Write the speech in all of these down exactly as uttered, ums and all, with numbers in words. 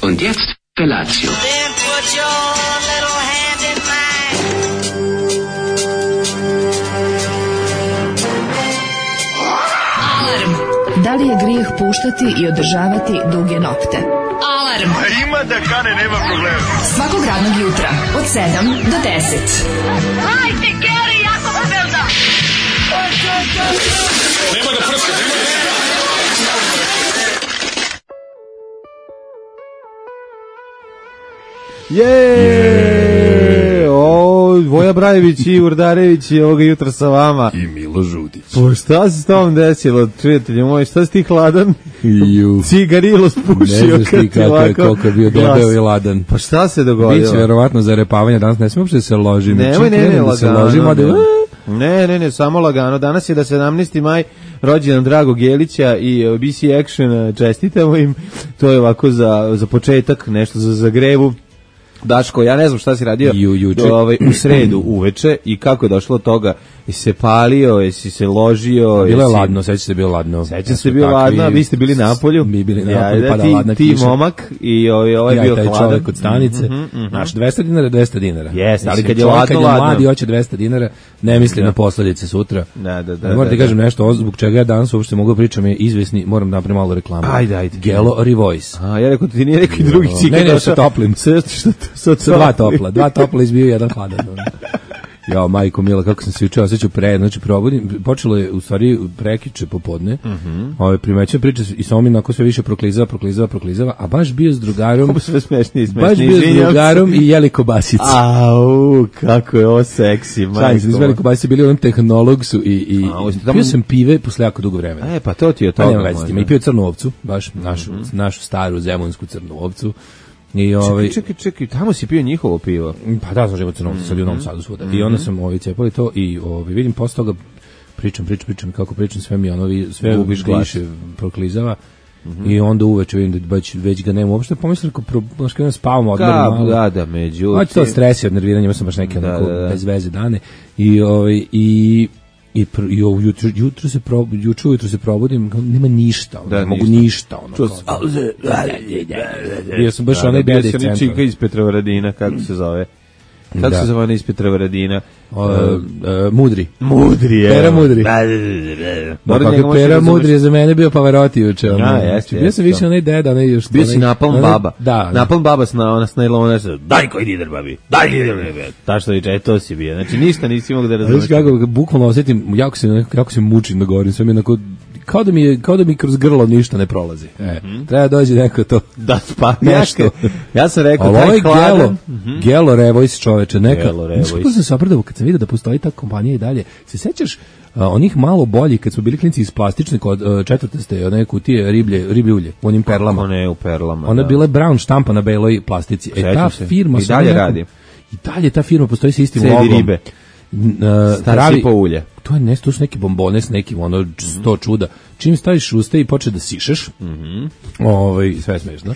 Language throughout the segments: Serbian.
Und jetzt Felatio. Then put your little hand in mine. Alarm. Da li je grijeh puštati i održavati duge nokte? Alarm. Ima da kane, nema problema. Svakog radnog jutra od sedam do deset. Hajde, Geri, jako se velda. Nema da prska, nema da prska. Je, o, Voja Brajević i Urdarević i ovoga jutra sa vama. I Milo Žudić. Pa šta se s tom desilo, prijatelju moj, šta si ti hladan? Ju. Cigarilo spušio. Ne znaš ti kako je, koliko je bio debel i ladan. Pa šta se dogodilo? Biće verovatno za repavanje danas, ne smijem uopšte da se ložim. Nemoj, ne, ne, da se lagano. ložim, a da... Ne, ne, ne, samo lagano. Danas je da sedamnaesti maj, rođendan Dragog Jelića i uh, B C Action, čestitamo im. To je ovako za, za početak, nešto za zagrevu. Daško, ja ne znam šta si radio Ju, juče. do, ovaj, u sredu uveče i kako je došlo do toga. Jesi se palio, jesi se ložio? Bilo je jesi... ladno, seća se bilo ladno. Seća se bilo ladno, a vi ste bili na polju. Mi bili na ja, polju, da, pada ti, ladna ti kiša. momak i ovaj, ovaj Ja bio i taj hladan. čovjek od stanice. Mm -hmm, mm -hmm. Znaš, dvesta dinara je dvesta dinara. Jeste, ali Mislim, kad je čovjek ladno, kad je ladno. mladi hoće dvesta dinara, ne misli Da. na posledice sutra. Da, da, da. Ne moram da, ti kažem nešto, ovo zbog čega ja danas uopšte mogu da pričam je izvesni, moram da napravim malo reklamu. Ajde, ajde. Gelo Revoice. A, ja rekao ti nije neki drugi Jo. cikl. Ne, ne, došao. sa toplim. Sa, što, sa, Sa dva topla, dva topla izbio jedan hladan. Ja, majko mila, kako sam se juče osjećao pre, znači probudim, počelo je u stvari prekiče popodne, mm -hmm. ove, primećujem priče i samo mi onako sve više proklizava, proklizava, proklizava, a baš bio s drugarom, Ovo sve smešnije i smešnije. baš bio s izvinjam se. drugarom i jeli kobasice. Au, kako je ovo seksi, majko. Šalim se, izveli kobasice, bili u onom tehnologsu i, i A, ovo ste tamo- pio sam pive posle jako dugo vremena. E, pa to ti je Pa to. nema veze s tim. I pio crnu ovcu, baš našu, našu staru zemunsku crnu ovcu. I ovaj Čekaj, čekaj, čekaj, tamo si pio njihovo pivo. pa da, sam živo crnu ovcu, sad je u Novom Sadu svuda. I onda sam ovaj cepali to i ovaj vidim posle toga pričam, pričam, pričam kako pričam, sve mi ono vi- sve Gubiš glas. više proklizava. I onda uveče vidim da već, već ga nema uopšte, pomislim kako baš kada spavamo odmorno Ka, malo. da, da, međutim. Znači to stres i od nerviranja, imao sam baš neke Da, onako da, da. bez veze dane i ovaj i i, pr, i ovo jutro, jutro se pro, juče ujutro se probudim, kao, nema ništa, ono, Da, ne mogu ništa. ništa, ono, Čuo kao, sam- bio sam baš Da, onaj da, bio dede iz si onaj centra. čika iz Petrovaradina, kako se zove? Kako Da. se zove onaj iz Petrovaradina? O, e, mudri. Mudri je. Pera Mudri. Da, da, da, da. Pa Moram njega kako možda Pera razumeš. Mudri je za mene bio Pavarotti juče. ono. Ja, jeste, Bio sam jeste. više onaj deda, onaj još... Bio si onaj- napalm onaj- baba. Da. Napalm baba s na ona s najlona se daj koji lider babi. Daj lider babi. Ta što viče, e, to si bio. Znači ništa nisi mogao da razumeš. Znaš kako, ga bukvalno osjetim, jako se, jako se mučim da govorim, sve mi onako, kao da mi, je, kao da mi kroz grlo ništa ne prolazi. E, treba dođe neko to... Da, pa Nešto. nešto. Ja sam rekao Ali ovo taj je hladan. Gelo, Gelo Revoice čoveče, neka. Gelo Revoice. Znaš kako sam se opredao kad sam vidio da postoji ta kompanija i dalje. Se sećaš a, onih malo boljih kad smo bili klinci iz plastične kod uh, četvrtaste, one kutije riblje, riblje ulje, u onim perlama. Kako ne, u perlama. Ona da. je bila brown štampa na beloj plastici. E Sećam ta se. firma I sa dalje nekom- radi. I dalje ta firma postoji sa istim Cedi logom. ribe. N- uh, Stari pravi- sipo ulje. To je nešto, to su neki bombone s nekim ono sto čuda. Čim staviš usta i počne da sišeš, mm ovaj, sve je smešno.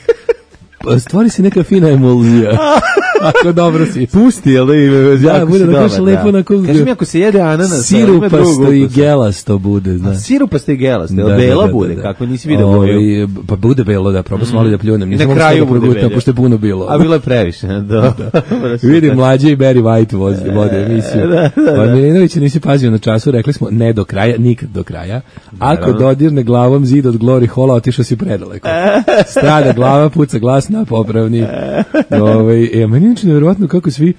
Pa stvori se neka fina emulzija. Ako dobro si. Pusti, jel da ime? Da, bude da kaže lepo na kugu. Kaži mi ako se jede ananas, Sirupasto i gelasto bude, znaš. Sirupasto i gelasto, Da, jel da, bela da, da, bude, da. kako nisi vidio Ovaj, boju. Pa bude belo, da, probao sam malo da pljunem. I Nisam na mogao kraju da bude progutam, belje. pošto je puno bilo. A bilo je previše, da. Vidim mlađe i Barry White vozi, vode emisiju. da, da, da. Od Milinovića nisi pazio na času, rekli smo ne do kraja, nikad do kraja. Ako Naravno. dodirne glavom zid od Glory Hola, otišao si predaleko. Strada glava, puca glas na popravni. Ovaj, e, meni je inače nevjerovatno kako svi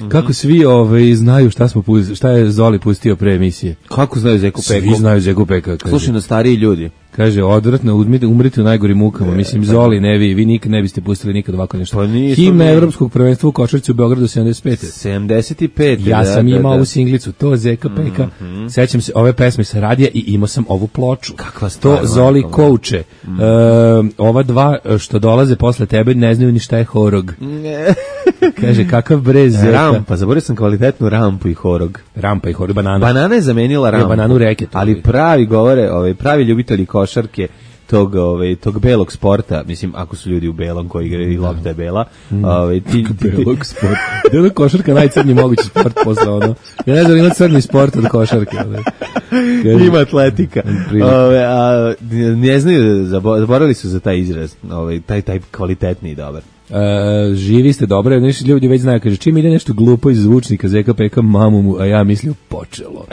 kako svi ovaj znaju šta smo pustili, šta je Zoli pustio pre emisije. Kako znaju Zeku Svi Peku? znaju Zeku Peka. Kaže. Slušaj na stariji ljudi. Kaže, odvratno, umrite, umrite u najgorim mukama. Mislim, Zoli, ne vi, vi nikad ne biste pustili nikad ovako nešto. Pa nismo Himna mi. Evropskog prvenstva u košarci u Beogradu sedamdeset pete. sedamdeset pet. Ja da, sam da, imao da. ovu singlicu, to Zeka Peka. Sećam se ove pesme sa radija i imao sam ovu ploču. Kakva stvar, To Zoli majko, Kouče. E, ova dva što dolaze posle tebe ne znaju ni šta je horog. Kaže, kakav brez Zeka. Rampa, zaboravio sam kvalitetnu rampu i horog. Rampa i horog, banana. Banana je zamenila rampu. bananu reket. Ali pravi govore, ovaj pravi ljubitelji košarke, tog, ovaj, tog belog sporta, mislim, ako su ljudi u belom koji igraju i lopta je bela, ovaj, ti, ti, belog sport. Da je košarka najcrnji mogući sport posle ono. Ja ne znam, ima crni sport od košarke. Ima atletika. Ove, a, ne znaju, zaboravili su za taj izraz, ovaj, taj, taj kvalitetni i dobar. Uh, živi ste dobro, nešto ljudi već znaju, kaže, čim ide nešto glupo iz zvučnika zeka peka mamu mu, a ja mislio počelo.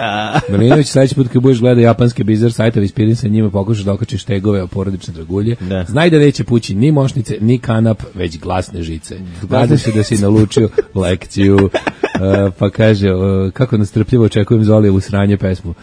Milinović, sledeći put kad budeš gledao japanske bizar sajtove, ispirim se njima, pokušaš da okačiš tegove o porodične dragulje. Da. Znaj da neće pući ni mošnice, ni kanap, već glasne žice. Nadam se da si nalučio lekciju. Uh, pa kaže, uh, kako nastrpljivo očekujem Zolijevu sranje pesmu.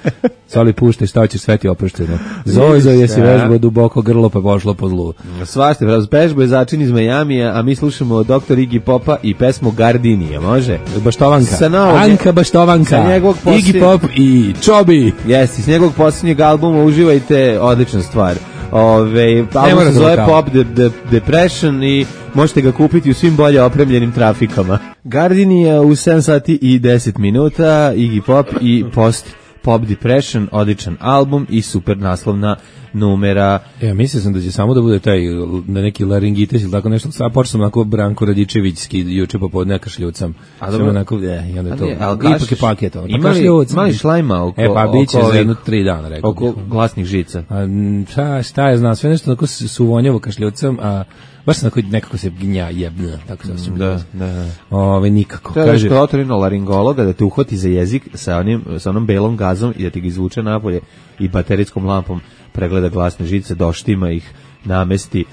Zoli, puštaj, šta hoćeš, sve ti oprošteno. Zozo, jesi vežbao duboko grlo, pa pošlo po zlu. Svašte, vežbo je začin iz Majamija, a mi slušamo doktor Iggy Popa i pesmu Gardinija, može? Baštovanka. Sa novog, Anka Baštovanka. Posljednje... Iggy Pop i Čobi. Jesi, s njegovog posljednjeg albuma uživajte, odlična stvar. Ove, album se zove Pop de, de, Depression i možete ga kupiti u svim bolje opremljenim trafikama. Gardinija u sedam sati i deset minuta, Iggy Pop i Post Pop Depression, odličan album i super naslovna numera. Ja mislio sam da će samo da bude taj na neki laringitis ili tako nešto. Sad počeo sam onako Branko Radičevićski juče popodne ja kašljucam. A dobro, onako, je, i onda je to. Ali, ali ipak je paket. Pa imali, imali šlajma oko... E pa bit će oko, za jedno tri dana, rekao. Oko glasnih žica. A, šta, šta je, znam, sve nešto onako suvonjavo kašljucam, a baš sam nekako se gnja jebna, tako se osjećam. Da, da, da. Ove, nikako. Treba kaže, da otorino laringologa da te uhvati za jezik sa, onim, sa onom belom gazom i da ti ga izvuče napolje i baterijskom lampom pregleda glasne žice, doštima ih, namesti,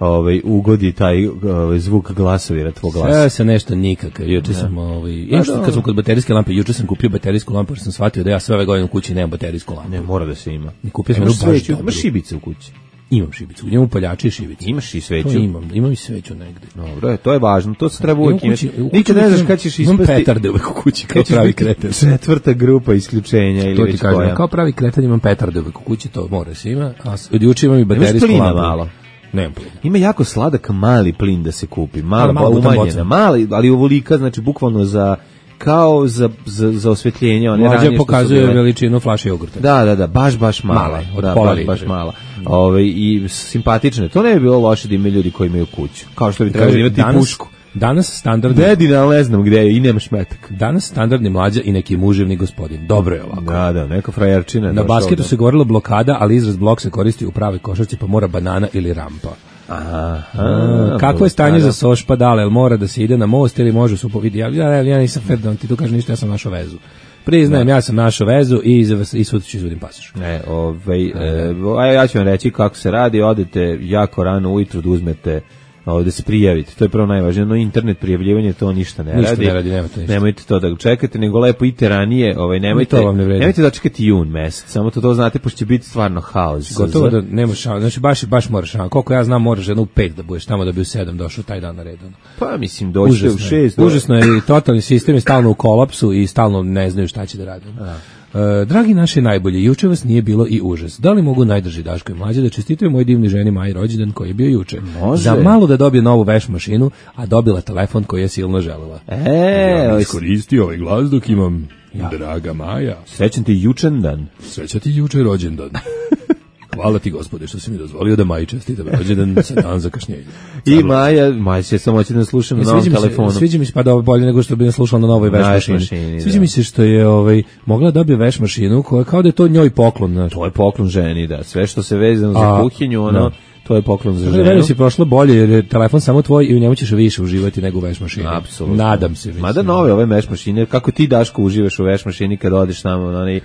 ovaj, ugodi taj ovaj, zvuk glasovira tvog glasa. Sve se nešto nikakav. Juče sam, ovaj, ja što kad smo kod baterijske lampe, juče sam kupio baterijsku lampu, jer sam shvatio da ja sve ove godine u kući nemam baterijsku lampu. Ne, mora da se ima. I kupio sam jednu baš dobru. Imaš šibice u kući? Imam šibicu, imam upaljače i šibice. Imaš i sveću? To imam, imam i sveću negde. Dobro, to je važno, to se treba uvijek imati. Nikad ne znaš kad ćeš ispasti... Imam petarde uvek u kući, kao pravi kreten. Četvrta grupa isključenja ili već koja. To ti kažem, kao pravi kreten imam petarde uvek u kući, to mora se ima. A od juče imam i baterijsku lampu. Malo. Nemam plina. Ima jako sladak mali plin da se kupi, mala, malo umanjena, mali, ali ovolika, znači bukvalno za... kao za, za, za osvetljenje. One Mlađe pokazuje veličinu flaše jogurta. Da, da, da, baš, baš mala. Mala, od da, pola baš, baš mala. Ove, i simpatične. To ne bi bilo loše da imaju ljudi koji imaju kuću. Kao što bi trebalo imati danas, pušku. Danas standardni... Dedina, ali ne znam gde je i nemaš metak. Danas standardni mlađa i neki muževni gospodin. Dobro je ovako. Da, da, neka frajerčina. Na basketu se govorilo blokada, ali izraz blok se koristi u pravoj košarci, pa mora banana ili rampa. Aha, aha, kako je stanje za Soš Padale, jel mora da se ide na most ili može su povidi? Ja, ja, ja nisam fer da ti tu kaže ništa, ja sam našao vezu. Priznajem, ja sam našao vezu i, i sud ću izvodim pasoš. Ne, ovaj, e, a ja ću vam reći kako se radi, odete jako rano ujutru da uzmete ovde se prijavite, to je prvo najvažnije, no internet prijavljivanje to ništa ne ništa radi. Ne radi nemojte, ništa. Nemojte to da čekate, nego lepo idite ranije, ovaj nemojte. To vam ne vredi. Nemojte da čekate jun mesec, samo to to znate pošto će biti stvarno haos. Gotovo da nemaš šanse. Znači baš baš moraš, koliko ja znam moraš jedno u pet da budeš tamo da bi u sedam došao taj dan na redu. Pa mislim doći u šest. Užasno je i totalni sistem je stalno u kolapsu i stalno ne znaju šta će da rade. Uh, dragi naši najbolji, juče vas nije bilo i užas. Da li mogu najdrži Daško i Mlađe da čestitaju moj divni ženi Maji rođendan koji je bio juče? Može. Za malo da dobije novu veš mašinu, a dobila telefon koji je silno želela. E, ja iskoristio ovaj glas dok imam ja. Draga Maja. Srećan ti jučendan. Srećan ti juče rođendan. Hvala ti gospode što si mi dozvolio da Maji čestitam rođendan sa dan zakašnjenja. I Maja, Maja će samo moći da slušam na novom telefonu. Sviđa mi se pa da bolje nego što bi ne slušala na novoj veš mašini. mašini Sviđa da. mi se što je ovaj mogla dobije veš mašinu koja kao da je to njoj poklon. Znači. To je poklon ženi, da. Sve što se vezano za kuhinju, ono no. To je poklon za ženu. Veri si prošlo bolje jer je telefon samo tvoj i u njemu ćeš više uživati nego u veš mašini. Apsolutno. Nadam se. Mada nove ove veš mašine, kako ti Daško uživaš u veš mašini kad odeš tamo na onaj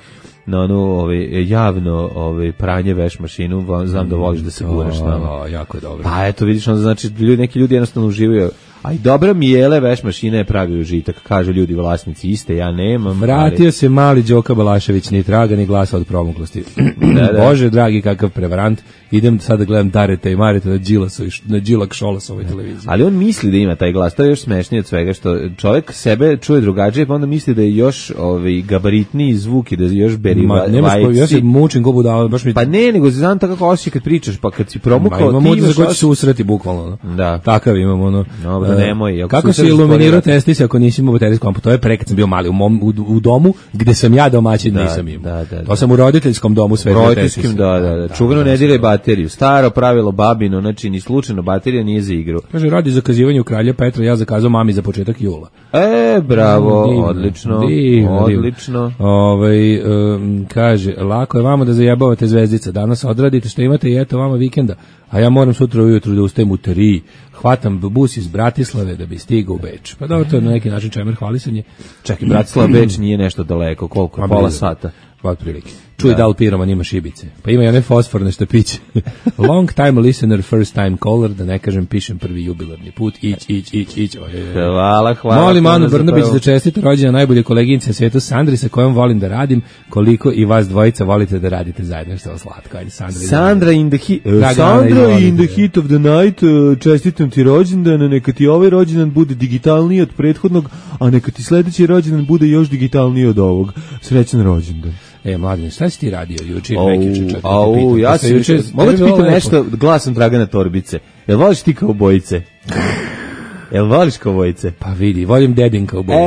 na onu ovaj javno ovaj pranje veš mašinu, znam da voliš da se guraš tamo. Jako je dobro. Pa eto vidiš, onda znači ljudi neki ljudi jednostavno uživaju. A i dobra mijele veš mašina je pravi užitak, kažu ljudi vlasnici iste, ja nemam. Vratio ali... se mali Đoka Balašević, ni traga ni glasa od promuklosti. Da, da. Bože dragi, kakav prevarant. Idem sad da gledam Dareta i Mareta na Đilasu, na Đilak Šolasovoj televiziji. Ali on misli da ima taj glas, to je još smešnije od svega, što čovjek sebe čuje drugačije, pa onda misli da je još ovaj, gabaritniji zvuk i da je još beri Ma, nemaš ko, ja se mučim go budala, baš mi... Pa ne, nego znam tako kako osjećaj kad pričaš, pa kad si promukao... Ma imam utisak koji će se usreti bukvalno. Da. Takav imam, ono. Dobro, nemoj. Ako Kako se si iluminirao spori- testis ako nisi imao baterijsku lampu? To je pre kad sam bio mali u, mom, u, u domu gde sam ja domaćin, Da, nisam imao. da, da, da. To sam u roditeljskom domu sve Roditeljskim, da, da, da. Čuveno ne diraj bateriju. Staro pravilo babino, znači ni slučajno baterija nije za igru. Kaže, radi zakazivanje u Kralja Petra, ja zakazao mami za početak jula. E, bravo, Divno, odlično, divno, odlično. Ovaj, um, kaže, lako je vama da zajebavate zvezdica, danas odradite što imate i eto vama vikenda, a ja moram sutra ujutru da ustajem u tri, hvatam bus iz Bratislave da bi stigao u Beč. Pa dobro, to je na neki način čemer hvalisanje. Čekaj, Bratislava Beč nije nešto daleko, koliko? Ma, Pola blizu. sata. Pa otprilike. Čuj da li piroman ima šibice. Pa ima i one fosforne štapiće. Long time listener, first time caller, da ne kažem pišem prvi jubilarni put. Ić, ić, ić, ić. Hvala, hvala. Molim Anu puno za Brnabić pravo. da čestite rođendan najbolje koleginice na svetu Sandri sa kojom volim da radim, koliko i vas dvojica volite da radite zajedno, što je slatko. Ajde, Sandra. Sandra in the hit, Dragana, Sandra izvolite. in the hit of the night, uh, čestitam ti rođendan, neka ti ovaj rođendan bude digitalniji od prethodnog, a neka ti sledeći rođendan bude još digitalniji od ovog. Srećan rođendan. E, mladine, šta si ti radio juče ili Au, prekjuče, čekaj, te au, pitam. ja Pa sam juče- juče, mogu tebi ti je bilo pitam lepo. nešto glasom Dragana Torbice. Jel voliš ti kao bojice? Jel voliš kao bojice? Pa vidi, volim Dedin kao bojice.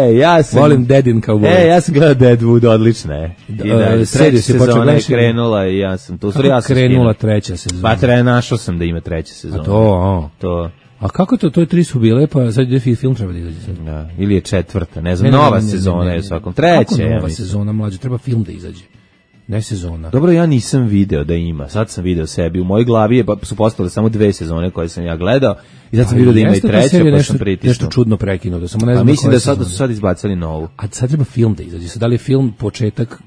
E, ja sam... Volim Dedin kao bojice. E, ja sam gledao Deadwood, odlična je. I Da, da, e, serio treća si počeo sezona je gledaš ili- krenula i ja sam tu. Kako Ja sam krenula skinuo. treća sezona? Pa treba, našao sam da ima treća sezona. A to, a. To, A kako to, to je tri su bile, pa sad ide film treba da izađe sad. da, ili je četvrta, ne znam, Ne, ne, nova ne, ne, sezona ne, ne, je ne. svakom. Treća, Kako ja nova mislim. sezona, mlađe, treba film da izađe. Ne sezona. Dobro, ja nisam video da ima. Sad sam video sebi. U mojoj glavi je, pa su postale samo dve sezone koje sam ja gledao. I sad sam video da ima i Jeste ta treća, serija pa nešto, sam pritisnuo. nešto čudno prekinuto, samo ne Pa znam. mislim koje da sad da sezone. su sad izbacili novu. A sad treba film da izađe. Sad da li je film početak,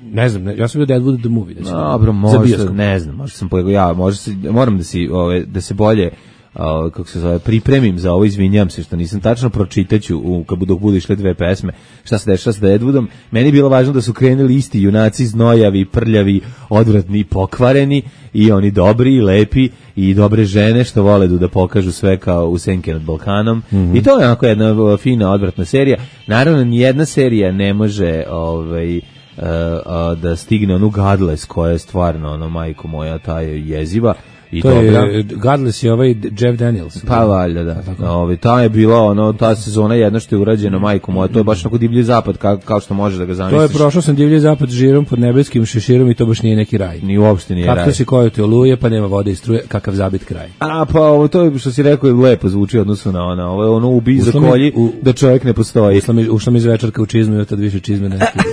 ne znam, ne, ja sam vidio Deadwood the Movie. Da će Dobro, za možda, bioskop. ne znam, možda sam pojego, ja, možda se, moram da si, ove, da se bolje, o, kako se zove, pripremim za ovo, izvinjam se što nisam tačno, pročitaću u, kad budu, budu išle dve pesme, šta se dešava sa Deadwoodom. Meni je bilo važno da su krenuli isti junaci, znojavi, prljavi, odvratni, pokvareni, i oni dobri, i lepi, i dobre žene što vole da pokažu sve kao u Senke nad Balkanom. Mm-hmm. I to je onako jedna o, fina, odvratna serija. Naravno, nijedna serija ne može ovaj, uh, uh, da stigne onu Godless koja je stvarno, ono, majko moja, ta je jeziva. I To dobra. je, Godless je ovaj Jeff Daniels. Pa valjda, da. Ovi, ta je bila, ono, ta sezona jedna što je urađena, majko moja, to je baš onako divlji zapad, kao, kao što možeš da ga To zamisliš. je prošao sam divlji zapad žirom pod nebeskim šeširom i to baš nije neki raj. Ni uopšte nije raj. Kako si koju te oluje, pa nema vode i struje, kakav zabit kraj. A, pa ovo, to je, što si rekao, je lepo zvuči u odnosu na ono, ovo je ono ubi za Ušla mi- kolji, u- da čovjek ne postoji. Ušla mi, ušla mi iz večerka u čizmu i od tad više čizme ne skida.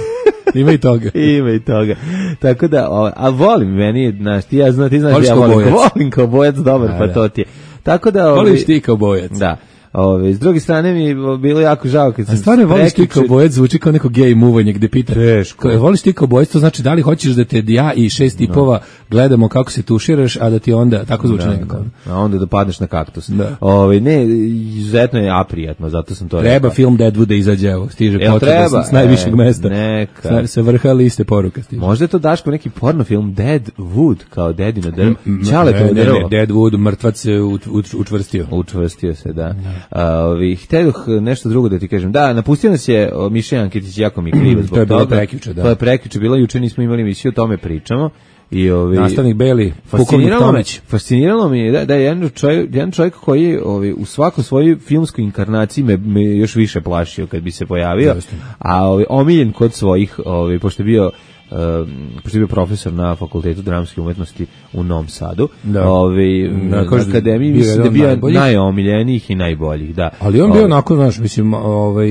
Ima i toga. Ima i toga. Tako da, o, a volim, meni, je, znaš, ti ja znam, ti znaš, Voliš ja kao volim, bojac. volim kao bojac, dobar, Da, pa da. to ti je. Tako da, ovi, Voliš ti kao bojac. Da. Ove, s druge strane mi je bilo jako žao kad sam... A stvarno voliš ti prekjuče- kao bojac, zvuči kao neko gej muvanje gde pita. Teško. Kao, voliš ti kao bojac, to znači da li hoćeš da te ja i šest tipova gledamo kako se tuširaš, a da ti onda, tako zvuči Da, nekako. da. A onda da padneš na kaktus. Da. Ove, ne, izuzetno je aprijatno, zato sam to Treba rekao. film Deadwood da izađe, evo, stiže Jel potreba treba? s najvišeg E, mesta. neka. Sa, sa vrha liste poruka stiže. Možda je to Daško neki porno film Deadwood, kao dedino drvo. Čale Ne, to ne, ne, drvo. Deadwood, mrtvac se ut- ut- učvrstio. Učvrstio se, da. A, ovi, htedoh nešto drugo da ti kažem. Da, napustio nas je o, Miša Jankitić, jako mi je krivo zbog To je bilo toga. prekjuče, da. To je prekjuče, bilo juče, nismo imali emisiju, o tome pričamo. I, ovi, Nastavnik Beli, pukovnik Fasciniralo me, Tomić. fasciniralo mi je da, da je jedan čovjek, jedan čovjek koji je ovaj, u svakoj svojoj filmskoj inkarnaciji me, me još više plašio kad bi se pojavio, Jeste. a ovaj, omiljen kod svojih, ovaj, pošto je bio Um, pošto je bio profesor na Fakultetu dramske umetnosti u Novom Sadu, Da. ovaj, Da, na kažu da akademiji bio mislim da je jedan bio najboljih. najomiljenijih i najboljih, da. Ali on bio Ovaj, onako, znaš, mislim, ovaj...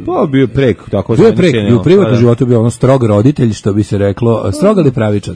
pa bio prek, tako Bio je zvaničan, prek, i u ono, privatnom pa da. životu bio ono strog roditelj, što bi se reklo, strog ali pravičan.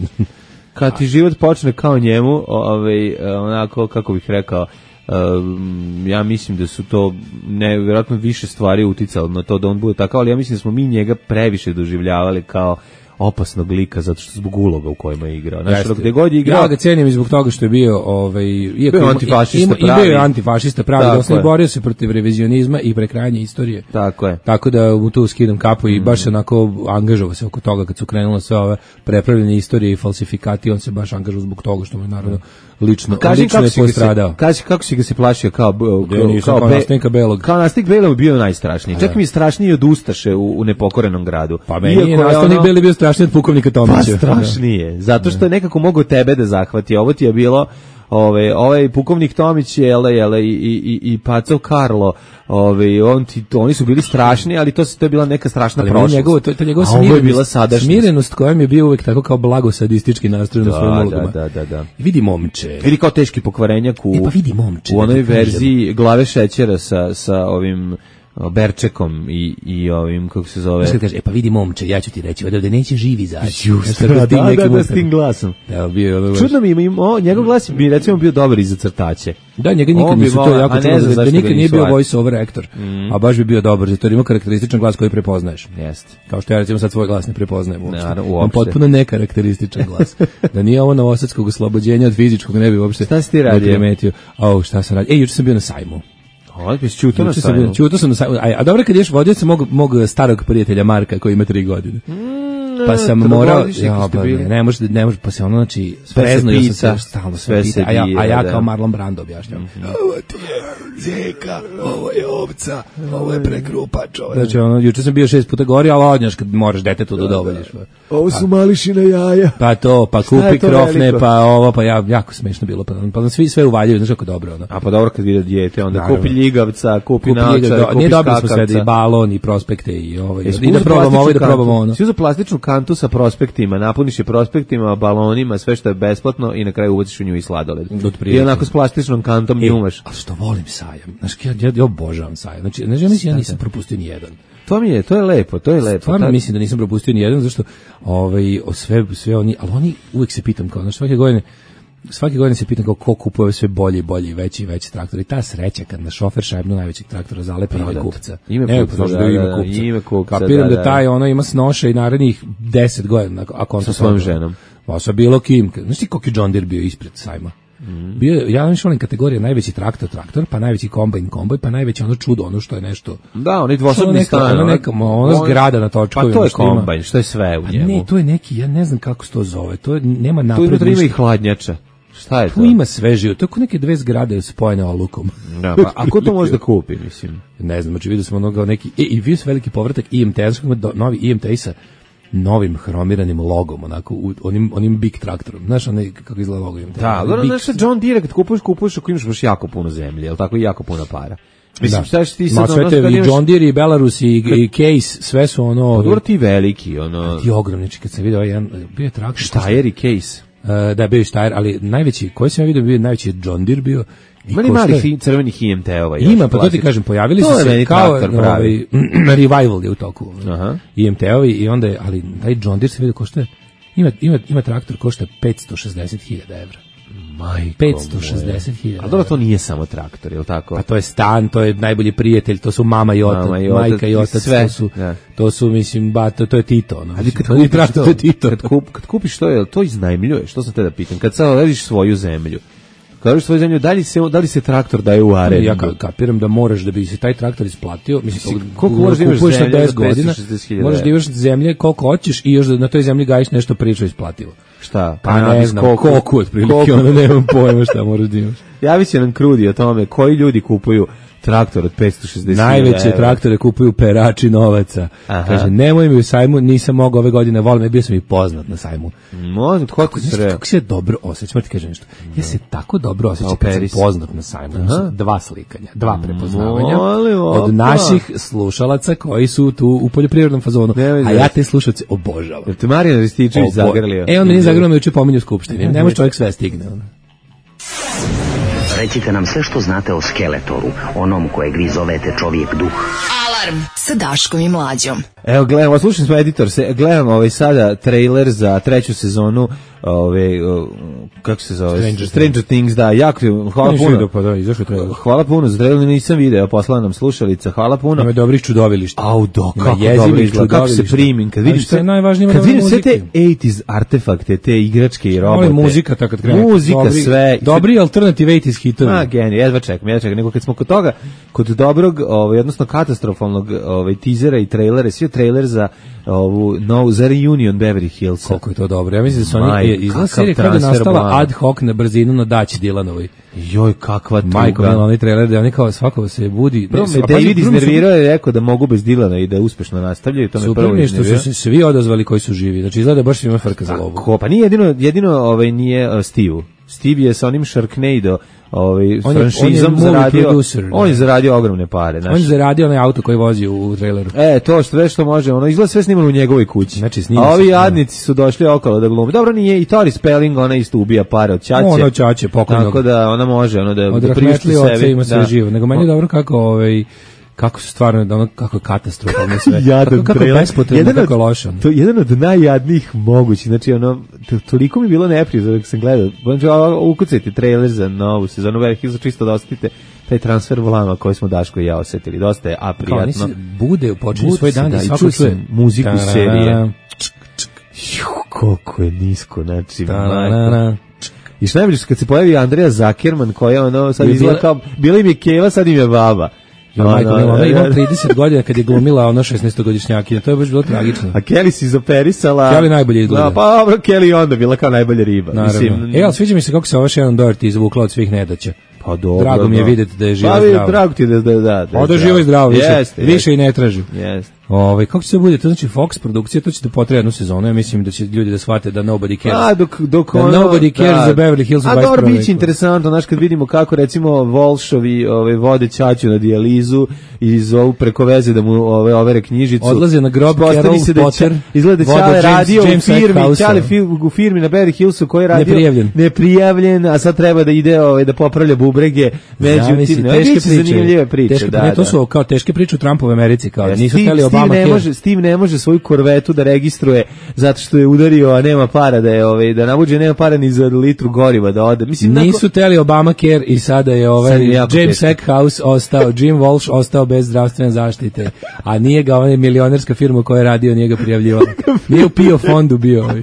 Kad ti život počne kao njemu, ovaj, onako, kako bih rekao, um, ja mislim da su to ne, vjerojatno više stvari uticalo na to da on bude takav, ali ja mislim da smo mi njega previše doživljavali kao opasnog lika zato što zbog uloga u kojima je igrao. Znači, Jeste. gde god je igrao, Ja ga cenim i zbog toga što je bio, ovaj, iako Bio ima- antifašista ima- i bio pravi. je antifašista pravi, Tako dosta i je. borio se protiv revizionizma i prekrajanja istorije. tako je. Tako da mu tu skidam kapu i baš se onako angažovao se oko toga kad su krenule sve ove prepravljene istorije i falsifikati, on se baš angažovao zbog toga što mu je naravno lično, Kaži lično kako je si ga se, postradao. kaži kako si ga se plašio kao Ja nisam kao be- nastavnika Belog. Kao nastavnik Belog bio najstrašniji. Čak mi je strašniji od Ustaše u, u nepokorenom gradu. Pa meni je Iako nastavnik ono- Beli bio strašniji od pukovnika Pa Tomića. strašnije, zato što je nekako mogao tebe da zahvati. Ovo ti je bilo Ove, ovaj pukovnik Tomić je ele, ele, i, i, i Pacov Karlo, ove, on ti, to, oni su bili strašni, ali to, to je bila neka strašna ali prošlost. Njegovo, to, to njegova A ovo je bila smirenost, sadašnjost. smirenost kojom je bio uvek tako kao blago sadistički nastrojen u svojim Da, ulogama. da, da, da. Vidi momče. Vidi kao teški pokvarenjak u, E pa vidi momče. u onoj da ti kažem. verziji glave šećera sa, sa ovim o, Berčekom i, i ovim, kako se zove... Znaš kad kaže, e pa vidi momče, ja ću ti reći, ovdje neće živi izaći. Just, Znaš, tako da, s tim da, nekim da, da, s ustanom. tim glasom. Da, bio je ono baš- Čudno mi ima, ima o, njegov glas bi recimo bio dobar i za crtače. Da, njega On nikad bi nisu to volao, jako a ne čulo, znam da, da zašto ga nikad nije nisu bio ajde. voice over actor, Mm. a baš bi bio dobar, zato jer ima karakterističan glas koji prepoznaješ. Jeste. Kao što ja recimo sad svoj glas ne prepoznajem uopšte. Naravno, Imam uopšte. potpuno nekarakterističan glas. Da nije ovo novosadskog oslobođenja od fizičkog, ne bi uopšte Šta si ti radio? ne primetio. Au, šta sam radio? Ej, juče sam bio na sajmu. Ovo bi čuto na Juče sam bio, sajmu. čuto sam na sajmu. A, a dobro kad ješ vodio sam mog, mog starog prijatelja Marka koji ima tri godine. Pa sam morao, trogodišnjak ja, ste pa bili. ne, ne može, ne može, pa se ono, znači, Sve se sprezno pita, sam se stalno sve sve se pita, a ja, bije, a ja da. kao Marlon Brando objašnjam. Ovo ti je zeka, ovo je ovca, ovo je prekrupač. Ovo je- Znači, ono, juče sam bio šest puta gori, ali odnjaš kad moraš detetu da dovoljiš. Ovo su mališina jaja. Pa to, pa je kupi to krofne, veliko? pa ovo, pa ja, jako smešno bilo, pa, pa nam svi sve uvaljuju, znaš kako dobro, ono. A pa dobro kad vide dijete, onda Naravno. kupi ljigavca, kupi Kupi naočare, njega, do- kupi nije dobili smo sve, da i skakavca. balon, i prospekte, i ovo, Jesi i da uzeo probamo ovo, i da plastičnu probamo kantu? ono. Si uzeo plastičnu kantu sa prospektima, napuniš je prospektima, balonima, sve što je besplatno i na kraju ubaciš u nju i sladoled. Otprilike. I onako s plastičnom kantom E, njumaš. a što volim sajam. Znaš, ja, ja, ja obožavam sajam. Znači, znači, ja mislim, ja nisam propustio ni jedan. To mi je, to je lepo, to je lepo. Stvarno Ta- mislim da nisam propustio ni jedan, zašto ovaj, o sve, sve oni, ali oni uvek se pitam kao, znaš, svake godine, svake godine se pitam kao ko kupuje ove sve bolje i bolje i veći i veći traktor. I ta sreća kad na šofer šajbnu najvećeg traktora zalepi ime Prodat. kupca. Ime Ne, kupca, pa znaš da, da je ime da, da, kupca. ime kupca, Kapiram da, da, da. taj ono ima snoša i narednih deset godina. Ako on Sa to svojom sad- ženom. Pa sa bilo kim. Znaš ti koliki John Deere bio ispred sajma? Mhm. Bio, je- ja vam volim kategorije najveći traktor, traktor, pa najveći kombajn, kombaj, pa najveći ono čudo, ono što je nešto. Da, onaj Ono dvosobni neka- stan. ono ona- neka- ona zgrada na točkovima, Pa to je što ima. kombajn, što je sve u A njemu. ne, to je neki, ja ne znam kako se to zove. To je, nema Tu napred. unutra ima i ništa. hladnjača. Šta je to? Tu ima sve živo. To je kao neke dve zgrade spojene olukom. Da, pa, a ko to može da kupi, mislim? Ne znam, znači vidio smo onoga neki, e, i vidio sam veliki povratak I M T, ja sam do- novi I M T sa novim hromiranim logom, onako, u, onim, onim big traktorom. Znaš, onaj, kako izgleda logo I M T? Da, dobro, Big- znaš, John Deere, kad kupuješ, kupuješ ako imaš baš jako puno zemlje, jel tako, i jako puno para. Mislim, Da. šta ćeš ti Ma sad, sve ono, te kad i imaš- John Deere i Belarus i, i Case, sve su ono... Pa dobro, ti veliki, ono, Ti ogromni, znači kad sam vidio ovaj jedan, bio je traktor... Štajer i Case. Uh, da, bio je Štajer, ali najveći, koji sam ja vidio, bio je najveći John Deere bio. I Ima li košta je- malih hi- crvenih I M T-ova? još, Ima, pa to ti klasičnih? kažem, pojavili To su je se meni kao traktor pravi. ovaj, revival je u toku. Aha. I M T-ovi i onda je, ali taj John Deere se vidio košta, ima, ima, ima traktor košta petsto šezdeset hiljada evra. Majko petsto šezdeset hiljada. A dobro, to nije samo traktor, je li tako? A to je stan, to je najbolji prijatelj, to su mama i otac, Mama i otac, majka i i otac, sve. to su, Da. to su, mislim, ba, to, to je Tito. Ono, Ali mislim, kad to nije kupiš traktor, to, to je Tito. kad, kup, kad kupiš to, je li to iznajmljuješ? Što sam te da pitam? Kad sad radiš svoju zemlju, kad radiš svoju zemlju, da li se, da li se traktor daje u arendu? Ja ka- kapiram da moraš da bi se taj traktor isplatio, mislim Mislim, koliko koliko moraš da imaš kupuješ na zemlje za deset godina, petsto šezdeset hiljada možeš da imaš zemlje koliko hoćeš i još da na toj zemlji gajiš nešto priča isplativo. Šta? Pa ne Kanabis, znam, koku, koliko otprilike, koku. onda nemam pojma šta moraš da imaš. Javit će nam Krudi o tome koji ljudi kupuju traktor od petsto šezdeset Najveće evra. traktore kupuju perači novaca. Aha. Kaže, nemoj mi u sajmu, nisam mogao ove godine, volim me, bio sam i poznat na sajmu. Možda, tko ti Znaš sre? kako se dobro osjećam, ti kažem nešto. Ja se tako dobro osjećam Kao kad sam Peris. poznat na sajmu. Aha. Dva slikanja, dva prepoznavanja Molim, opa. od naših slušalaca koji su tu u poljoprivrednom fazonu. Nemoj A ja zezati. te slušalce obožavam. Jel te Marijan Rističević Obo- zagrlio? E, on meni zagrlio me juče pominju u skupštini. Ne može čovjek sve stigne. ono. Recite nam sve što znate o Skeletoru, onom kojeg vi zovete čovjek duh. Alarm sa Daškom i Mlađom. Evo, gledamo, slušali smo editor, se, gledamo ovaj sada trailer za treću sezonu, ovaj, o, kako se zove? Stranger Stranger Things, da, jako, hvala Nisi puno. vidio, pa da, izašao je trailer. Hvala puno, za trailer nisam video, poslala nam slušalica, hvala puno. Ima dobrih čudovilišta. Au, do, Ima kako jezivih dobro izgleda, kako se čudovilišta. primim, kad Ali vidim što je sve, najvažnije, ima kad dobre vidim sve te muzike. osamdesetih artefakte, te igračke i robote. Volim muzika tako kad krene. Muzika, Dobri- sve. Dobri alternative osamdeset hitovi. A, genij, jedva čekam, jedva čekam. Nego kad smo kod toga, kod dobrog, ovaj, odnosno katastrofalnog ovaj, teasera i trailera, svi trailer za ovu novu, za reunion Beverly Hillsa. Koliko je to dobro. Ja mislim da su oni, Maj, je izgleda kakav serija kada je transfer nastala plan. ad hoc na brzinu na Daći Dilanovoj. Joj, kakva tuga. Majko, mila, onaj trailer da oni kao svako se budi. Prvo Ne, me a pazi, David prvo mi su- iznervirao je rekao da mogu bez Dilana i da uspešno nastavljaju, to me Super prvo mi je što iznervirao. su se svi odazvali koji su živi. Znači izgleda baš svima frka za lovu. Ko, pa nije jedino, jedino ovaj, nije uh, Steve. Steve je sa onim Sharknado ovaj On je- franšizom on je movie zaradio, producer, on je da. zaradio ogromne pare, On znaš. je zaradio onaj auto koji vozi u traileru. E, to što sve što može, ono izgleda sve snimano u njegovoj kući. Znači, snima A se, ovi da. jadnici su došli okolo da glume. Dobro, nije i Tori Spelling, ona isto ubija pare od ćaće. Ono ćaće pokojnog. Tako da ona može ono da, Od da priušti rahmetli oca sebi. ima sve da. živo. Nego meni je dobro kako ovaj kako su stvarno da ono kako je katastrofalno sve. Jadan kako, kako je trailer. bespotrebno, Jedan kako je od- loše. ono. To je jedan od najjadnijih mogućih. Znači, ono, to- toliko mi je bilo neprijatno dok sam gledao. Znači, ovo, ukucajte trailer za novu sezonu Beverly Hills, čisto da osetite taj transfer vlama koji smo Daško i ja osetili. Dosta je Kao oni aprijatno. se bude, počinju Bude svoj se, dan da, da i svako čuo čuje sam muziku Ta-ra-ra, serije. Ju, koliko je nisko, znači, majko. ta-ra-ra. I što najbolje, kad se pojavi Andreja Zakerman, koja ono, sad Je izgleda bila- kao, bila im je keva, sad im je baba. Ja, majko, Ono, mila, ona ima da. trideset godina kad je glumila ono šesnaestogodišnjakinja. To je baš bilo tragično. A Kelly si izoperisala. Kelly najbolje izgleda. Da, pa dobro, Kelly je onda bila kao najbolja riba. Naravno. Mislim, E, ali sviđa mi se kako se ova Shannon Doherty izvukla od svih nedaća. pa dobro. Drago mi je da. vidjeti da je živa Pa, i vidi, zdrava. drago ti je da, da, da, da. O, da je živo i zdravo, više, Jeste, više jeste. i ne traži. Jeste. Ovaj kako će se bude, to znači Fox produkcija, to će da potraje jednu sezonu. Ja mislim da će ljudi da shvate da nobody cares. A, dok, dok Da ono, nobody cares za Beverly Hills u A dvadeset dobro, prvom bit će veku. interesantno, znaš, kad vidimo kako, recimo, Volšovi ove, vode ćaću na dijalizu i zovu preko veze da mu ove, overe knjižicu. Odlaze na grob Ispostavi Carol se da je Potter, Ća- izgleda da voda Ćale James- radio James u firmi, Eckhouse. Ćale fi- u firmi na Beverly Hillsu koji je radio Neprijavljen. neprijavljen, a sad treba da ide ove, da popravlja bubrege. Zamisli, Međutim, ne, teške bit će priče. zanimljive priče. Teške, da, ne, to da. su kao teške priče u Trumpovoj Americi, kao Ja, nisu Steve- hteli Steve Obama ne care. može, Steve ne može svoju korvetu da registruje zato što je udario, a nema para da je ovaj da navuđe, nema para ni za litru goriva da ode. Mislim Nisu teli Obamacare i sada je ovaj Sad je jako James teško. Eckhouse ostao, Jim Walsh ostao bez zdravstvene zaštite, a nije ga onaj milionerska firma koja je radio, nije ga prijavljivala. Nije u P I O fondu bio ovaj.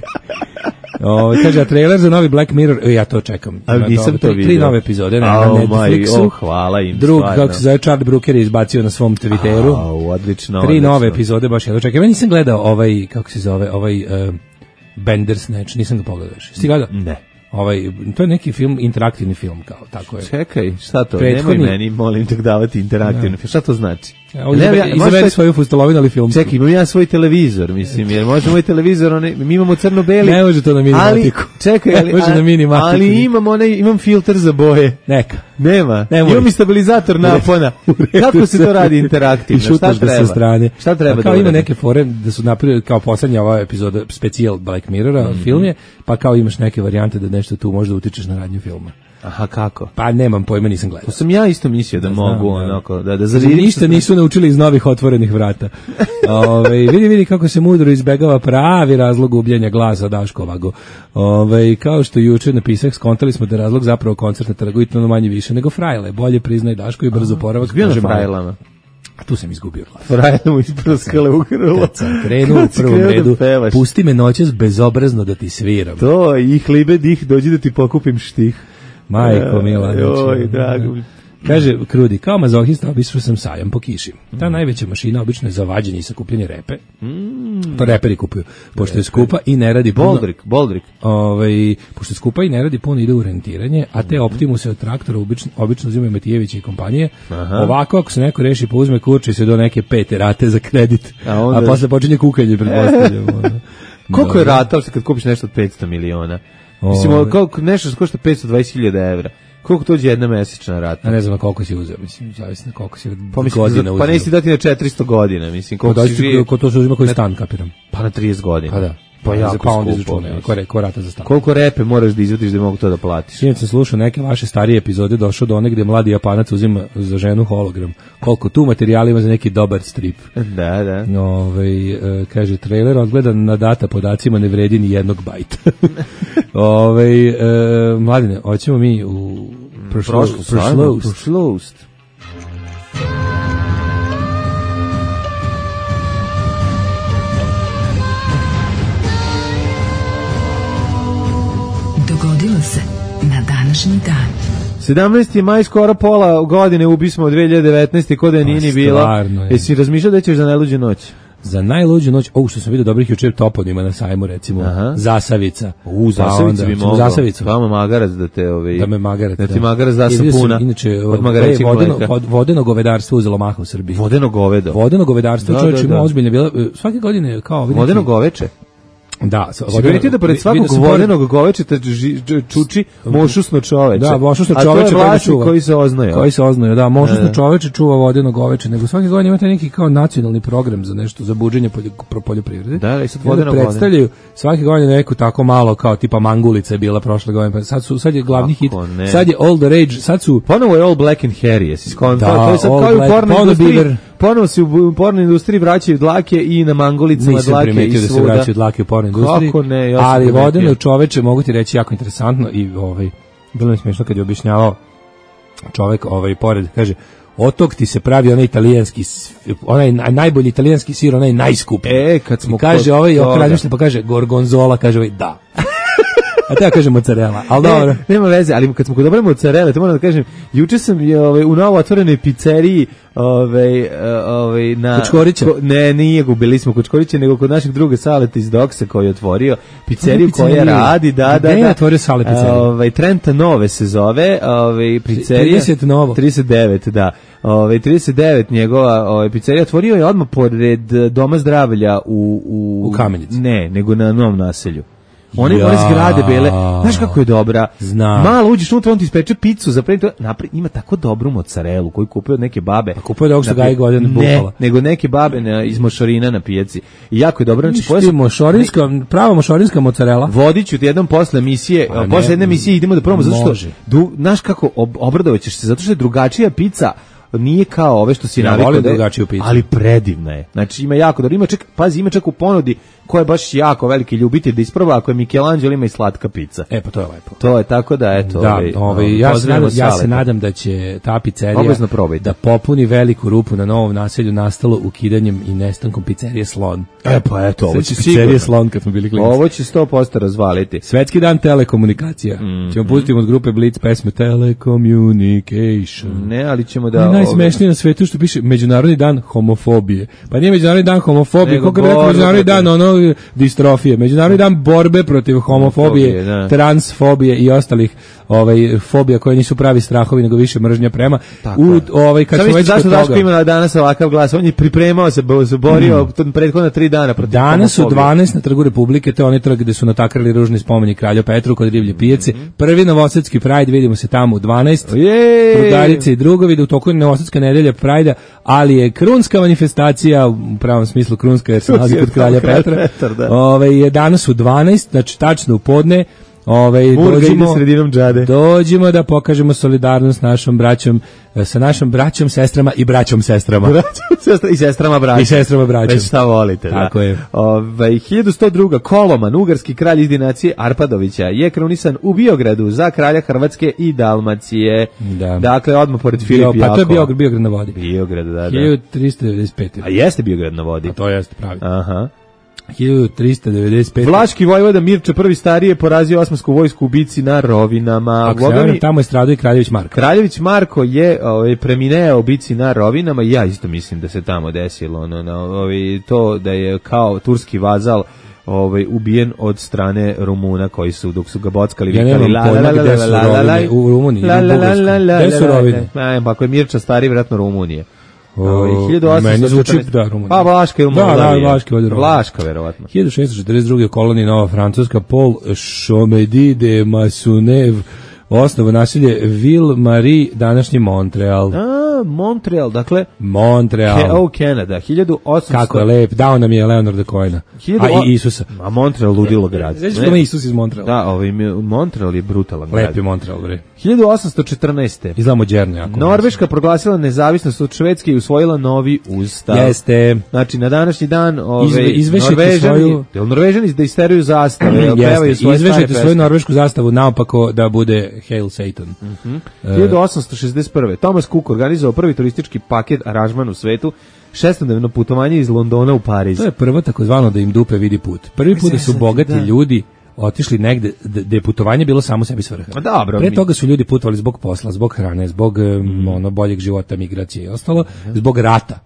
Ovaj kaže, a trailer za novi Black Mirror, e, ja to čekam. A Ima nisam to tri, tri vidio. nove epizode na, Au, na maj, Netflixu. oh, hvala im, Drug, stvarno. kako se zove, Charlie Brooker je izbacio na svom Twitteru. Au, odlično. Tri odlično. nove epizode, baš ja to čekam. Ja nisam gledao ovaj, kako se zove, ovaj uh, Bandersnatch, nisam ga pogledao još. Jesi gledao? Ne. Ovaj, to je neki film, interaktivni film, kao, tako je. Čekaj, šta to? Prethodni- Nemoj meni, molim te, davati interaktivno. Šta to znači? Evo, Ne, izaberi- ja- možeš izaberi taj- svoju fustolovinu ali film. Čekaj, imam ja svoj televizor, mislim, jer može moj televizor, one, mi imamo crno-beli. Ne može to na mini ali, matiku. čekaj, Ne ali, može na mini matiku. ali imam, onaj, imam filter za boje. Neka. Nema. Ne može. Imam i stabilizator napona. Kako se to radi interaktivno? I šutaš Šta ga sa treba? strane. Šta treba Pa kao da ima uradim? neke fore da su napravili kao poslednja ova epizoda specijal Black Mirrora, Mhm. film je, pa kao imaš neke varijante da nešto tu možda utičeš na radnju filma. Aha, kako? Pa nemam pojma, nisam gledao. To sam ja isto mislio da, Da znam, mogu, da. onako, da, da Znači, zavidim. ništa nisu naučili iz novih otvorenih vrata. Ove, vidi, vidi kako se mudro izbegava pravi razlog gubljenja glasa Daškovago. Ove, kao što juče napisah, skontali smo da je razlog zapravo koncert na trgu i to manje više nego frajle. Bolje priznaj Daško i brzo poravak. Bio na kaže Maja. frajlama. A tu sam izgubio glas. Frajle mu isprskale u grlo. Kad sam krenuo u Kad si prvom krenuo da redu, pevaš. pusti me noćas bezobrazno da ti sviram. To, i hlibe dih, dođi da ti pokupim štih. Majko mila. E, znači, Joj, drago mi. Kaže, Krudi, kao mazohista obišao sam sajam po kiši. Ta najveća mašina obično je za vađenje i sakupljanje repe. To reperi kupuju. Pošto je skupa i ne radi puno... Boldrik, Boldrik. Ovaj, pošto je skupa i ne radi puno, ide u rentiranje, a te Optimuse od traktora obično, obično uzimaju Matijevića i kompanije. Ovako, ako se neko reši, pa uzme kurči se do neke pete rate za kredit, A a, onda- posle počinje kukanje, pretpostavljamo. ono. Koliko je Dobro. ratal se kad kupiš nešto od petsto miliona? Mislim, Ovaj. koliko, nešto što košta petsto dvadeset hiljada evra. Koliko to je jedna mesečna rata? A ne znam na koliko si uzeo, mislim, zavisno na koliko si Pa, mislim, godina za- uzeo. pa nisi dati na četiristo godina, mislim, Pa koliko si dođi živio? ko to se uzima koji Na- stan, kapiram. Pa na trideset godina. Pa da. Pa jako pa onda skupo, izračunaj, mislim. ko, re- ko rata za stan. Koliko repe moraš da izvadiš da mogu to da platiš? Sinoć sam slušao neke vaše starije epizode, došao do one gde mladi Japanac uzima za ženu hologram. Koliko tu materijala ima za neki dobar strip. Da, da. Ovaj e, kaže, trailer odgledan na data podacima ne vredi ni jednog bajta. Ovaj e, mladine, hoćemo mi u prošlo, prošlost. Prošlost. Dogodilo se na današnji dan. sedamnaesti maj, skoro pola godine, ubismo od dve hiljade devetnaeste. Kod da nije ni bila. stvarno je. Jesi razmišljao da ćeš za najluđu noć? Za najluđu noć, o, što sam vidio dobrih jučer toponima na sajmu, recimo, Aha. Zasavica. U, Pa Zasavicu onda, bi recimo, mogao. Zasavicu. Vama magarac da te... Ovaj, Da me magarac. Da ti magarac da I vidio sam, sapuna. Inače, Od od magarećeg vodeno, mleka. od vodeno govedarstvo uzelo maha u Srbiji. Vodeno govedo. Vodeno govedarstvo, Da, čovječ da, ima da. ozbiljne bila, svake godine kao... vidite, Vodeno goveče. Da, Si primetio da pored svakog vodenog govečeta čuči mošusno čoveče. Da, mošusno čoveče. A to je vlasnik koji se oznaje. Koji se oznaje, da, mošusno čoveče čuva vodeno goveče, nego svake godine imate neki kao nacionalni program za nešto, za buđenje poljoprivrede. Da, i sad vodeno predstavljaju svake godine neku tako malo kao tipa mangulica je bila prošle godine, pa sad su sad je glavni hit. Sad je all the rage, sad su ponovo je all black and hairy, jesi skontao, to je sad kao i u porno industriji. Ponovo se u porno industriji vraćaju dlake i na mangulicama dlake i da se vraćaju dlake u porno industriji. Kako ne, ja ali vodeno čoveče, mogu ti reći, jako interesantno i ovaj bilo mi smiješno kad je objašnjavao čovek ovaj pored, kaže otok ti se pravi onaj italijanski, onaj najbolji italijanski sir, onaj najskuplji. E, kad smo I kaže ovaj okradnište, pa kaže gorgonzola, kaže ovaj da. A te ja kažem mozzarella, ali dobro. Ne, nema veze, ali kad smo kod dobre mozzarelle, to moram da kažem, juče sam je ovaj, u novo otvorenoj pizzeriji ovaj, ovaj, na... Kučkorića? Ko, ne, nije gubili smo Kučkorića, nego kod našeg druga Saleta iz Doksa koji je otvorio pizzeriju koja radi, da, da, da. Gde je otvorio Sale pizzeriju? Ovaj, Trenta Nove se zove, ovaj, pizzerija... trideset Novo. trideset devet, da. Ovaj, trideset devet njegova ovaj, pizzerija otvorio je odmah pored Doma zdravlja u... U, u Kamenici? Ne, nego na Novom naselju. One ja. zgrade bele, znaš kako je dobra. Znam. Malo uđeš unutra, on ti ispeče picu, zapravo napred, ima tako dobru mozzarelu koju kupuje od neke babe. A kupuje od ovog što gaji godine bukala. Ne, nego neke babe na, iz Mošorina na pijaci. I jako je dobro. Znači, pojas... mošorinska, prava mošorinska mozzarela. Vodiću ti jednom posle emisije, a posle jedne emisije idemo da probamo, zato što, du, znaš kako, ob, obradovaćeš se, zato što je drugačija pica, nije kao ove što si ja navikao, drugačiju picu. Ali predivna je. Znači ima jako dobro, ima čak, pazi, ima čak u ponudi ko je baš jako veliki ljubitelj da isproba, ako je Michelangelo ima i slatka pica. E pa to je lepo. To je tako da eto, da, ovaj, ovaj ja se nadam, ja se nadam da će ta pizzerija da popuni veliku rupu na Novom naselju nastalo ukidanjem i nestankom pizzerije Slon. E pa eto, ovo će pizzerije Slon kad smo bili klinci. Ovo će sto posto razvaliti. Svetski dan telekomunikacija. Mm, ćemo pustiti od grupe Blitz pesme Telecommunication. Ne, ali ćemo da najsmešnije na svetu što piše Međunarodni dan homofobije. Pa nije Međunarodni dan homofobije, kako bi rekao Međunarodni dan ono distrofije. Međunarodni dan borbe protiv homofobije, homofobije transfobije i ostalih ovaj fobija koje nisu pravi strahovi nego više mržnja prema. U ovaj kad smo već zašto Daško ima danas ovakav glas, on je pripremao se, borio mm. prethodna tri dana protiv danas u dvanaest na Trgu Republike, to je onaj trg gde su natakrali ružni spomenik kralju Petru kod Rivlje pijace. Mm. Prvi novosadski Pride, vidimo se tamo u dvanaest. Drugarice i drugovi, da u toku novosadska nedelja Prajda, ali je krunska manifestacija u pravom smislu krunska jer se nalazi kod kralja Petra. Ovaj je danas u dvanaest, znači tačno u podne. Ovaj dođemo sredinom džade. Dođemo da pokažemo solidarnost našom braćom, sa našom braćom, sestrama i braćom sestrama. Braćom, sestra i sestrama braćom. I sestrama braćom. Već šta volite, tako da. je. Ovaj hiljadu sto dva. Koloman, ugarski kralj iz dinacije Arpadovića, je krunisan u Biogradu za kralja Hrvatske i Dalmacije. Da. Dakle, odmah pored Filipa Jakova. Pa to je Biograd, Biograd na vodi. Biograd, da, da. hiljadu trista devedeset pete. A jeste Biograd na vodi. A to jeste pravi. Aha. hiljadu trista devedeset pete. Vlaški vojvoda Mirče prvi starije porazio osmansku vojsku u bici na Rovinama. Ako se javim, tamo je stradao i Kraljević Marko. Kraljević Marko je ovaj, premineo u bici na Rovinama i ja isto mislim da se tamo desilo ono, na, ovaj, to da je kao turski vazal ovaj ubijen od strane Rumuna koji su dok su ga bockali ja vikali la la la la la u Rumuniji la la la la la gde su Rovine? Pa ako je Mirča stari vjerojatno Rumunije. O, meni zvuči da Rumunija. Pa Vlaška je Rumunija. Da, da, Vlaška je Vlaška verovatno. hiljadu šessto četrdeset druge. kolonija Nova Francuska, Paul Chomedy de Maisonneuve osnovu naselje Ville-Marie, današnji Montreal. A, Montreal, dakle Montreal. Ke, oh, Canada, hiljadu osamsto. Kako je lep, dao nam je Leonarda Cohena. A i Isusa. A Montreal ludilo grad. Znači da me Isus iz Montreala. Da, ovaj Montreal je brutalan grad. Lep je Montreal, bre. hiljadu osamsto četrnaeste. Izgleda moderno jako. Norveška proglasila nezavisnost od Švedske i usvojila novi ustav. Jeste. Znači na današnji dan ove Izve, Norvežani, svoju... Norvežani da isteruju zastave, pevaju svoje izvešite svoju norvešku zastavu naopako da bude Hail Satan. Mm-hmm. uh, hiljadu osamsto šezdeset prve. Thomas Cook organizovao prvi turistički paket aranžman u svetu, šestodnevno putovanje iz Londona u Pariz. To je prvo takozvano da im dupe vidi put. Prvi put da su bogati da. ljudi otišli negde da je putovanje bilo samo sebi svrha. Dobro, pre toga su ljudi putovali zbog posla, zbog hrane, zbog mm. ono boljeg života, migracije i ostalo, zbog rata.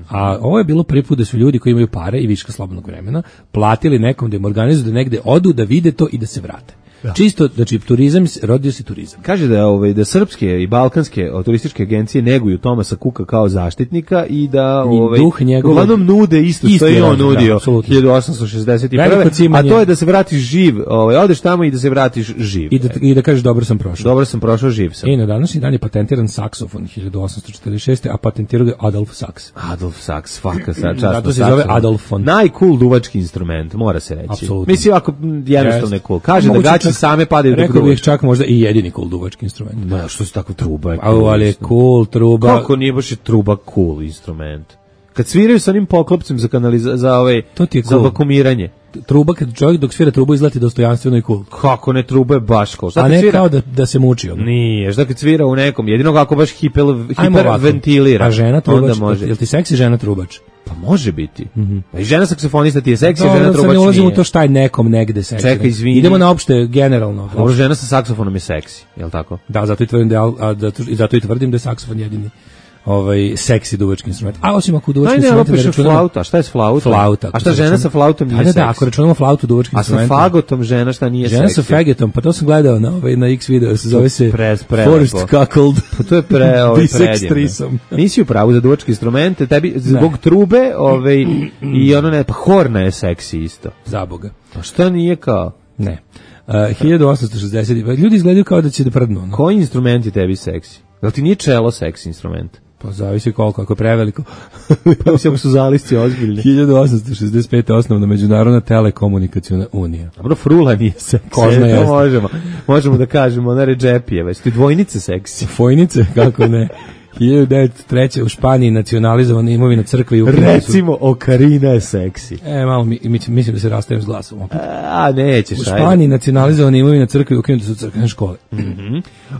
A ovo je bilo prvi put da su ljudi koji imaju pare i viška slobodnog vremena platili nekom da im organizuju da negde odu, da vide to i da se vrate. Čisto, znači, turizam, rodio se turizam. Kaže da ovaj da srpske i balkanske o, turističke agencije neguju Tomasa Kuka kao zaštitnika i da ovaj duh njegovog- uglavnom nude isto Isti što je on razlog, da, nudio apsolutno. hiljadu osamsto šezdeset prve. Veliko cimanje. A to je da se vratiš živ, ovaj odeš tamo i da se vratiš živ. I da, i da kažeš dobro sam prošao. Dobro sam prošao, živ sam. I na današnji dan je patentiran saksofon hiljadu osamsto četrdeset šeste. a patentirao ga je Adolf Saks. Adolf Saks, svaka sa čast. Zato se zove Adolfon. Najcool duvački instrument, mora se reći. Apsolutno. Mislim, ako jednostavno je cool. Kaže da Moguće gaće čak- same padaju dok Rekao bih duvaš. čak možda i jedini cool duvački instrument. Ma, što su tako truba? A, ali je cool, truba. Kako nije baš je truba cool instrument? Kad sviraju sa onim poklopcem za kanaliza, za ovaj To ti je za cool. vakumiranje. Truba, kad čovjek dok svira trubu izleti dostojanstveno i cool. Kako ne, truba je baš cool. Šta A kad ne svira? kao da, da se muči. Ono. Nije, šta kad svira u nekom, jedino kako baš hiper, Ajmo ovako. hiperventilira. A žena trubač, Onda može. jel ti seksi žena trubač? Pa može biti. Pa i žena saksofonista ti je seksi, a Dobro, žena sad trubač ne ulazimo u nije. to šta je nekom negde seksi. Čekaj, izvini. Idemo na opšte, generalno. Dobro, žena sa saksofonom je seksi, je li tako? Da, zato i tvrdim da, je al- a, da, i zato i tvrdim da je saksofon jedini ovaj seksi duvački instrument. A osim ako duvački Aj ne, instrument ovo piše flauta, a šta je s flautom? Flauta. A šta žena sa flautom nije Da, da, seksi? da, ako računamo flautu duvački A sa instrument. fagotom žena šta nije Žena seksi? sa fagetom, pa to sam gledao na ovaj na X video, se zove se Pres- prelepo. Forest Cuckold. Pa to je pre, ovaj, Bisex predivno. threesome. Nisi u pravu za duvačke instrumente, tebi zbog trube ovaj, i ono ne, pa horna je seksi isto. Za Boga. Pa šta nije kao? Ne. Uh, hiljadu osamsto šezdeset. Ljudi izgledaju kao da će da prdnu. No? Koji instrument je tebi seksi? Jel ti nije čelo seksi instrument? Pa zavisi koliko, ako je preveliko. Pa mislim ako su zalisci ozbiljni. hiljadu osamsto šezdeset pete. osnovna Međunarodna telekomunikaciona unija. Dobro, frula nije seksi. Kožna to jeste. možemo. Možemo da kažemo, ona Redžepijeva. Jesi ti dvojnice seksi? Fojnice, kako ne. hiljadu devetsto treće. u Španiji nacionalizovana imovina crkve i ukinuti su. Recimo, Okarina je seksi. E, malo mi, mi, mislim da se rastajem s glasom. opet. A, nećeš, U ajde. Španiji nacionalizovana imovina crkve i ukinuti su crkvene škole.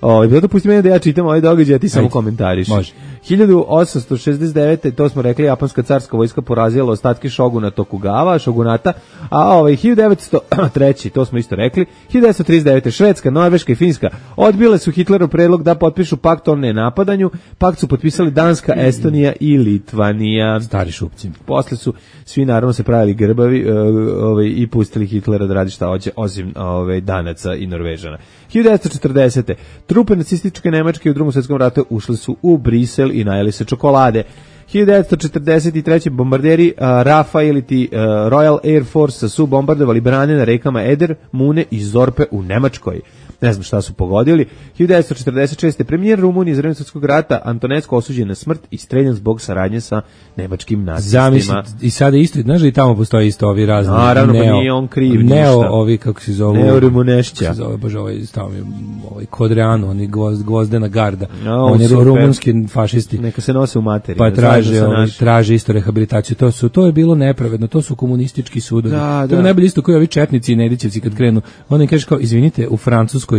Ovaj bilo dopusti meni da ja čitam ovaj događaj, a ti samo Ajde. komentariš. Može. hiljadu osamsto šezdeset devete. to smo rekli, japanska carska vojska porazila ostatke šoguna Tokugawa, šogunata, a ovaj hiljadu devetsto treće. to smo isto rekli, hiljadu devetsto trideset devete. Švedska, Norveška i Finska odbile su Hitlerov predlog da potpišu pakt o nenapadanju. Pakt su potpisali Danska, Estonija i Litvanija. Stari šupci. Posle su svi naravno se pravili grbavi e, ovaj, i pustili Hitlera da radi šta hoće, osim ovaj, Danaca i Norvežana. hiljadu devetsto četrdesete. Trupe nacističke Nemačke u Drugom svjetskom ratu ušli su u Brisel i najeli se čokolade. hiljadu devetsto četrdeset treće. bombarderi uh, Rafa ili ti uh, Royal Air Force su bombardovali brane na rekama Eder, Mune i Zorpe u Nemačkoj. Ne znam šta su pogodili. hiljadu devetsto četrdeset šeste. premijer Rumunije za vreme svjetskog rata Antonescu osuđen na smrt i streljan zbog saradnje sa nemačkim nacistima. Zamisli, i sada isto, znaš da i tamo postoji isto ovi razni. Naravno, pa neo, nije on kriv Neo, ništa. ovi, kako se zovu. Neo Rumunešća. Kako se zove, bože, ovaj, stao mi, ovaj, Kodreanu, oni gvozd, gvozdena garda. Ja, oni super. rumunski fašisti. Neka se nose u materiju. Pa da traže, zajedno sa ovaj, našim. traže isto rehabilitaciju. To su, to je bilo nepravedno, to su komunistički sudovi. Da, to je da. najbolje isto koji ovi četnici i Nedićevci kad krenu. Oni kaže kao, izvinite, u Francuskoj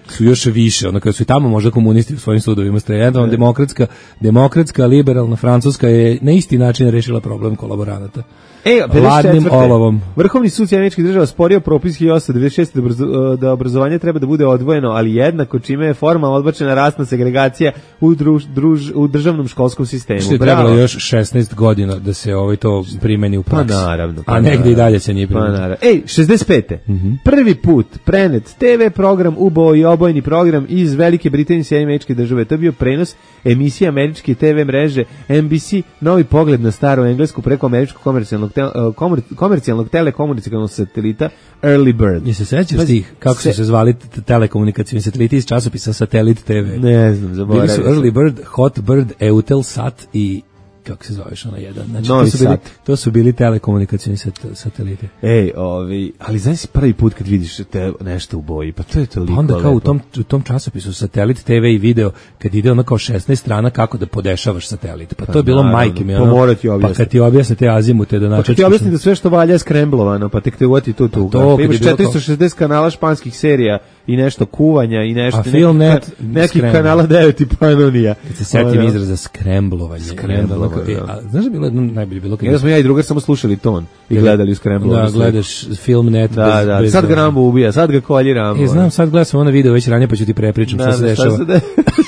su još više, ono kada su i tamo možda komunisti u svojim sudovima streljani, demokratska, demokratska, liberalna Francuska je na isti način rešila problem kolaboranata. E, Ladnim pedeset četvrte. olovom. Vrhovni sud Američkih država sporio propis hiljadu osamsto devedeset šeste. da, obrazo- da obrazovanje treba da bude odvojeno, ali jednako, čime je formalno odbačena rasna segregacija u, druž, druž, u državnom školskom sistemu. Što je Bravo. trebalo još šesnaest godina da se ovaj to primeni u Pa praksi. naravno. Pa A negde naravno. i dalje se nije Pa primenio. naravno. Ej, šezdeset pete. Mhm. Prvi put prenet te ve program, ubo i obojni program iz Velike Britanije i Sjedinjenih Američkih Država. To je bio prenos emisije američke te ve mreže N B C, novi pogled na staru englesku preko američkog komercijalnog, te, komer, komercijalnog telekomunikacionog satelita Early Bird. Je se sećaš Pazi, tih, kako se- su se zvali t- telekomunikacijni sateliti iz časopisa Satelit te ve? Ne znam, Bili zaboravio su sam. Early Bird, Hot Bird, Eutelsat i kako se zoveš ona jedan. Znači, Novi to, su bili, Sat. to su bili telekomunikacijni sat, sateliti. Ej, ovi, ali znaš si prvi put kad vidiš te nešto u boji, pa to je toliko Pa onda kao u lepo. tom, u tom časopisu Satelit te ve i video, kad ide ono kao šesnaest strana kako da podešavaš satelit. Pa, to je bilo naravno, majke mi. pa Ono, mora ti pa objasniti. kad ti objasne te azimute da Pa kad načeš. ti objasnim da sve što valja je skremblovano, pa tek te uvati tu tuga. to, Pa kad imaš je bilo četiristo šezdeset kanala španskih serija i nešto kuvanja i nešto... A neki Filmnet, ka- Nekih skrembl. kanala devet i Panonija. Kad se setim Ono, izraza skremblovanje. Skremblovanje, E, da. a znaš da je bilo jedno najbolje bilo kad Ja smo ja i drugar samo slušali ton i gledali u skremblovanu da sliku. gledaš Filmnet Da, bez, da, bez sad ga Rambo ubija, sad ga kolji Rambo. E, znam, sad gledam sam ono video već ranije, pa ću ti prepričam Da, šta se da, šta dešava se de-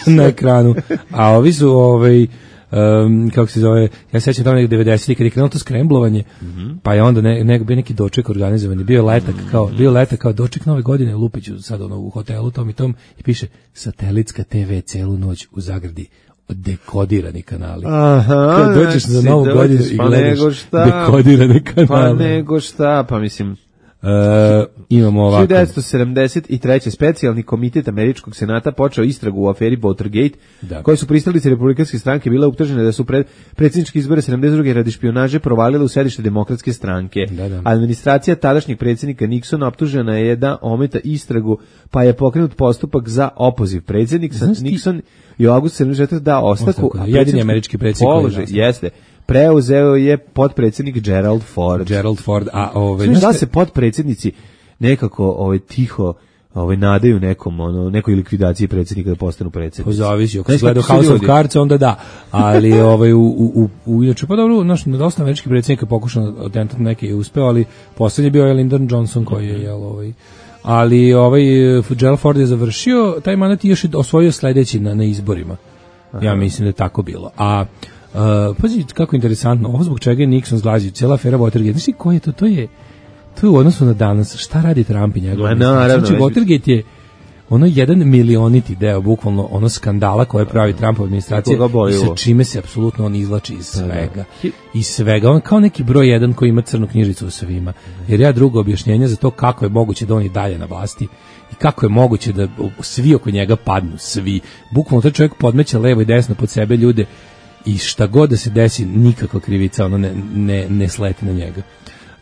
na ekranu. A ovi su, ovaj, um, kako se zove, ja sećam tamo nekog devedesetih kad je krenulo to skremblovanje, mm-hmm. pa je onda ne, ne, bio neki doček organizovan, bio letak kao, bio letak kao doček nove godine u Lupiću, sad ono u hotelu tom i tom, i piše satelitska te ve celu noć u zagradi, dekodirani kanali. Aha, kad dođeš znači, za novu godinu i pa gledaš šta, dekodirane kanale. Pa nego šta, pa mislim... Uh, imamo ovako. hiljadu devetsto sedamdeset treće specijalni komitet američkog senata počeo istragu u aferi Watergate, da. Koje su pristalice republikanske stranke bile optužene da su pred predsjednički izbore sedamdeset druge radi špijunaže provalile u sedište demokratske stranke. Da, da. Administracija tadašnjeg predsjednika Nixona optužena je da ometa istragu, pa je pokrenut postupak za opoziv. Predsjednik Nixon je u avgustu sedamdeset četvrte dao ostavku, a jedini američki predsjednik položaj jeste preuzeo je potpredsjednik Gerald Ford. Gerald Ford, a ovaj da se potpredsjednici nekako ovaj tiho ovaj nadaju nekom ono nekoj likvidaciji predsjednika da postanu predsjednici. Pozavisi, ako se gleda House of Cards onda da, ali ovaj u u u inače pa dobro, naš dosta američkih predsjednika pokušao atentat neki je uspeo, ali poslednji je bio Lyndon Johnson koji je jel ovaj ali ovaj Gerald Ford je završio taj mandat i još je osvojio sledeći na na izborima. Aha. Ja mislim da je tako bilo. A Uh, pazi kako interesantno, ovo zbog čega je Nixon zglazio, cijela afera Watergate, znaš ko je to, to je, to je u odnosu na danas, šta radi Trump i njegov? Znači, Watergate je ono jedan milioniti deo, bukvalno ono skandala koje pravi Trumpova administracija i sa čime se apsolutno on izvlači iz svega. Iz svega, on kao neki broj jedan koji ima crnu knjižicu u svima. Jer ja drugo objašnjenje za to kako je moguće da on i dalje na vlasti i kako je moguće da svi oko njega padnu, svi. Bukvalno taj čovjek podmeće levo i desno pod sebe ljude i šta god da se desi, nikakva krivica ono ne, ne, ne sleti na njega.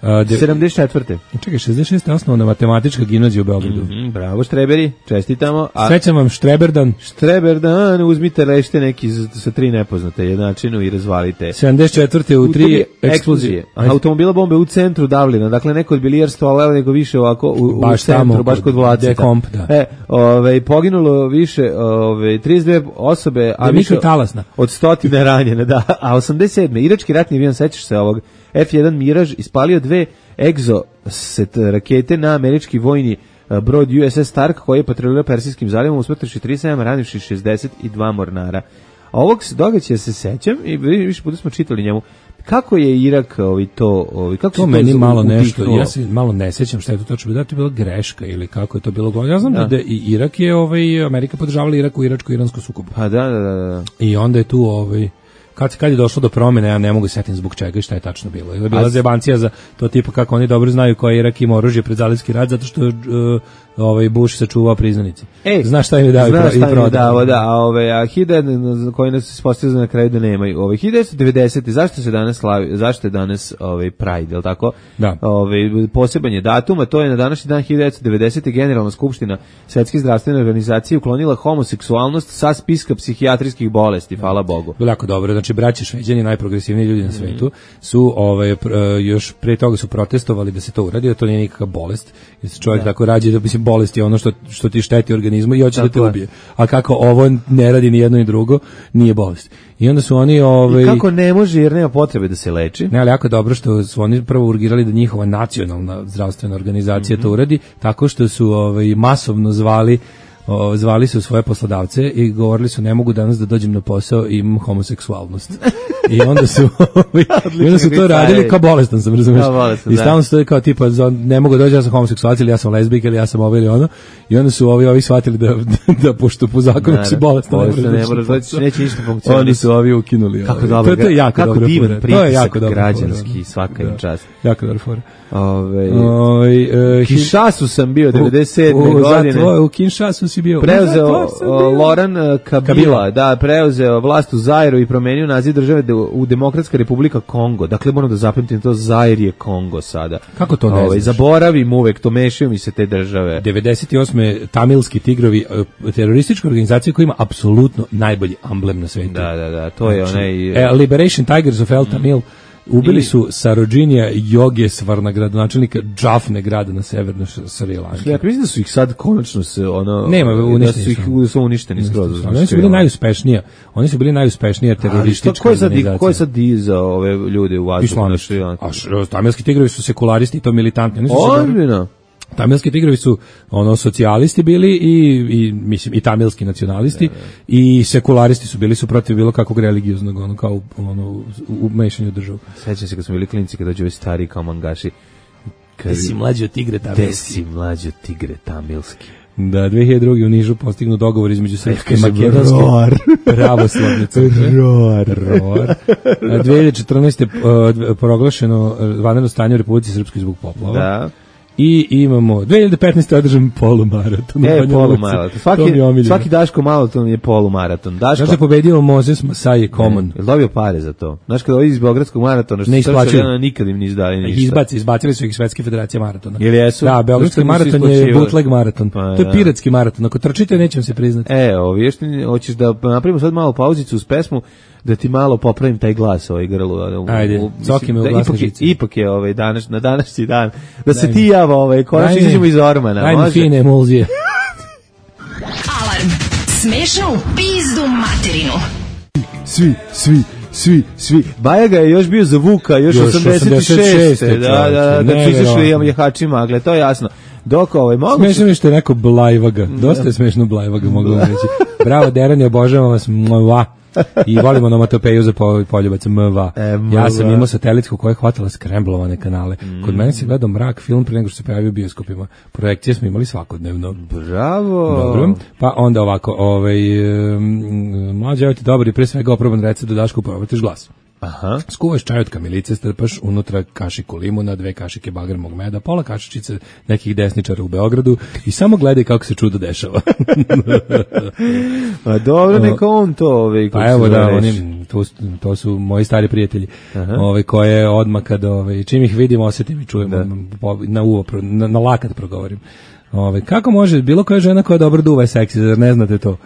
Uh, de, sedamdeset četvrte Čekaj, šezdeset šeste je osnovna matematička gimnazija u Beogradu. Mm-hmm, bravo Štreberi, čestitamo. A Srećam vam Štreberdan. Štreberdan, uzmite rešte neki sa tri nepoznate jednačinu i razvalite. sedamdeset četvrte u tri eksplozije. Automobila bombe u centru Dublina, dakle neko od bilijarstva, ali nego više ovako u, baš u centru, tamo, baš kod Vlacita. Dekomp, da. E, ove, poginulo više, ove, trideset dve osobe, a više od stotine ranjene, da. A osamdeset sedme irački ratni avion, sećaš se ovog, F jedan Mirage ispalio dve Exocet rakete na američki vojni brod U S S Stark koji je patrolirao Persijskim zalivom, usmrtivši trideset sedam, ranivši šezdeset dva mornara. A ovog događaja se sećam i više puta smo čitali njemu. Kako je Irak ovaj to, ovaj kako to se meni to malo upiknulo? Nešto, ja se malo ne sećam šta je to točno bilo, da to je bila greška ili kako je to bilo. Ja znam da, da i Irak je ovaj Amerika podržavala Irak u iračko-iranskom sukobu. Pa da, da, da, da. I onda je tu ovaj Kad, kad je došlo do promjene, ja ne mogu setiti zbog čega i šta je tačno bilo. Je bila zebancija za to tipa kako oni dobro znaju koji Irak ima oružje pred zalivski rat, zato što uh, ovaj Bush sačuvao priznanici. Ej, znaš šta im je dao i prodao. Da, a ove a hiljadu koji nas ispostavljaju na kraju da nemaju. Ove hiljadu devetsto devedesete zašto se danas slavi, zašto je danas ovaj Pride, je l' tako? Da. Ovaj poseban je datum, a to je na današnji dan hiljadu devetsto devedesete Generalna skupština Svetske zdravstvene organizacije uklonila homoseksualnost sa spiska psihijatrijskih bolesti, hvala Bogu. Bilo jako dobro. Znači braća Šveđani, najprogresivniji ljudi na svetu, su ovaj još pre toga su protestovali da se to uradi, da to nije nikakva bolest, jer se čovjek da. tako rađe da mislim bolest je ono što što ti šteti organizmu i hoće da te ubije. A kako ovo ne radi ni jedno ni drugo, nije bolest. I onda su oni ovaj I kako ne može jer nema potrebe da se leči. Ne, ali jako dobro što su oni prvo urgirali da njihova nacionalna zdravstvena organizacija mm-hmm. to uradi, tako što su ovaj masovno zvali O, zvali su svoje poslodavce i govorili su ne mogu danas da dođem na posao i imam homoseksualnost. I onda su i onda su to radili kao bolestan sam, razumiješ? I stalno su to kao tipa ne mogu doći, ja sam homoseksualac ili ja sam lezbijka ili ja sam ovo ili ono. I onda su ovi ovi shvatili da da, da pošto po zakonu si bolestan, ne možeš doći, neće ništa funkcionisati. Oni su ovi ukinuli. Kako dobro, to je jako kako dobro. divan pritisak građanski, fora, svaka im čast. Jako dobro fora. Ove, Ove, uh, Kinshasu sam bio devedeset sedme godine. Zato, u Kinshasu si bio. Preuzeo Loran Kabila, Kabila, da, preuzeo vlast u Zairu i promenio naziv države u Demokratska republika Kongo. Dakle, moram da zapamtim to, Zair je Kongo sada. Kako to ne Ove, znaš? Zaboravim uvek, to mešaju mi se te države. devedeset osme Tamilski tigrovi, teroristička organizacija koja ima apsolutno najbolji amblem na svetu. Da, da, da, to je onaj... E, Liberation Tigers of El Tamil. Ubili su Sarojinija Yogesvarna, gradonačelnika Džafne grada na severnoj Sri Lanki. Ja mislim da su ih sad konačno se ono nema uništeni, da su ih su. su uništeni skroz. Oni su bili najuspešnija. Oni su bili najuspešnija teroristička organizacija. Ko je sad diza ove ljude u vazduhu na Sri Lanki? A tamilski tigrovi su sekularisti i to militantni. Oni su Ozbiljno. Tamilski tigrovi su ono socijalisti bili i, i mislim i tamilski nacionalisti, i sekularisti su bili, su protiv bilo kakvog religioznog ono kao ono u mešanju državu. Sećam se kad smo bili klinci, kad dođu ovi stari kao mangaši. Kad si mlađi od tigre tamilski. Gde si mlađi od tigre tamilski. Da, dve hiljade druge u Nižu postignu dogovor između srpske i makedonske pravoslavne crkve. Roar. Roar. dve hiljade četrnaeste. Uh, proglašeno vanredno stanje u Republici Srpskoj zbog poplava. Da. I imamo dve hiljade petnaeste. održan polumaraton. E, polumaraton. Svaki, svaki Daško maraton je polumaraton. Daško. Znaš da je pobedio Moses Masai Common? Je dobio pare za to? Znaš kada ovi iz Beogradskog maratona, što ne isplaćuju, nikad im ni izdali ništa. Izbaci, izbacili su ih Svetske federacije maratona. Ili jesu? Da, Beogradski maraton je bootleg maraton. Pa, to je piratski maraton. Ako trčite, nećem se priznati. E, ovi, još hoćeš da napravimo sad malo pauzicu uz pesmu, da ti malo popravim taj glas ovaj grlu. Ajde, coki me u glasne žice. Ipak je ovaj danas, na današnji dan, da se ti java ovaj, konačno izađemo iz ormana. Ajde, fine emulzije. Alarm. Smešnu pizdu materinu. Svi, svi, svi, svi. Bajaga je još bio za Vuka, još, još osamdeset šeste. Da, da, da, da su izašli jahači magle, to je jasno. Dok ovaj mogu... Smešno mi što je neko Blajvaga. Dosta je smešno Blajvaga, mogu vam reći. Bravo, Derani, obožavam vas. Mva. I volimo onomatopeju za poljubac M V A. E, ja sam imao satelitsku koja je hvatala skremblovane kanale. Mm. Kod mene se gledao Mrak film pre nego što se pojavio u bioskopima. Projekcije smo imali svakodnevno. Bravo. Dobro. Pa onda ovako, ovaj, um, mlađe, evo ti dobar i pre svega oproban recept da Dašku povratiš glas. Aha. Skuvaš čaj od kamilice, strpaš unutra kašiku limuna, dve kašike bagremog meda, pola kašičice nekih desničara u Beogradu i samo gledaj kako se čudo dešava. Pa dobro, neka on to ovaj, pa evo da, oni, to, to su moji stari prijatelji, ovaj, koje odmah kad ovaj, čim ih vidim, osetim i čujem, da. na uvo, na, na lakat progovorim. Ove, kako može bilo koja žena koja dobro duva je seksi, zar ne znate to?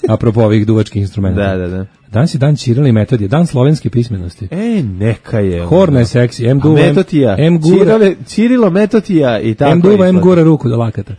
Apropo ovih duvačkih instrumenta. Da, da, da. Danas je dan Ćirila i Metodije, dan slovenske pismenosti. E, neka je. Horna je seksi, M duva, Metotija. M gura, Cirilo, Metotija i tako. M duva, M gura ruku do lakata.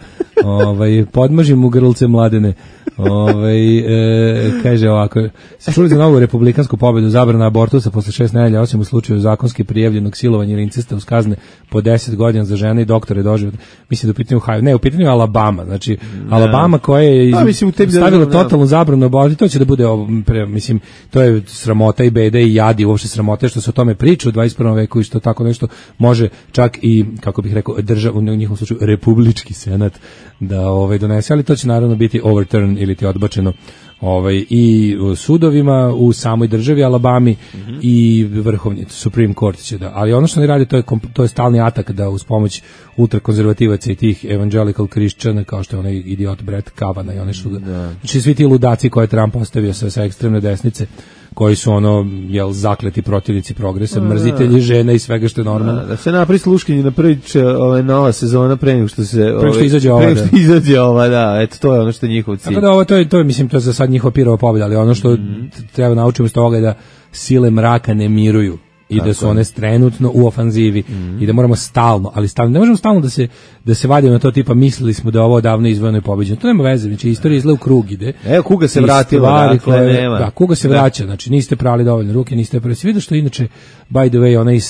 Ovaj podmažim mu grlce mladene. Ovaj e, kaže ovako, se čuli za novu republikansku pobedu, zabrana abortusa posle šest nedelja, osim u slučaju zakonski prijavljenog silovanja ili incesta uz kazne po deset godina za žene i doktore doživot. Mislim da u pitanju ne, u pitanju Alabama, znači ne. Alabama koja je iz, pa, mislim, stavila totalnu zabranu abortusa, to će da bude pre, mislim, to je sramota i beda i jadi, uopšte sramota što se o tome priča u dvadeset prvom veku i što tako nešto može čak i, kako bih rekao, država, u njihovom slučaju republički senat da ovaj donese, ali to će naravno biti overturn ili ti odbačeno ovaj i u sudovima u samoj državi Alabami mm-hmm. i vrhovni Supreme Court će da, ali ono što oni rade to je to je stalni atak da uz pomoć ultrakonzervativaca i tih evangelical Christiana kao što je onaj idiot Brett Kavanaugh i oni su da. Znači svi ti ludaci koje Trump postavio sa, sa ekstremne desnice koji su ono jel zakleti protivnici progresa, mrzitelji žena i svega što je normalno. Da, da se napravi sluškinje na prvi ovaj nova sezona pre nego što se pre što izađe ova, pre što izađe ova, da, eto to je ono što je njihov cilj. Tako da ovo to je to je mislim to je za sad njihova pirova pobjeda, ali ono što mm-hmm. treba naučiti iz toga je da sile mraka ne miruju. I tako da su one trenutno u ofanzivi mm-hmm. i da moramo stalno, ali stalno, ne možemo stalno da se da se vadimo na to tipa mislili smo da ovo davno izvojeno i pobeđeno. To nema veze, znači istorija izgleda u krug ide. Evo kuga se vratila, dakle koje, nema. Da, kuga se vraća, znači niste prali dovoljno ruke, niste prali. Vidiš što inače by the way onaj uh,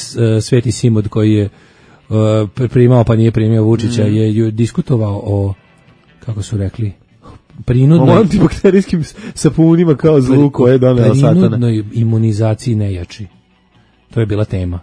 Sveti Simod koji je uh, primao pa nije primio Vučića mm. je, je diskutovao o kako su rekli prinudnoj o antibakterijskim sapunima kao zlu koje je doneo satana. Prinudnoj imunizaciji nejači. To je bila tema.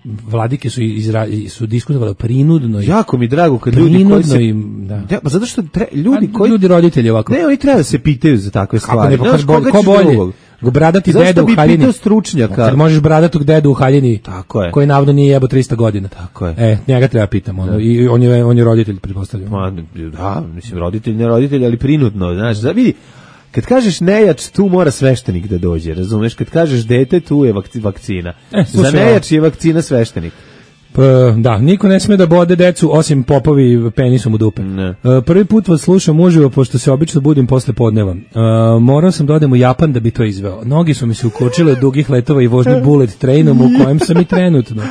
Vladike su izra, su diskutovali prinudno. Jako mi drago kad ljudi koji se da. Ja, pa zato što tre, ljudi koji ljudi roditelji ovako. Ne, oni treba da se pitaju za takve stvari. Kako ne, ne, ko, ko bolje? Go bradati dedu u haljini. Zašto bi stručnjaka? Kad možeš bradatog dedu u haljini. Tako je. Koji navodno nije jebo trista godina. Tako je. E, njega treba pitamo. Ono, i on je on je roditelj pretpostavljam. Ma, da, mislim roditelj, ne roditelj, ali prinudno, znaš, da vidi. Kad kažeš nejač, tu mora sveštenik da dođe, razumeš? Kad kažeš dete, tu je vakcina. E, za nejač je vakcina sveštenik. Pa, da, niko ne sme da bode decu, osim popovi penisom u dupe. Ne. Prvi put vas slušam uživo, pošto se obično budim posle podneva. Morao sam da odem u Japan da bi to izveo. Nogi su mi se ukočile od dugih letova i vožnje bullet trainom u kojem sam i trenutno.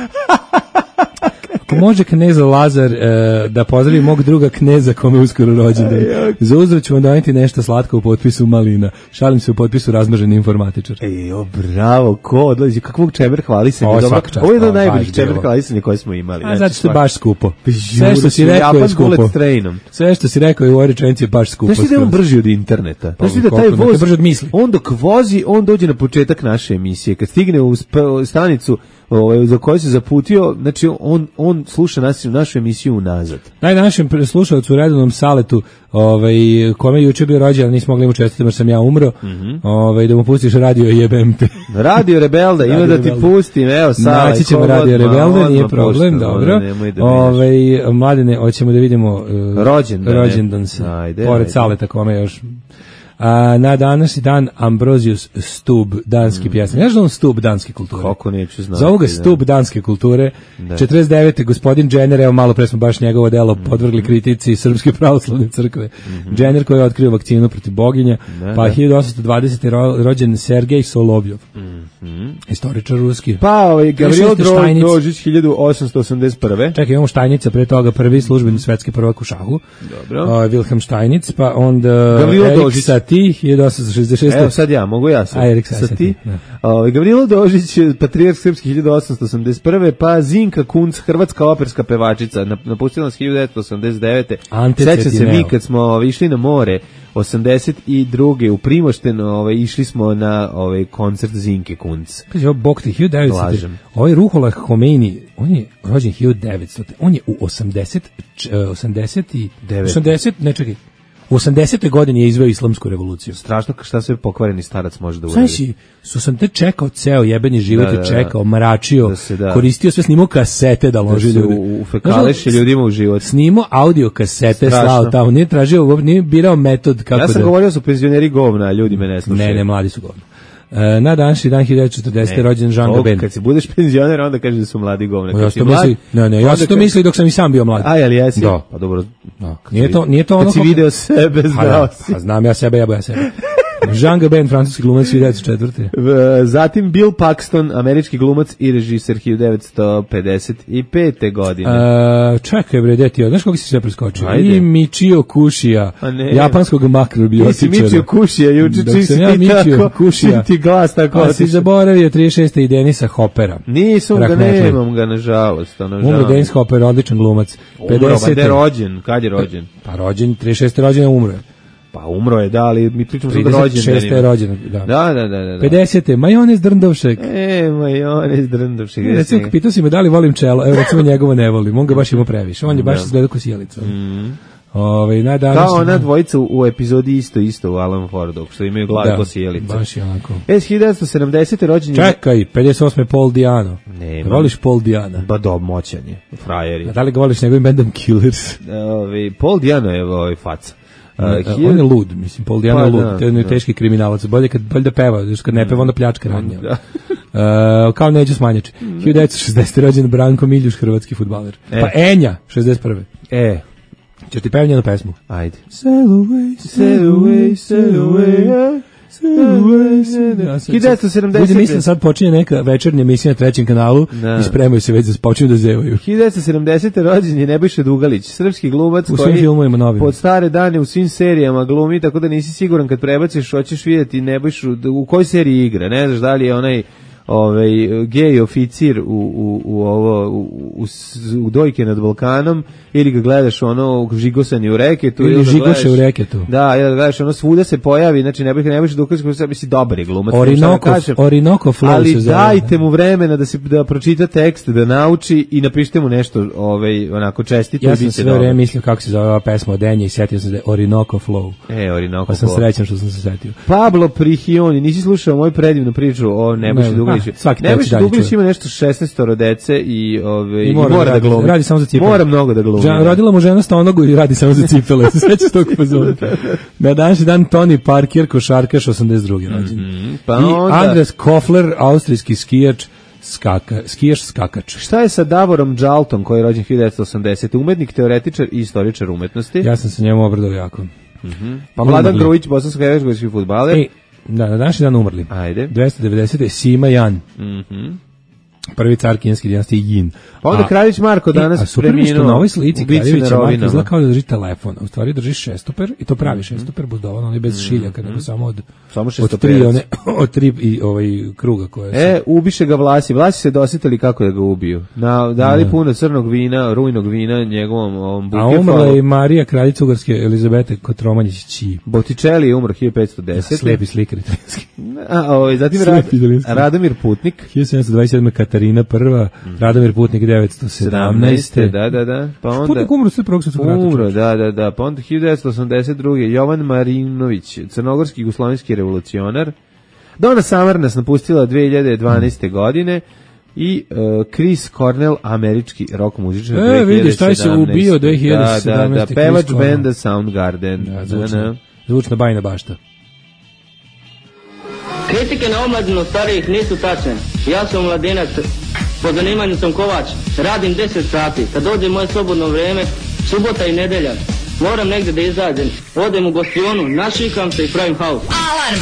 Ako može kneza Lazar e, da pozdravi mog druga kneza kome uskoro rođendan. Za uzvrat ću vam doneti nešto slatko u potpisu malina. Šalim se, u potpisu razmaženi informatičar. Ej, o, bravo, ko odlazi, kakvog čeber hvalisanja. O, Dobro, svaka čast, ovo je jedan o, od najboljih baš čeber bilo. hvalisanja koje smo imali. A zato što je baš skupo. Sve što si Žuru, rekao je Japan skupo. bullet trainom. Sve što si rekao je u ovoj rečenici je baš skupo. Znaš ti da je on brži od interneta? Znaš ti da taj koliko, voz, brži od misli. on dok vozi, on dođe na početak naše emisije. Kad stigne u sp- stanicu ovaj, za koju se zaputio, znači on, on sluša nas, našu emisiju unazad. Daj našem slušalcu u redovnom saletu, ovaj, kome je juče bio rođendan, nismo mogli mu čestiti, jer sam ja umro, mm-hmm. ovaj, da mu pustiš radio jebem te. Radio Rebelda, ima da ti pustim, evo Sala. Naći ćemo radio Rebelda, nije problem, pušta, dobro. Da ovaj, mladene, hoćemo da vidimo uh, rođendan, rođendan se, ajde, pored ajde. Saleta kome još. A, na današnji dan Ambrosius Stub, danski mm. pjesnik. Znaš da on Stub danske kulture? Kako neću znati. Zovu ga Stub danske kulture. Da. četrdeset devete gospodin Jenner, evo malo pre smo baš njegovo delo mm. podvrgli kritici Srpske pravoslavne crkve. Mm-hmm. Jenner koji je otkrio vakcinu protiv boginja, da, pa da. hiljadu osamsto dvadesete ro, rođen Sergej Solovjov. Mm-hmm. Istoričar ruski. Pa ovaj Gavrilo Drožić hiljadu osamsto osamdeset prve. Čekaj, imamo Štajnica, pre toga prvi službeni svetski prvak u šahu. Dobro. Uh, Wilhelm Štajnic, pa onda Erik Satie hiljadu osamsto šezdeset šeste. Evo sad ja, mogu ja sad. A, Erik Satie. Ovaj Gavrilo Dožić, patrijarh srpski hiljadu osamsto osamdeset prve, pa Zinka Kunc, hrvatska operska pevačica, napustila nas hiljadu devetsto osamdeset devete. Sećam se mi kad smo išli na more osamdeset druge u Primošten, ovaj išli smo na ovaj koncert Zinke Kunc. Kaže, ovo bog ti hiljadu devetsto. Ovaj Ruhollah Khomeini, on je rođen hiljadu devetsto. On je u osamdeset, osamdeset i osamdeset, ne čekaj. U osamdesetoj godini je izveo islamsku revoluciju. Strašno šta sve pokvareni starac može da uradi. Znaš, su sam te čekao ceo jebeni život, da, da, da. čekao, mračio, da se, da. koristio sve, snimao kasete da loži da ljudi. U, u fekaleši ljudima u život. Snimao audio kasete, slao tamo, nije tražio, nije birao metod kako da... Ja sam da... govorio su penzioneri govna, ljudi me ne slušaju. Ne, ne, mladi su govna. E, na današnji dan hiljadu devetsto četrdesete rođen Jean Gabin. Kad se budeš penzioner, onda kažeš da su mladi govna. Ja sam to misli, ne, ne, ja sam to misli dok sam i sam bio mlad. A, jel jesi? Da. Pa dobro. Da. Nije to, nije to ono... Kad si video sebe, znao si. A znam ja sebe, ja ja sebe. Jean Gabin, francuski glumac hiljadu devetsto četvrte. Zatim Bill Paxton, američki glumac i režiser hiljadu devetsto pedeset pete. godine. Uh, čekaj bre, deti, znaš kako si sve preskočio? Ajde. I Michio Kushija, japanskog makrobiotičara. Nisi Michio Kushija, juče čim si ja ti tako, Kushija, ti glas tako. A si zaboravio trideset šeste i Denisa Hoppera. Nisam ga, nemam ga, nažalost. Umro Denis Hopper, odličan glumac. Umro, pa gde je rođen? Kad je rođen? Pa rođen, trideset šeste rođen je umro. Pa umro je, da, ali mi pričamo sad rođendanima. trideset šeste je rođen, da. Da, da, da, da. pedesete majonez Drndovšek. E, majonez Drndovšek. E, recimo, pitao si me da li volim čelo, evo recimo njegovo ne volim, on ga baš ima previše, on je baš izgleda ko sjelica. Mm. Ove, na kao ona dvojica u epizodi isto isto u Alan Fordu, što imaju glave ko sjelica. Baš je onako. E, hiljadu devetsto sedamdesete rođen je... Čekaj, pedeset osme Paul Diano. Nema. Voliš Paul Diana? Ba do, moćan je, frajer je. A da li ga voliš njegovim bandom Killers? Ove, Paul Diano je ovaj faca. Uh, uh, on je lud, mislim, Paul Diano pa, je lud, da, to je da. teški kriminalac, bolje kad, bolje da peva, jer kad ne peva, onda pljačka radnja. Da. Uh, kao Neđo Smanjač. hiljadu devetsto šezdesete rođen Branko Miljuš, hrvatski fudbaler. E. Pa Enja, šezdeset prve. E. Ćeš ti pevati jednu pesmu? Ajde. Sail away, sail away, sail away, hiljadu devetsto sedamdesete. Ljudi mislim sad počinje neka večernja emisija na trećem kanalu i spremaju se već za počinju da zevaju. hiljadu devetsto sedamdesete rođen je Nebojša Dugalić, srpski glumac u koji filmovima novim. Pod stare dane u svim serijama glumi, tako da nisi siguran kad prebaciš, hoćeš vidjeti Nebojšu u kojoj seriji igra, ne znaš da li je onaj ovaj gej oficir u u u ovo u, u, u Dojke nad Balkanom ili ga gledaš ono žigosani u reketu ili žigoše u reketu. Da, ili gledaš ono svuda se pojavi, znači ne bih ne bih dokaz kako se misli dobar je glumac. Orinoko, Orinoko Flow. Ali dajte mu vremena da se da pročita tekst, da nauči i napišite mu nešto ovaj onako čestito ja i biće dobro. Ja sam sve vreme mislio kako se zove ova pesma od Enje i setio sam se da je Orinoko Flow. E, Orinoko. Pa sam srećan što sam se setio. Pablo Prihioni, nisi slušao moju predivnu priču o Nebojši Dugaliću? Nebojša Dugalić ima nešto šesnaestoro dece i ove i mora, mora da glumi. Radi samo za cipele. Mora mnogo da glumi. Žan, rodila mu žena stonogu i radi samo za cipele. Sećaš tog fazona. Na današnji dan Tony Parker, košarkaš osamdeset druge rođen. Mm-hmm. Pa i onda... Andres Kofler, austrijski skijač, skaka, skijaš skakač. Šta je sa Davorom Džaltom, koji je rođen hiljadu devetsto osamdesete. Umetnik, teoretičar i istoričar umetnosti? Ja sam se njemu obradao jako. Mm-hmm. Pa Mladan Grujić, bosansko-hercegovački fudbaler. Da, na današnji dan umrli. Ajde. dvesta devedesete Sima Jan. Mhm. Prvi car kineske dinastije Yin. Pa onda Kraljić Marko danas e, a super mi što preminuo na ovoj slici u bici Kraljevića na Marko rovinama. izgleda kao da drži telefon, a u stvari drži šestoper i to pravi šestoper buzdovan, on je bez šiljaka, nego samo od, Samo od šestoperac. tri, one, od tri i ovaj kruga koje su. E, ubiše ga Vlasi. Vlasi se dosjetili kako da ga ubiju. Na, dali Ne. puno crnog vina, rujnog vina njegovom ovom A umrla Bukefalu. je i Marija, kraljica Ugarske, Elizabete Kotromanjić Ći. Botticelli je umro hiljadu petsto deset. Slepi slikar italijanski. A, ovaj, zatim Slepi Rad, italijanski. Radomir Putnik. hiljadu sedamsto dvadeset sedme Katarina prva, Radomir Putnik devetsto sedamnaeste. Da, da, da. Pa onda Putnik umro sve prvog svetskog rata. umro, da, da, da. Pa onda hiljadu devetsto osamdeset druge. Jovan Marinović, crnogorski jugoslovenski revolucionar. Donna Summer nas napustila dve hiljade dvanaeste godine i uh, Chris Cornell, američki rock muzičar. E, vidiš, taj se dve hiljade sedamnaeste. ubio dve hiljade sedamnaeste. Da, da, da, Chris pevač Cornell. benda Soundgarden. Da, Da, zvučna, da. zvučna bajna bašta. Kritike na omladinu starijih nisu tačne. Ja sam mladinac, po zanimanju sam kovač, radim deset sati. Kad dođe moje slobodno vrijeme, subota i nedelja, moram negdje da izađem. Odem u gostionu, našikam se i pravim haus. Alarm!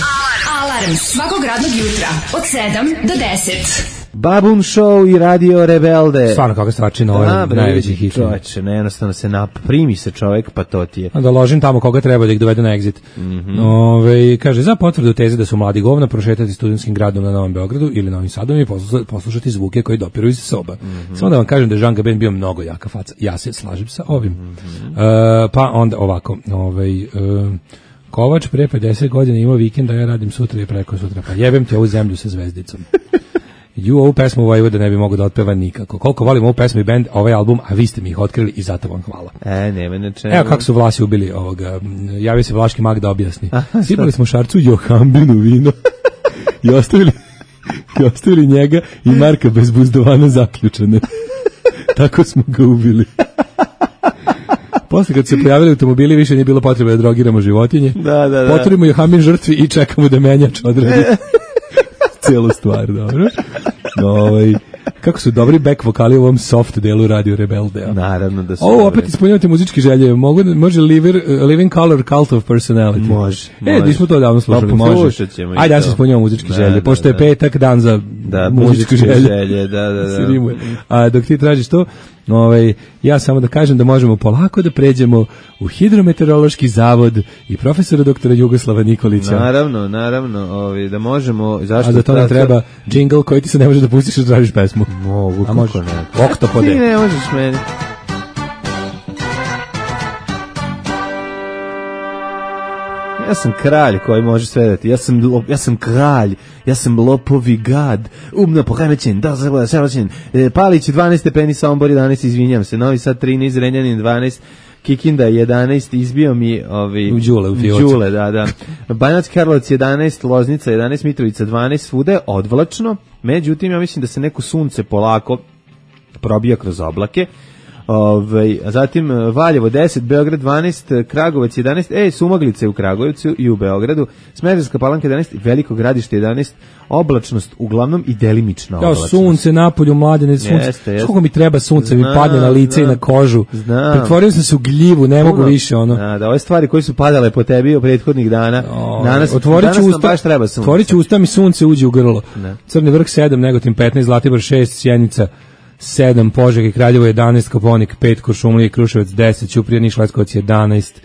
Alarm svakog radnog jutra od sedam do deset. Babun Show i Radio Rebelde. Stvarno kakva stvarčina, ovo Da, je bre, najveći vidi, hit. čoveče, ne, jednostavno se nap, primi se čovjek, pa to ti je. Da ložim tamo koga treba da ih dovede na exit. Mhm. Ove, kaže, za potvrdu teze da su mladi govna prošetati studentskim gradom na Novom Beogradu ili Novim Sadom i poslu- poslušati zvuke koji dopiru iz soba. Mhm. Samo da vam kažem da je Jean Gabin bio mnogo jaka faca. Ja se slažem sa ovim. Mhm. E, pa onda ovako, ovaj, e, Kovač pre pedeset godina ima vikend, a ja radim sutra i preko sutra. Pa jebem ti ovu zemlju sa zvezdicom. Ju, ovu pesmu Vojvoda ne bi mogao da otpeva nikako. Koliko volim ovu pesmu i bend, ovaj album, a vi ste mi ih otkrili i zato vam hvala. E, nema na čemu. Evo kako su Vlasi ubili ovoga. Javio se Vlaški mag da objasni. Aha, Sipali smo Šarcu Johambinu vino i ostavili, i ostavili njega i Marka bez buzdovana zaključane. Tako smo ga ubili. Posle kad se pojavili automobili više nije bilo potrebe da drogiramo životinje. Da, da, da. Potvorimo Johambin žrtvi i čekamo da menjač odradi cijelu stvar, dobro. Ovaj, kako su dobri back vokali u ovom soft delu Radio Rebelde. Naravno da su. Ovo dobri. opet ispunjavate muzičke želje. Mogu, da- može liver, uh, Living Color Cult of Personality. Može, E, može. nismo to davno slušali. Pa može. poslušat ćemo i Ajde, ja to. se ispunjavamo muzičke Da, želje. da, Pošto je da. petak, dan za Da, muzičke muzičke želje. želje, da, da, da. Se rimuje. A dok ti tražiš to, ovaj, ja samo da kažem da možemo polako da pređemo u Hidrometeorološki zavod i profesora doktora Jugoslava Nikolića. Naravno, naravno, ovi, da možemo, zašto A za to nam tako- treba džingl koji ti se ne može da pustiš da tražiš pesmu. Mogu, A kako može. ne. Oktopode. Ti ne možeš meni. Ja sam kralj koji može sve dati. Ja sam, lo- ja sam kralj. Ja sam lopovi gad. Umno poremećen. Da, zagleda, savršen. E, Palić dvanaest stepeni, Sombor jedanaest, izvinjam se. Novi Sad trinaest, Renjanin dvanaest, Kikinda jedanaest, izbio mi ovi... U Đule, u fioci. Đule, da, da. Banatski Karlovac jedanaest, Loznica jedanaest, Mitrovica dvanaest, svuda je odvlačno. Međutim, ja mislim da se neko sunce polako probija kroz oblake. Ove, a zatim e, Valjevo deset, Beograd dvanaest, Kragovac jedanaest, e, Sumaglice je u Kragujevcu i u Beogradu, Smederevska Palanka jedanaest, Veliko Gradište jedanaest, oblačnost uglavnom i delimična Kao oblačnost. sunce napolju, mladene sunce. Jeste, jeste. Koliko mi treba sunce, mi Znam, padne na lice i znam. na kožu. Znam. Pretvorio sam se u gljivu, ne mogu Puno. više ono. Da, da, ove stvari koje su padale po tebi u prethodnih dana, O, danas, otvorit ću danas nam usta, baš treba sunce. otvorit ću usta mi sunce uđe u grlo. Ne. Crni vrh sedam, Negotin petnaest, Zlatibor šest, Sjenica sedam, Požega i Kraljevo jedanaest, Koponik pet, Kuršumlija i Kruševac deset, Ćuprija, Niš, Leskovac jedanaest,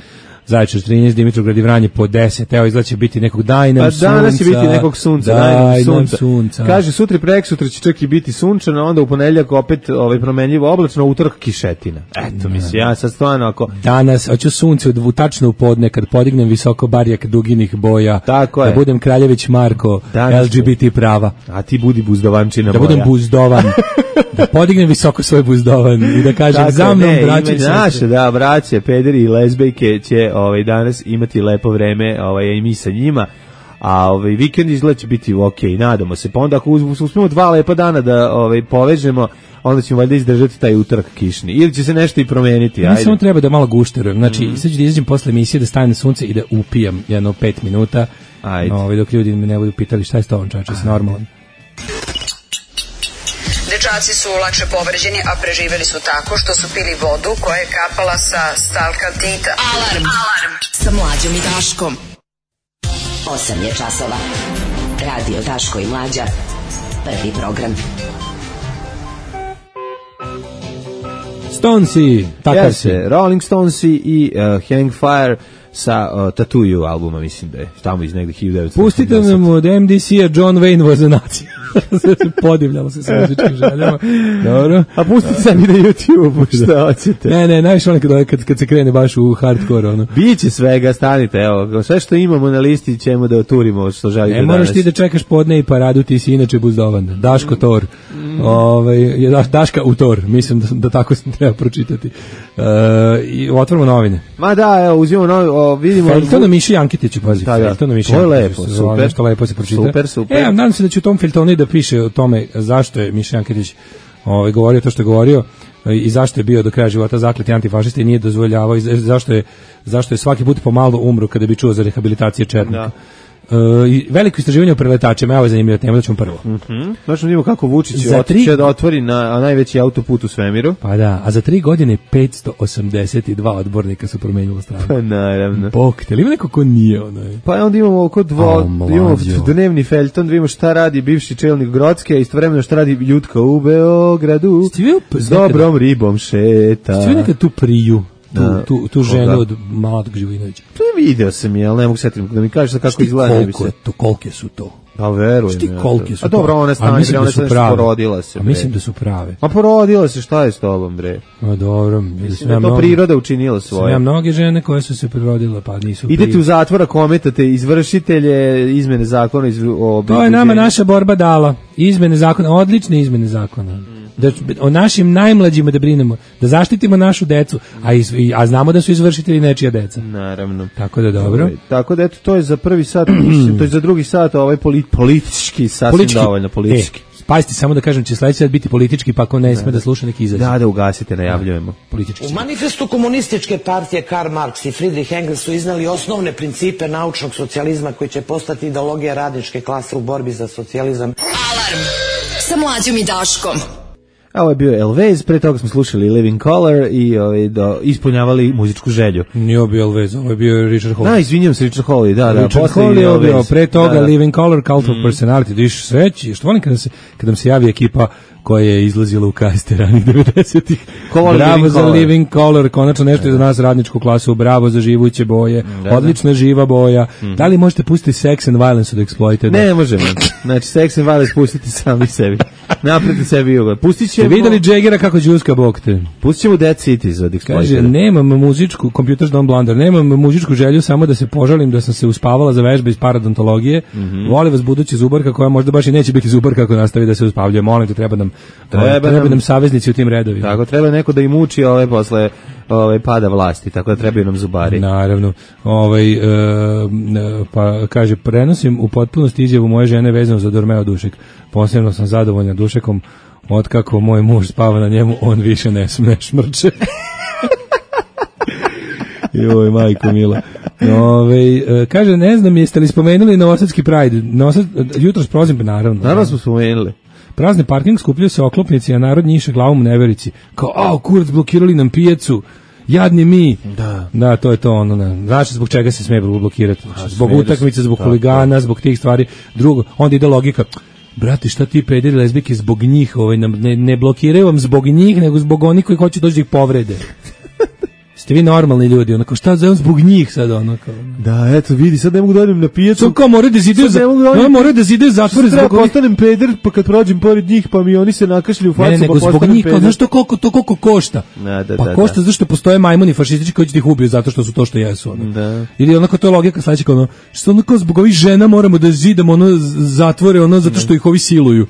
Zaječar trinaest, Dimitrovgrad i Vranje po deset. Evo, izgleda će biti nekog daj nam Pa sunca. danas će biti nekog sunca, daj nam Daj nam sunca. sunca. Kaže, sutra i preksutra će čak i biti sunčano, onda u ponedjeljak opet ovaj, promenljivo oblačno, utorak kišetina. Eto, mislim, ja sad stvarno ako... Danas, hoću sunce u dvu- tačno u podne, kad podignem visoko barjak duginih boja, Tako da je. budem Kraljević Marko, Danas L G B T prava, A ti budi buzdovančina da moja. budem buzdovan, da podignem visoko svoj buzdovan i da kažem Tako, za mnom, ne, braće i ima naše, sestre. da, braće, pederi i lezbejke će ovaj, danas imati lepo vreme, ovaj, i mi sa njima, a ovaj, vikend izgleda će biti ok, nadamo se, pa onda ako uz- uspemo dva lepa dana da ovaj, povežemo, onda ćemo valjda izdržati taj utorak kišni, ili će se nešto i promeniti, Mi ajde. samo treba da malo gušterujem. Znači, mm. sad ću da izađem posle emisije, da stanem na sunce i da upijam jedno pet minuta. Ajde. Ovaj, dok ljudi me ne budu pitali šta je s tobom, čače, s normalan. Dečaci su lakše povređeni, a preživeli su tako što su pili vodu koja je kapala sa stalkaltita. Alarm! Alarm! Sa Mlađom i Daškom. osam je časova. Radio Daško i Mlađa. Prvi program. Stonesi, takav se. Jeste, Rolling Stonesi i uh, Hang Fire sa uh, Tattoo You albuma, mislim da je tamo iz negde hiljadu devetsto osamdeset. Pustite nam od M D C-a John Wayne was a nacija. Podivljalo se sa muzičkim željama. Dobro. A pustite sami na YouTube, šta hoćete. Ne, ne, najviše ono kad, kad, kad se krene baš u hardcore, ono. Biće svega, stanite, evo, sve što imamo na listi ćemo da oturimo što želite danas. Ne moraš ti da čekaš podne i paradu, ti si inače buzdovan. Daško Tor. Mm. Ovaj, je da, Daška u Tor, mislim da, da tako se treba pročitati. Uh, i otvorimo novine. Ma da, evo, uzimamo novi, o, vidimo... Feljtona Miši Jankitić, pazi. Da, da. Feljtona Miši To je Jankitić, lepo, se super. Nešto lepo se pročita. Super, super. E, nadam se da će u tom Feljtonu da piše o tome zašto je Miša Jankitić ovaj, govorio to što je govorio i zašto je bio do kraja života zakleti antifašista i nije dozvoljavao i zašto je, zašto je svaki put pomalo umro kada bi čuo za rehabilitacije četnika. Da. Uh, i veliko istraživanje o preletačima, evo je zanimljivo tema, da ćemo prvo. Mhm. Znači vidimo kako Vučić Za otiče tri- da otvori na najveći autoput u svemiru. Pa da, a za tri godine petsto osamdeset dva odbornika su promenilo stranu. Pa naravno. Bog te, ili ima neko ko nije ono je? Pa onda imamo oko dvo, A, mlađo. imamo dnevni feljton, da vidimo šta radi bivši čelnik Grocke, a istovremeno šta radi Jutka u Beogradu. Ste vi S dobrom ribom šeta. Ste vi nekad tu priju, tu, Da. tu, tu ženu od Mladog Živinovića? To je video sam je, ali ne mogu setiti da mi kažeš kako Šti izgleda. Ne bi koliko se... je to, kolike su to? Pa verujem. Šti ja to. kolike su A to? dobro, ona A stanje, mislim ona da su se prave. porodila se. A bre. mislim da su prave. Ma porodila se, šta je s tobom, bre? A dobro, Mislim da je to priroda učinila Sam svoje. ja mnoge žene koje su se prirodile, pa nisu Idete prije. u zatvor, kometate izvršitelje izmene zakona iz, o To je nama naša borba dala. Izmene zakona, odlične izmene zakona. Da, o našim najmlađima da brinemo, da zaštitimo našu decu, a, iz, i- a znamo da su izvršitelji nečija deca. Naravno. Tako da dobro. Ovaj, Tako da eto, to je za prvi sat, mislim, to je za drugi sat, ovaj polit, politički, sasvim Politički. dovoljno politički. E, pazite, samo da kažem, će sledeći sat biti politički, pa ako ne sme da sluša neki izađe. Da, da ugasite, najavljujemo. Politički. U manifestu komunističke partije Karl Marx i Friedrich Engels su iznali osnovne principe naučnog socijalizma koji će postati ideologija radničke klase u borbi za socijalizam. Alarm sa Mlađom i Daškom. A ovo je bio Elvez, pre toga smo slušali Living Color i ovaj, do, ispunjavali muzičku želju. Nije ovo bio Elvez, ovo je bio Richard Hall. Da, izvinjam se, Richard Hawley, da, da. Richard posle Hall je Elvez. bio, pre toga Da, da. Living Color, Cult of Personality, da iš sveći, što volim kada se, kada nam se javi ekipa koja je izlazila u kaste ranih devedesetih. Ko voli Bravo Living za Colour? Living Color, konačno nešto iz nas radničku klasu, bravo za živuće boje, da. odlična živa boja. Da li možete pustiti Sex and Violence od Exploited? Ne možemo. Znači, Sex and Violence pustiti sami sebi. Napreti sebi ugled. Pustit Ste ćemo... videli Jaggera kako džuska bog te? Pustit ćemo Dead Cities od Kaže, Exploited. nemam muzičku, Computers Don't Blunder, nemam muzičku želju, samo da se požalim da sam se uspavala za vežbe iz paradontologije. Voli vas budući zubarka koja možda baš i neće biti zubarka ako nastavi da se uspavljuje. Molim te, treba nam, Treba treba nam- nam saveznici u tim redovima. Tako, treba neko da im uči ove posle ove pada vlasti, tako da trebaju nam zubari. Naravno. Ovaj, e, e, pa kaže, prenosim u potpunosti izjavu moje žene vezano za Dormeo Dušek. Posebno sam zadovoljna Dušekom, otkako moj muž spava na njemu, on više ne, sm- ne šmrče. Joj, majko mila. Ove, e, kaže, ne znam, jeste li spomenuli Novosadski Pride? Novosad, jutros prozim, pa naravno. Naravno smo spomenuli. Prazni parking, skupljaju se oklopnici, a narod njiše glavom u neverici. Kao, a, kurac, blokirali nam pijacu, jadni mi. Da. Da, to je to ono. Ne. Znaš zbog čega se sme blokirati? Zbog sme da se- utakmice, zbog tako. huligana, zbog tih stvari. Drugo, onda ide logika. Brate, šta ti pederi lezbike zbog njih, ovaj, nam- ne, ne blokiraju vam zbog njih, nego zbog onih koji hoće doći da ih povrede. Ste vi normalni ljudi, onako, šta za zbog njih sad, ono, kao. Da, eto, vidi, sad ne mogu da odem na pijacu. Sad kao moraju da zidaju, Sad ne mogu da za, odem- no, moraju da zidaju zatvore Treba zbog ovih. postanem peder, pa kad prođem pored njih, pa mi oni se nakašlju u facu, Ne, ne, nego pa zbog postanem njih, kao, peder. znaš to koliko, to koliko košta? Da, da, pa da, košta da. zato što postoje majmuni fašistički koji će da ih ubiju zato što su to što jesu. Ono. Da. Ili onako to je logika sledeća kao ono, što onako zbog ovih žena moramo da zidamo ono z- zatvore ono zato što ih ovi siluju.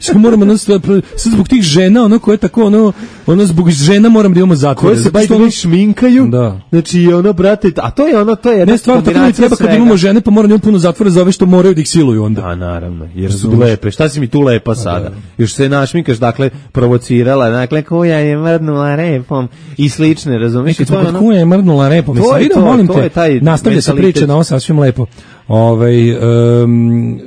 Što moramo ono, sad sad zbog tih žena ono koje tako ono, ono zbog žena moramo da imamo zatvore. Koje se zato baš što ono- šminkaju. Da. Znači, ono, brate, a to je ono, to je jedna Ne, stvarno, tako mi treba kad imamo žene, pa moramo da imamo puno zatvora za ove što moraju da ih siluju onda. Da, naravno, jer su Razumeš. lepe. Šta si mi tu lepa sada? Još se našminkaš, dakle, provocirala, dakle, koja je mrdnula repom i slične, razumiješ? Kad I to smo je kod ono- kuja je mrdnula repom. To Mislim, je idemo, to, molim to te, je taj nastavlja se mentalitet. priča na ovo sasvim lepo. Ovaj, em,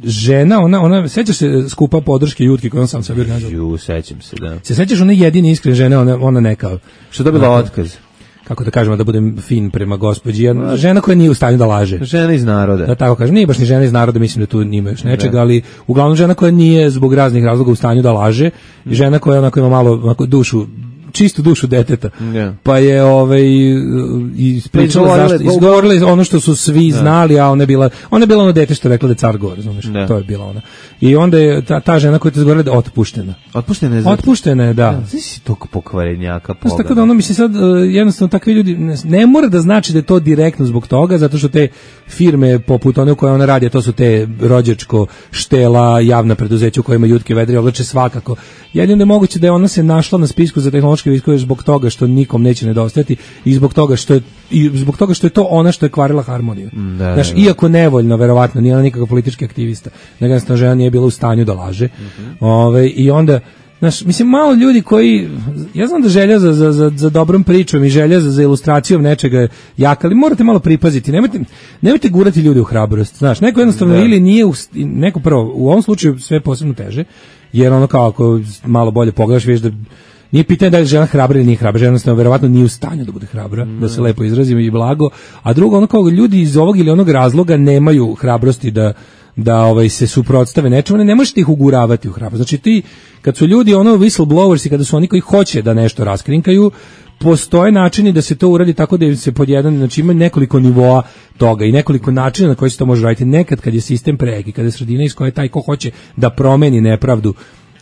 žena, ona, ona, sećaš se skupa podrške Jutke koju on sam sebi organizovao? Ju, sećam se, da. Se sećaš one jedine iskrene žene, ona, ona neka, Što je dobila Dakle, otkaz? kako da kažemo, da budem fin prema gospođi, jedna žena koja nije u stanju da laže. Žena iz naroda. Da tako kažem, nije baš ni žena iz naroda, mislim da tu nima još nečega, ali uglavnom žena koja nije zbog raznih razloga u stanju da laže i žena koja onako ima malo onako dušu čistu dušu deteta. Yeah. Pa je ovaj ispričala zašto izgovorili ono što su svi znali, a ona je bila ona je bila ono dete što je rekla da je car govor, razumeš? To je bila ona. I onda je ta, ta žena koja je izgovorila da je otpuštena. Otpuštena je. Zato... Otpuštena je, da. Znaš si tog pokvarenjaka pogleda. Tako da ono mislim sad jednostavno takvi ljudi ne, ne mora da znači da je to direktno zbog toga, zato što te firme poput one u koje ona radi, to su te rođačko, štela, javna preduzeća u kojima jutke vedri oblače svakako. Jedino je moguće da je ona se našla na spisku za tehnološke viškove zbog toga što nikom neće nedostajati i zbog toga što je i zbog toga što je to ona što je kvarila harmoniju. Da, znaš, da, iako nevoljno, verovatno, nije ona nikakav politički aktivista, nego jednostavno žena nije bila u stanju da laže. Mm-hmm. Ove, i onda znaš, mislim, malo ljudi koji, ja znam da želja za, za, za, za dobrom pričom i želja za, za ilustracijom nečega je jaka, ali morate malo pripaziti, nemojte, nemojte gurati ljude u hrabrost, znaš, neko jednostavno da. Ili nije, u, neko prvo, u ovom slučaju sve posebno teže, jer ono kao ako malo bolje pogledaš, vidiš da nije pitanje da je žena hrabra ili nije hrabra, žena jednostavno verovatno nije u stanju da bude hrabra, mm. da se lepo izrazim i blago, a drugo, ono kao ljudi iz ovog ili onog razloga nemaju hrabrosti da da ovaj se suprotstave nečemu, ne, ne možete ih uguravati u hrabrost. Znači ti, kad su ljudi ono whistleblowers i kada su oni koji hoće da nešto raskrinkaju, postoje načini da se to uradi tako da se pod jedan, znači ima nekoliko nivoa toga i nekoliko načina na koji se to može raditi. Nekad kad je sistem preki, kada je sredina iz koje taj ko hoće da promeni nepravdu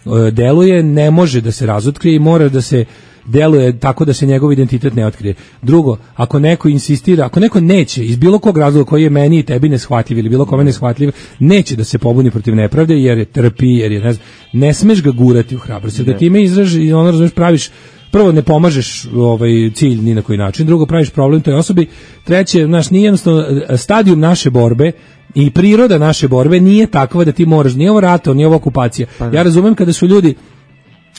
e, deluje, ne može da se razotkrije i mora da se deluje tako da se njegov identitet ne otkrije. Drugo, ako neko insistira, ako neko neće iz bilo kog razloga koji je meni i tebi neshvatljiv ili bilo kome neshvatljiv, neće da se pobuni protiv nepravde jer je trpi, jer je ne znam, ne smeš ga gurati u hrabrost. Da time izraži i ono razumeš praviš prvo ne pomažeš ovaj cilj ni na koji način, drugo praviš problem toj osobi, treće, znaš, nije jednostavno stadijum naše borbe i priroda naše borbe nije takva da ti moraš, nije ovo rato, nije ovo okupacija. Ja razumem kada su ljudi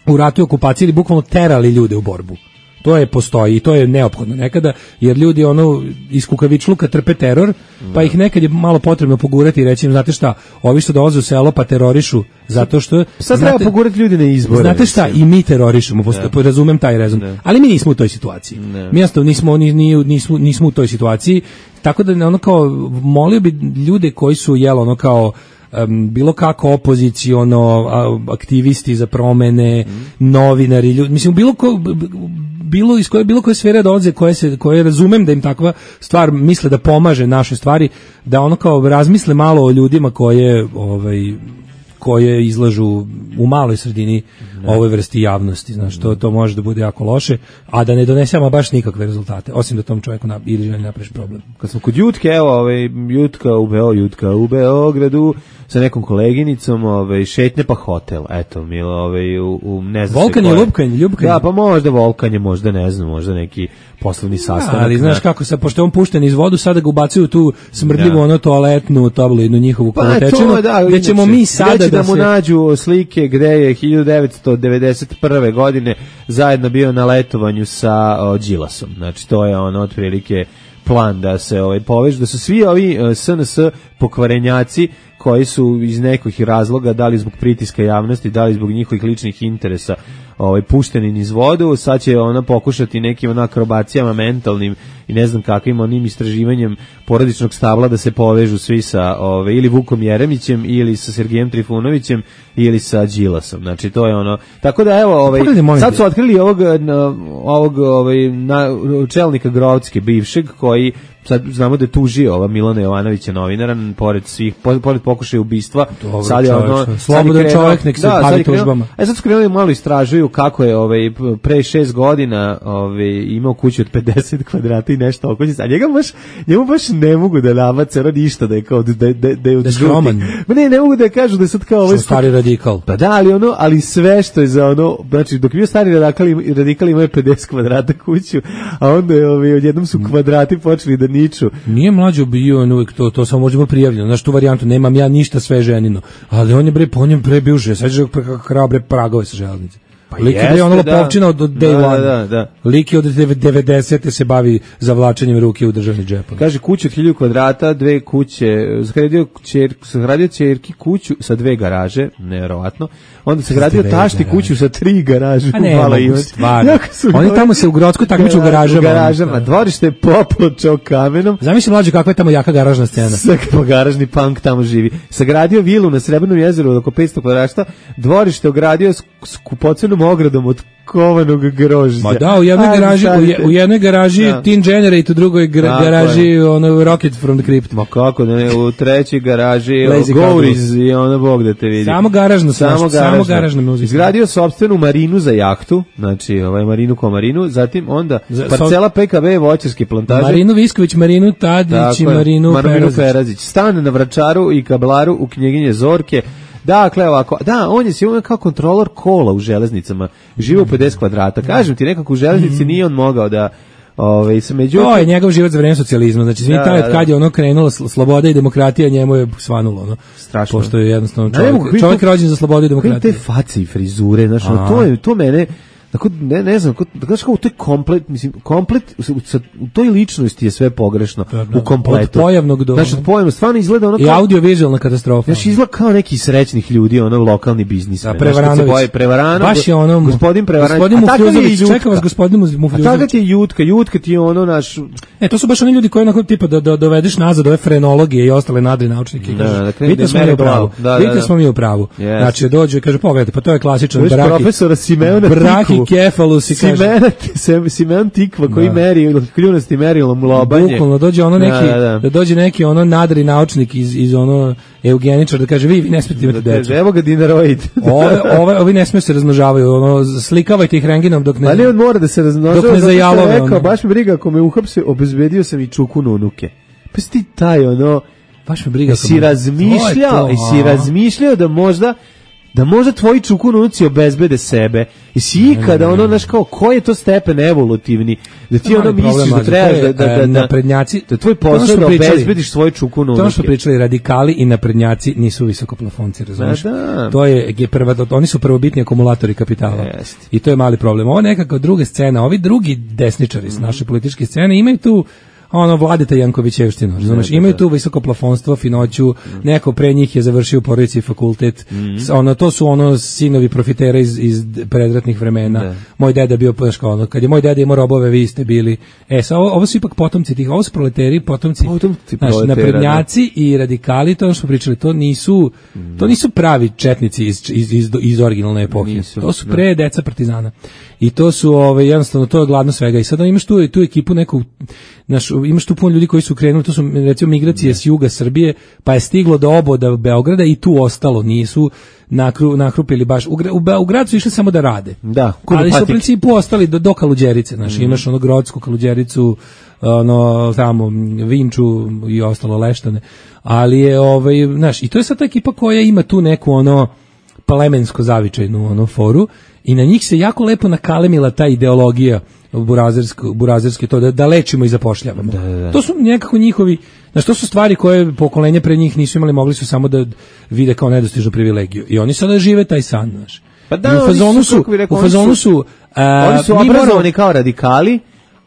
u ratu i okupaciji ili bukvalno terali ljude u borbu. To je postoji i to je neophodno nekada, jer ljudi ono iz kukavičluka trpe teror, pa ih nekad je malo potrebno pogurati i reći im, znate šta, ovi što dolaze u selo pa terorišu zato što... Sad znate, treba pogurati ljudi na izbore. Znate šta, i mi terorišemo, posto, razumem taj rezon, ne. Ali mi nismo u toj situaciji. Ne. Mi jasno nismo, ni, ni, nismo, nismo u toj situaciji, tako da ono kao, molio bi ljude koji su, jel, ono kao, Um, bilo kako opoziciono, aktivisti za promene, mm. novinari, ljudi, mislim bilo ko, bilo iz koje bilo koje sfere dolaze koje se koje razumem da im takva stvar misle da pomaže našoj stvari, da ono kao razmisle malo o ljudima koje ovaj koje izlažu u maloj sredini ne. Ovoj vrsti javnosti, znaš, to, to može da bude jako loše, a da ne donesemo baš nikakve rezultate, osim da tom čovjeku na, ili želi napraviš problem. Kad smo kod Jutke, evo, ovaj, Jutka u Beo, Jutka u Beogradu, sa nekom koleginicom, ovaj, šetnje pa hotel, eto, milo, ovaj, u, u ne znam Volkanje, ljubkanje, ljubkanje. Da, pa možda volkanje, možda ne znam, možda neki poslovni sastanak. Ja, ali znaš ne. Kako, sad, pošto je on pušten iz vodu, sada ga ubacuju tu smrdljivu da. Ono toaletnu tabloidnu njihovu pa, kolotečinu, da, gde ćemo mi sada da, da mu se... nađu slike gde je hiljadu devetsto devedeset prve godine zajedno bio na letovanju sa o, Đilasom. Znači to je ono otprilike plan da se ovaj povežu, da su svi ovi uh, S N S pokvarenjaci koji su iz nekih razloga, da li zbog pritiska javnosti, da li zbog njihovih ličnih interesa, ovaj pušteni niz vodu, sad će ona pokušati nekim ona akrobacijama mentalnim i ne znam kakvim onim istraživanjem porodičnog stabla da se povežu svi sa ovaj ili Vukom Jeremićem ili sa Sergejem Trifunovićem ili sa Đilasom. Znači to je ono. Tako da evo ovaj sad su otkrili ovog ovog ovaj na, čelnika Grovcke bivšeg koji sad znamo da je tužio ova Milana Jovanovića novinara pored svih pored pokušaja ubistva. Dobar, sad je ono slobodan čovjek nek se da, bavi tužbama. E sad su krenuli malo istražuju kako je ovaj pre šest godina ovaj imao kuću od pedeset kvadrata i nešto oko njega. A njega baš njemu baš ne mogu da nabace ono ništa da je kao da da da, da je od skroman. Ma ne, ne mogu da kažu da je sad kao ovaj stari radikal. Pa da, ali ono, ali sve što je za ono, znači dok je bio stari radikal, radikal imao je pedeset kvadrata kuću, a onda je ovaj odjednom su kvadrati počeli da niču. Nije mlađo bio on uvijek to, to samo može biti prijavljeno. Znaš tu varijantu, nemam ja ništa sve ženino, ali on je bre po njem pre bio že, sad je krao bre pragove sa železnice. Pa lik je bre ono lopovčina od day da, one. Da, da. Lik je od devedesete se bavi zavlačenjem ruke u državni džep. Kaže kuća od hiljadu kvadrata, dve kuće, sagradio ćerku, sagradio ćerki kuću sa dve garaže, nevjerovatno. Onda se gradio tašti kuću sa tri garaže. A ne, mogu stvarno. Oni tamo se u Grocku takmiču u garažama. U garažama. Dvorište je popločao kamenom. Zamisli mlađe kakva je tamo jaka garažna scena. Svaki garažni punk tamo živi. Sagradio vilu na Srebrnom jezeru od oko petsto kvadrata, dvorište ogradio s kupocenom čuvenom ogradom od kovanog grožđa. Ma da, u jednoj Ajde, garaži, u, je, u jednoj garaži da. Teen Generate, u drugoj gra, Tako garaži je. ono Rocket from the Crypt. Ma kako da ne, u trećoj garaži Lazy Gouris i ono Bog da te vidi. Samo garažno, samo samo, samo garažna muzika. Izgradio sopstvenu marinu za jahtu, znači ovaj marinu ko marinu, zatim onda Za- parcela P K B voćarske plantaže. Marinu Visković, Marinu Tadić i Tako je, Marinu, Marinu Perazić. Perazić. Stan na Vračaru i Kablaru u knjiginje Zorke. Dakle, ovako, da, on je sigurno kao kontrolor kola u železnicama. Živo u pedeset kvadrata. Kažem ti, nekako u železnici nije on mogao da Ove, sa međutim, to je njegov život za vreme socijalizma. Znači, svi Da, taj da, da. kad je ono krenulo sl- sloboda i demokratija, njemu je svanulo. Ono. Strašno. Pošto je jednostavno Da, ne mogu, čovjek, vidim čovjek to- rođen za slobodu i vidim demokratiju. te face i frizure, znaš, ono, to, je, to mene, tako, ne, ne znam, da kažeš kao, to je komplet, mislim, komplet, u, u, u toj ličnosti je sve pogrešno, Da, da. u kompletu. Od pojavnog do- Znaš, od pojavnog, stvarno izgleda ono I kao, audiovizualna katastrofa. znaš, izgleda kao neki srećnih ljudi, ono, lokalni biznis. Da, Prevaranović. Prevarano, Baš je ono... gospodin Prevaranović. Gospodin A takav je i Mufljuzović, Jutka. čeka vas gospodin A Mufljuzović. takav ti je Jutka, Jutka ti je ono, naš, E, to su baš oni ljudi koji onako tipa da, da dovedeš nazad ove frenologije i ostale nadri naučnike. i Da, kažeš, da, krene vidite da smo mi mere u pravu. glavu. Da, da, Vidite da. smo mi u pravu. Yes. Znači, dođe i kaže, pogledajte, pa to je klasičan Viš brahi. profesora Simeona Brahi Tikvu. kefalus i kaže... Simena, Sim- Simeon Tikva koji Da. meri kljunasti merilom lobanje. Bukvalno dođe ono neki Da, da, da. dođe neki ono nadri naučnik iz iz ono eugeničar da kaže vi vi ne smijete imati Da, decu. evo ga dinaroid. Ove ove ovi ne smiju se razmnožavaju, ono slikavajte ih rengenom dok ne. Ali on mora da se razmnožava. Dok ne zato što je zajalove, rekao, ono. baš me briga, ako me uhapse, obezbedio sam i čukunu unuke. Pa si ti taj, ono, baš me briga. jesi kako- razmišljao, To je to, jesi a. razmišljao da možda da možda tvoji čukun unuci obezbede sebe. Jesi ikada, ono, znaš, kao, koji je to stepen evolutivni? Da ti To je ono mali misliš problem, da mlađe, trebaš to da, je, da, e, da, da, naprednjaci- da tvoj to je ono posao što da pričali- obezbediš svoj čukun To je ono što unuke. pričali radikali i naprednjaci nisu visokoplafonci, razumiješ? Da, da. To je, je prva, oni su prvobitni akumulatori kapitala. Jeste. I to je mali problem. Ovo je nekako druga scena, ovi drugi desničari s naše političke scene imaju tu ono Vladeta Jankovićevštinu, razumeš? Imaju tu visoko plafonstvo, finoću, neko pre njih je završio u porodici fakultet. S- Ono to su ono sinovi profitera iz iz predratnih vremena. Da. Moj deda bio baš kao ono, kad je moj deda imao robove, vi ste bili. E, sa ovo, ovo su ipak potomci tih, ovo su proleteri, potomci. Potomci Znaš, proletera, naprednjaci i radikali, to je ono što smo pričali, to nisu to nisu pravi četnici iz iz iz, iz originalne epohe. Nisu, to su da. pre deca partizana. I to su ovaj jednostavno to je gladno svega. I sada imaš tu tu ekipu neku naš imaš tu puno ljudi koji su krenuli, to su recimo migracije s juga Srbije, pa je stiglo do oboda Beograda i tu ostalo, nisu nakru, nakrupili baš u, gra- u, Be- u grad su išli samo da rade. Da, ali su u kudopatik. principu ostali do, do Kaluđerice, znaš, imaš ono Grodsku Kaluđericu, ono tamo Vinču i ostalo Leštane. Ali je ovaj, znaš, i to je sad ta ekipa koja ima tu neku ono plemensko zavičajnu ono foru i na njih se jako lepo nakalemila ta ideologija burazersko burazerski to da, da lečimo i zapošljavamo. Da, da, da. To su nekako njihovi, znači to su stvari koje pokolenje pre njih nisu imali, mogli su samo da vide kao nedostižnu privilegiju. I oni sada žive taj san, znaš. Pa da, I u oni fazonu su, su, kako bi rekao, u oni fazonu su- su, a, Oni su mi moramo- obrazovani kao radikali,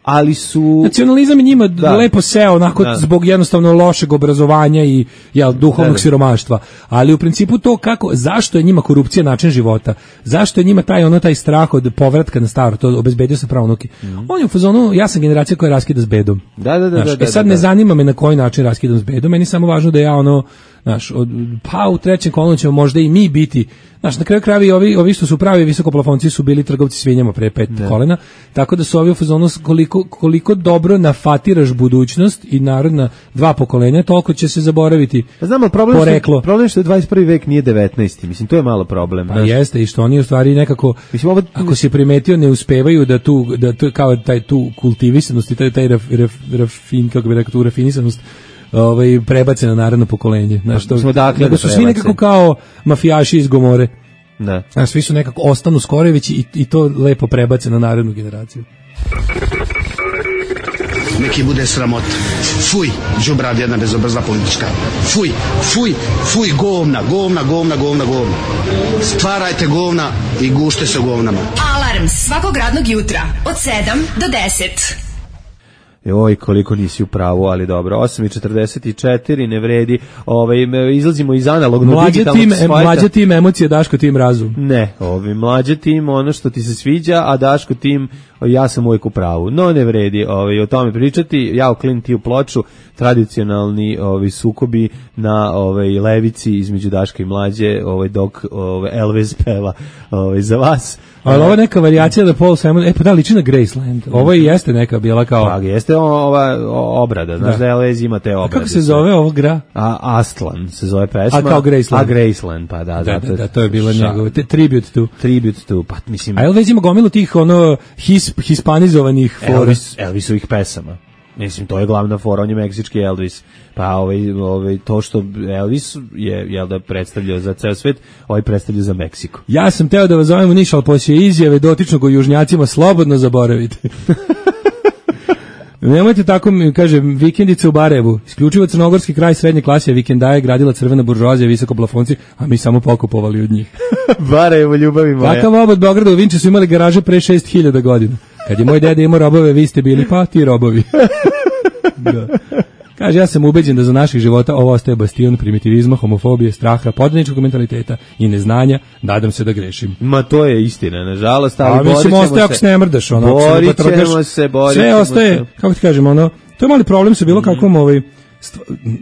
ali su... Nacionalizam je njima Da. lepo seo onako Da. zbog jednostavno lošeg obrazovanja i jel, duhovnog Da, da. siromaštva. Ali u principu to kako, zašto je njima korupcija način života? Zašto je njima taj ono taj strah od povratka na staro, to obezbedio se pravo unuki. On je u fazonu, ja sam generacija koja raskida s bedom. Da, da, da, Znaš, da, da, e sad da, ne da. zanima me na koji način raskidam s bedom, meni je samo važno da ja ono, znaš, od, pa u trećem kolonu ćemo možda i mi biti, znaš, na kraju krajeva i ovi, ovi što su pravi visokoplafonci su bili trgovci svinjama pre pet kolena, tako da su ovi u fazonu koliko, koliko dobro nafatiraš budućnost i narodna dva pokolenja, toliko će se zaboraviti Pa znam, ali problem, što, poreklo. problem je što je dvadeset prvi vek nije devetnaesti. Mislim, to je malo problem. Pa znaš. jeste, i što oni u stvari nekako, Mislim, ovo- ako si primetio, ne uspevaju da tu, da to je kao taj tu kultivisanost i taj, taj raf, raf, rafin, kako bi rekao, tu rafinisanost, ovaj, prebace na narodno pokolenje. Znaš, to, mislim, odakle nego da su svi prebace? nekako kao mafijaši iz Gomore. Da. Znaš, svi su nekako ostanu Skorevići i, i to lepo prebace na narodnu generaciju. Neki bude sramot. Fuj, đubrad jedna bezobrazna politička. Fuj, fuj, fuj, govna, govna, govna, govna, govna. Stvarajte govna i gušte se govnama. Alarm svakog radnog jutra od sedam do deset. Oj, koliko nisi u pravu, ali dobro. osam i četrdeset četiri, ne vredi. Ovaj, me- izlazimo iz analognog Mlađe digitalnog tim, svajta. mlađe tim emocije, Daško tim razum. Ne, ovi mlađe tim ono što ti se sviđa, a Daško tim ja sam uvijek u pravu. No ne vredi ovaj, o tome pričati. Ja u Klin ti u ploču, tradicionalni ovi sukobi na ovaj levici između Daška i mlađe, ovaj dok ovaj Elvis peva ovaj za vas. Ali ovo je neka varijacija da Paul Simon, e pa da, liči na Graceland. Ovo i jeste neka bila kao... Pa jeste ova obrada, znaš da, da Elvis ima te obrade. A kako se zove ovog gra? A, Astlan se zove pesma. A kao Graceland. A Graceland, pa da. Da, da, da, to je bila njegova, tribute to. Tribute to, pa mislim... A Elvis ima gomilu tih, ono, his, hispanizovanih fora. Elvis, Elvisovih pesama. Mislim, to je glavna fora, on je meksički Elvis. Pa ovaj, ovaj, to što Elvis je, jel da, predstavljao za ceo svet, ovaj predstavlja za Meksiko. Ja sam teo da vas zovem u Niš, ali poslije izjave dotičnog o južnjacima slobodno zaboravite. Nemojte tako, kaže, vikendice u Barajevu. Isključivo crnogorski kraj srednje klase vikendaje gradila crvena buržoazija, visoko plafonci, a mi samo pokupovali od njih. Barajevo, ljubavi moja. Takav obod Beograda u Vinči su imali garaže pre šest hiljada godina. Kad je moj deda imao robove, vi ste bili, pa ti robovi. Da. Kaže, ja sam ubeđen da za naših života ovo ostaje bastion primitivizma, homofobije, straha, podaničkog mentaliteta i neznanja. Nadam se da grešim. Ma to je istina, nažalost, ali a, mislim, ostaje ako se ne mrdaš, ono, borit ćemo se, borit sve ostaje, se. Kako ti kažem, ono, to je mali problem sa bilo mm. kakvom ovaj,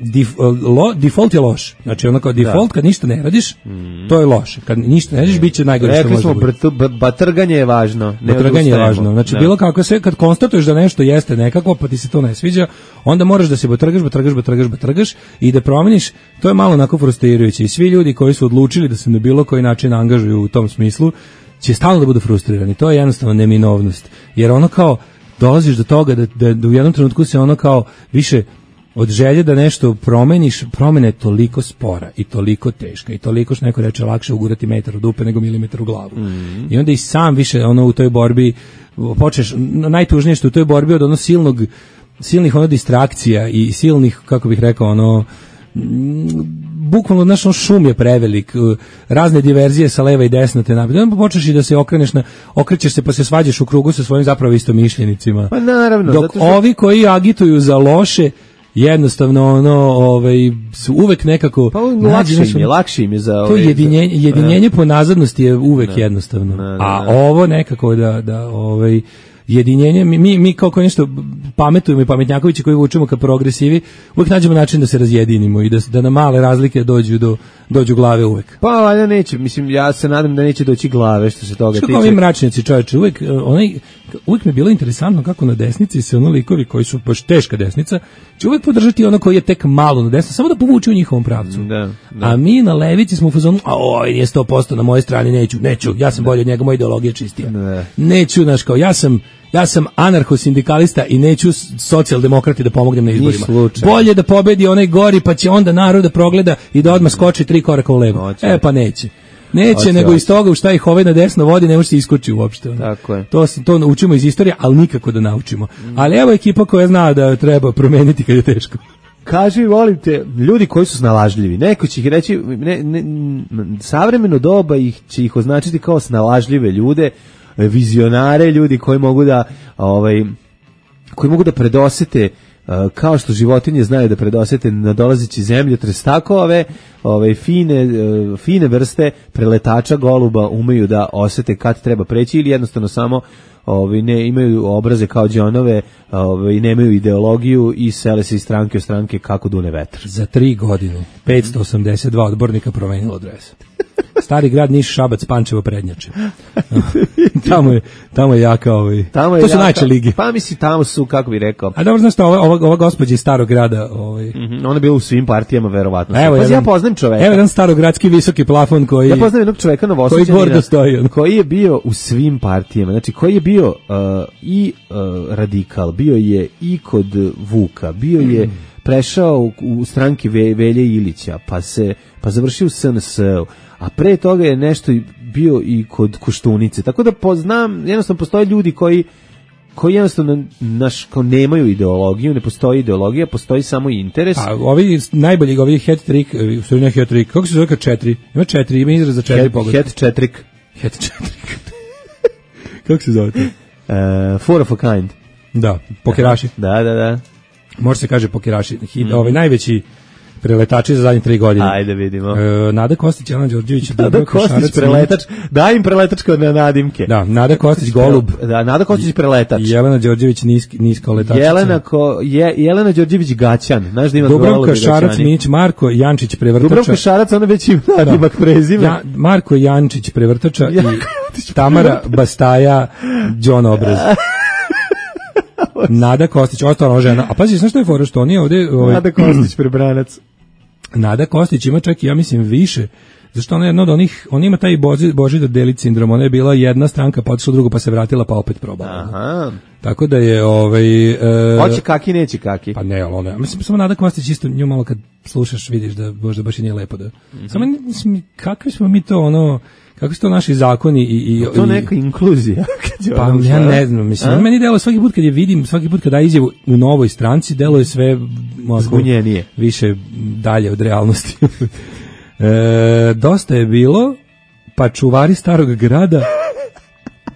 Dif, lo, default je loš. Znači ono kao default da. Kad ništa ne radiš, mm. to je loše. Kad ništa ne radiš, bit će najgore što može biti. Rekli smo, batrganje je važno. Batrganje je važno. Znači ne. Bilo kako sve, kad konstatuješ da nešto jeste nekako, pa ti se to ne sviđa, onda moraš da se batrgaš, batrgaš, batrgaš, batrgaš i da promeniš. To je malo onako frustrirajuće. I svi ljudi koji su odlučili da se na bilo koji način angažuju u tom smislu, će stalno da budu frustrirani. To je jednostavno neminovnost. Jer ono kao, dolaziš do toga da, da, da u jednom trenutku se ono kao više od želje da nešto promeniš, promena je toliko spora i toliko teška i toliko što neko reče lakše ugurati metar u dupe nego milimetar u glavu. Mm. I onda i sam više ono u toj borbi počneš, najtužnije što u toj borbi od ono silnog, silnih ono distrakcija i silnih, kako bih rekao, ono bukvalno naš šum je prevelik, razne diverzije sa leva i desna te napred. Onda počneš i da se okreneš na, okrećeš se pa se svađaš u krugu sa svojim zapravo istomišljenicima. Pa naravno. Dok što... ovi koji agituju za loše jednostavno ono ovaj su uvek nekako pa lakše im je, lakše im je za to jedinjenje, jedinjenje po nazadnosti je uvek ne, jednostavno. Ne, ne, ne. A ovo nekako da da ovaj jedinjenje, mi, mi kao ko nešto pametujemo i pametnjakovići koji vučemo ka progresivi, uvek nađemo način da se razjedinimo i da, da na male razlike dođu do dođu glave uvek. Pa valjda neće, mislim, ja se nadam da neće doći glave što se toga što tiče. Što kao ovi mračnjaci, čovječe, uvek, onaj, uvek mi je bilo interesantno kako na desnici se ono likovi koji su baš teška desnica, će uvek podržati ono koji je tek malo na desnici, samo da povuče u njihovom pravcu. Da, da. A mi na levici smo u fazonu, a oj, nije sto posto na mojoj strani, neću, neću, ja sam bolji od njega, moja ideologija čistija. Da. Neću, znaš, kao, ja sam Ja sam anarcho-sindikalista i neću socijaldemokrati da pomognem na izborima. Bolje da pobedi onaj gori, pa će onda narod da progleda i da odmah skoči tri koraka u levo. Oće. E pa neće. Neće, oće, nego oće. Iz toga u šta ih ovaj na desno vodi, ne može se iskoči uopšte. Tako je. To, to učimo iz istorije, ali nikako da naučimo. Mm. Ali evo ekipa koja zna da treba promeniti kad je teško. Kaži, volim te, ljudi koji su snalažljivi. Neko će ih reći, ne, ne, savremeno doba ih će ih označiti kao snalažljive ljude, vizionare, ljudi koji mogu da ovaj koji mogu da predosete uh, kao što životinje znaju da predosete nadolazeći zemljotres, tako ove ove fine uh, fine vrste preletača goluba umeju da osete kad treba preći ili jednostavno samo ovi ne imaju obraze kao đonove, ovi nemaju ideologiju i sele se iz stranke u stranke kako dune vetar. Za tri godine petsto osamdeset dva odbornika promenilo dres. Stari grad Niš, Šabac, Pančevo, Prednjače. tamo je tamo je jaka ovaj. Tamo je to su jaka, najče lige. Pa misli tamo su, kako bi rekao. A dobro, znaš šta, ova ova, ova gospođa iz Starog grada, ovaj. Mm -hmm, ona je bila u svim partijama verovatno. Evo, pa jedan, ja poznajem čoveka. Evo jedan starogradski visoki plafon koji ja poznajem jednog čoveka Novosađanina koji gordo stoji, on. Koji je bio u svim partijama. Znači koji je bio uh, i uh, radikal, bio je i kod Vuka, bio je mm. prešao u, u stranki Ve, Velje Ilića, pa se pa završio u S N S-u, a pre toga je nešto bio i kod Koštunice. Tako da poznam, jednostavno postoje ljudi koji koji jednostavno naš, kao nemaju ideologiju, ne postoji ideologija, postoji samo interes. A ovi najbolji, ovi hat-trick, u stvari ne hat-trick, kako se zove kad četiri? Ima četiri, ima izraz za četiri pogleda. Hat-trick. Hat-trick. Kako se zove to? Uh, four of a kind. Da, pokeraši. Da, da, da. Može se kaže pokeraši. Mm. Ovaj najveći preletači za zadnje tri godine. Ajde vidimo. E, Nada Kostić, Jelena Đorđević, Nada Kostić preletač. Daj im preletačko na nadimke. Da, Nada Kostić golub. Da, Nada Kostić preletač. Jelena Đorđević niski niska letačica. Jelena ko je Jelena Đorđević gaćan. Znaš da ima Dubravka Šarac Mić, Marko Jančić prevrtača. Dubravka Šarac, ona već ima nadimak prezime. Ja, Marko Jančić prevrtača ja, i Kostić. Tamara Bastaja, John Obraz. Nada Kostić, ostala žena. A pazi, znaš što je fora, što on je ovde... Ovaj, Nada Kostić, prebranac. Nada Kostić ima čak i, ja mislim, više. Zašto ona je jedna od onih, on ima taj Boži, Božidar Delić sindrom, ona je bila jedna stranka, pa otišla drugo, pa se vratila, pa opet probala. Aha. Tako da je, ovaj... E, hoće kaki, neće kaki. Pa ne, ali ona, mislim, samo Nada Kostić isto, nju malo kad slušaš, vidiš da možda baš i nije lepo da... Mm-hmm. Samo, mislim, kakvi smo mi to, ono... Kako su to naši zakoni i... i to neka inkluzija. Pa ja ne znam, mislim, on meni delo svaki put kad je vidim, svaki put kad da izjavu u novoj stranci, delo je sve... Zbunjenije. Više dalje od realnosti. e, dosta je bilo, pa čuvari starog grada,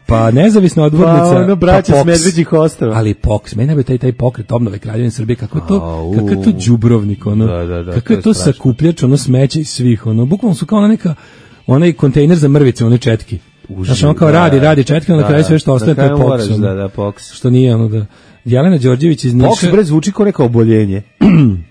pa nezavisna odbornica, pa ono braća pa s Medveđih ostrva. Ali POKS, meni je taj, taj pokret obnove Kraljevine Srbije, kako je to, kako je to đubrovnik, ono, da, da, da, kako je to, to sakupljač, ono smeće iz svih, ono, bukvalno su kao ona neka, onaj kontejner za mrvice, one četki. Znači on kao radi, radi četke, onda na kraju sve što ostaje, to je POKS. Da, da, POKS. Što nije ono da... Jelena Đorđević iz Niša... POKS bre zvuči kao neka oboljenje.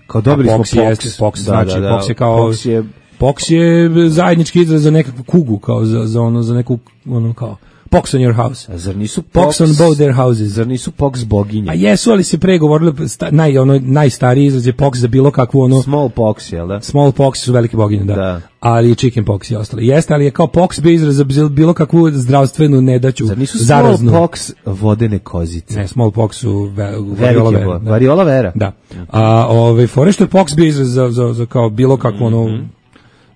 Kao dobili smo POKS. Jeste, POKS da, znači, da, da. POKS je kao... POKS je... POKS je zajednički izraz za nekakvu kugu, kao za, za ono, za neku, ono kao... POKS on your house. A zar nisu POKS on both their houses. Zar nisu POKS boginje? A jesu, ali se pregovorili, sta, naj, ono, najstariji izraz je POKS za bilo kakvu ono... Small pox, jel da? Small pox su velike boginje, da. da. Ali chicken pox i ostali. Jeste, ali je kao POKS bio izraz za bilo kakvu zdravstvenu nedaću. Zar nisu zaraznu. small pox vodene kozice? Ne, small pox su ve, variola vera. Da. Variola vera? Da. A ovaj, fore što je POKS bio izraz za, za, za kao bilo kakvu ono... Mm-hmm.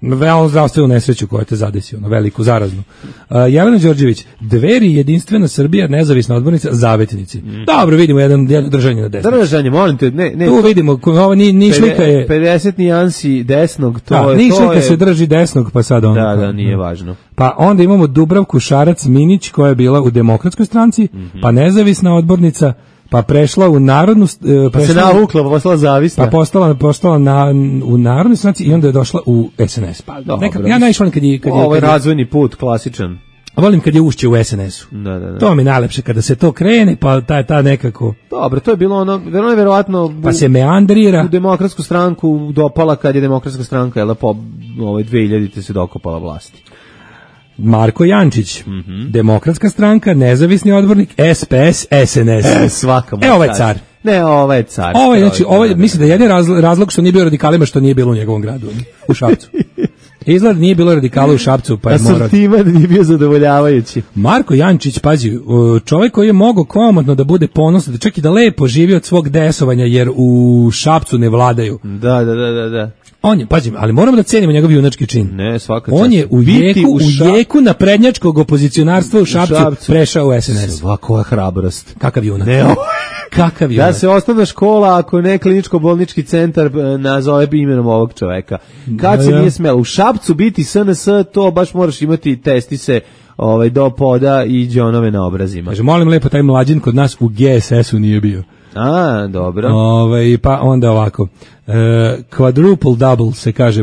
Veoma zdravstvenu nesreću koja te zadesi, ono, veliku, zaraznu. Uh, Jelena Đorđević, Dveri, Jedinstvena Srbija, nezavisna odbornica, zavetnici. Mm. Dobro, vidimo jedan, jedan držanje na desno. Držanje, molim te, ne, ne. Tu vidimo, ovo ni, ni šlika je... pedeset nijansi desnog, to da, je... Ni šlika je... se drži desnog, pa sad ono... Da, da, nije važno. Pa onda imamo Dubravku Šarac-Minić, koja je bila u Demokratskoj stranci, mm-hmm. pa nezavisna odbornica, pa prešla u narodnu... Uh, pa se navukla, pa postala zavisna. Pa postala, postala na, u narodnoj stranci i onda je došla u S N S. Pa, dobro, neka, ja najviše volim kad je... Kad je ovo je kad razvojni put, klasičan. Volim kad je ušće u S N S-u. Da, da, da. To mi je najlepše kada se to krene, pa ta, ta nekako... Dobro, to je bilo ono, verovatno, verovatno pa se meandrira. U Demokratsku stranku dopala kad je Demokratska stranka, jel, po ovaj dve hiljadite se dokopala vlasti. Marko Jančić, mm-hmm. Demokratska stranka, nezavisni odbornik, S P S, S N S. E, svaka mu. E, ovaj car. Ne, ovaj car. Ovaj, znači, ovaj, mislim da je jedin razlog, razlog što nije bio radikalima, što nije bilo u njegovom gradu, u Šapcu. Izgled nije bilo radikala u Šapcu, pa je morao... Asortiman nije bio zadovoljavajući. Marko Jančić, pazi, čovjek koji je mogao komotno da bude ponosan, da čak i da lepo živi od svog desovanja, jer u Šapcu ne vladaju. Da, da, da, da, da. On je, pazi, ali moramo da cenimo njegov junački čin. Ne, svaka čast. On je u jeku, u, ša... u jeku naprednjačkog opozicionarstva u Šapcu, u Šapcu prešao u S N S. Svaka hrabrost. Kakav junak. Ne, kakav junak. Da se osnovna škola, ako ne kliničko-bolnički centar, nazove imenom ovog čoveka. Kad da, se ja. nije smelo u Šapcu biti S N S, to baš moraš imati testise ovaj, do poda i džonove na obrazima. Kaže, molim lepo, taj mlađin kod nas u G S S-u nije bio. A, dobro. Ove, pa onda ovako. E, quadruple double se kaže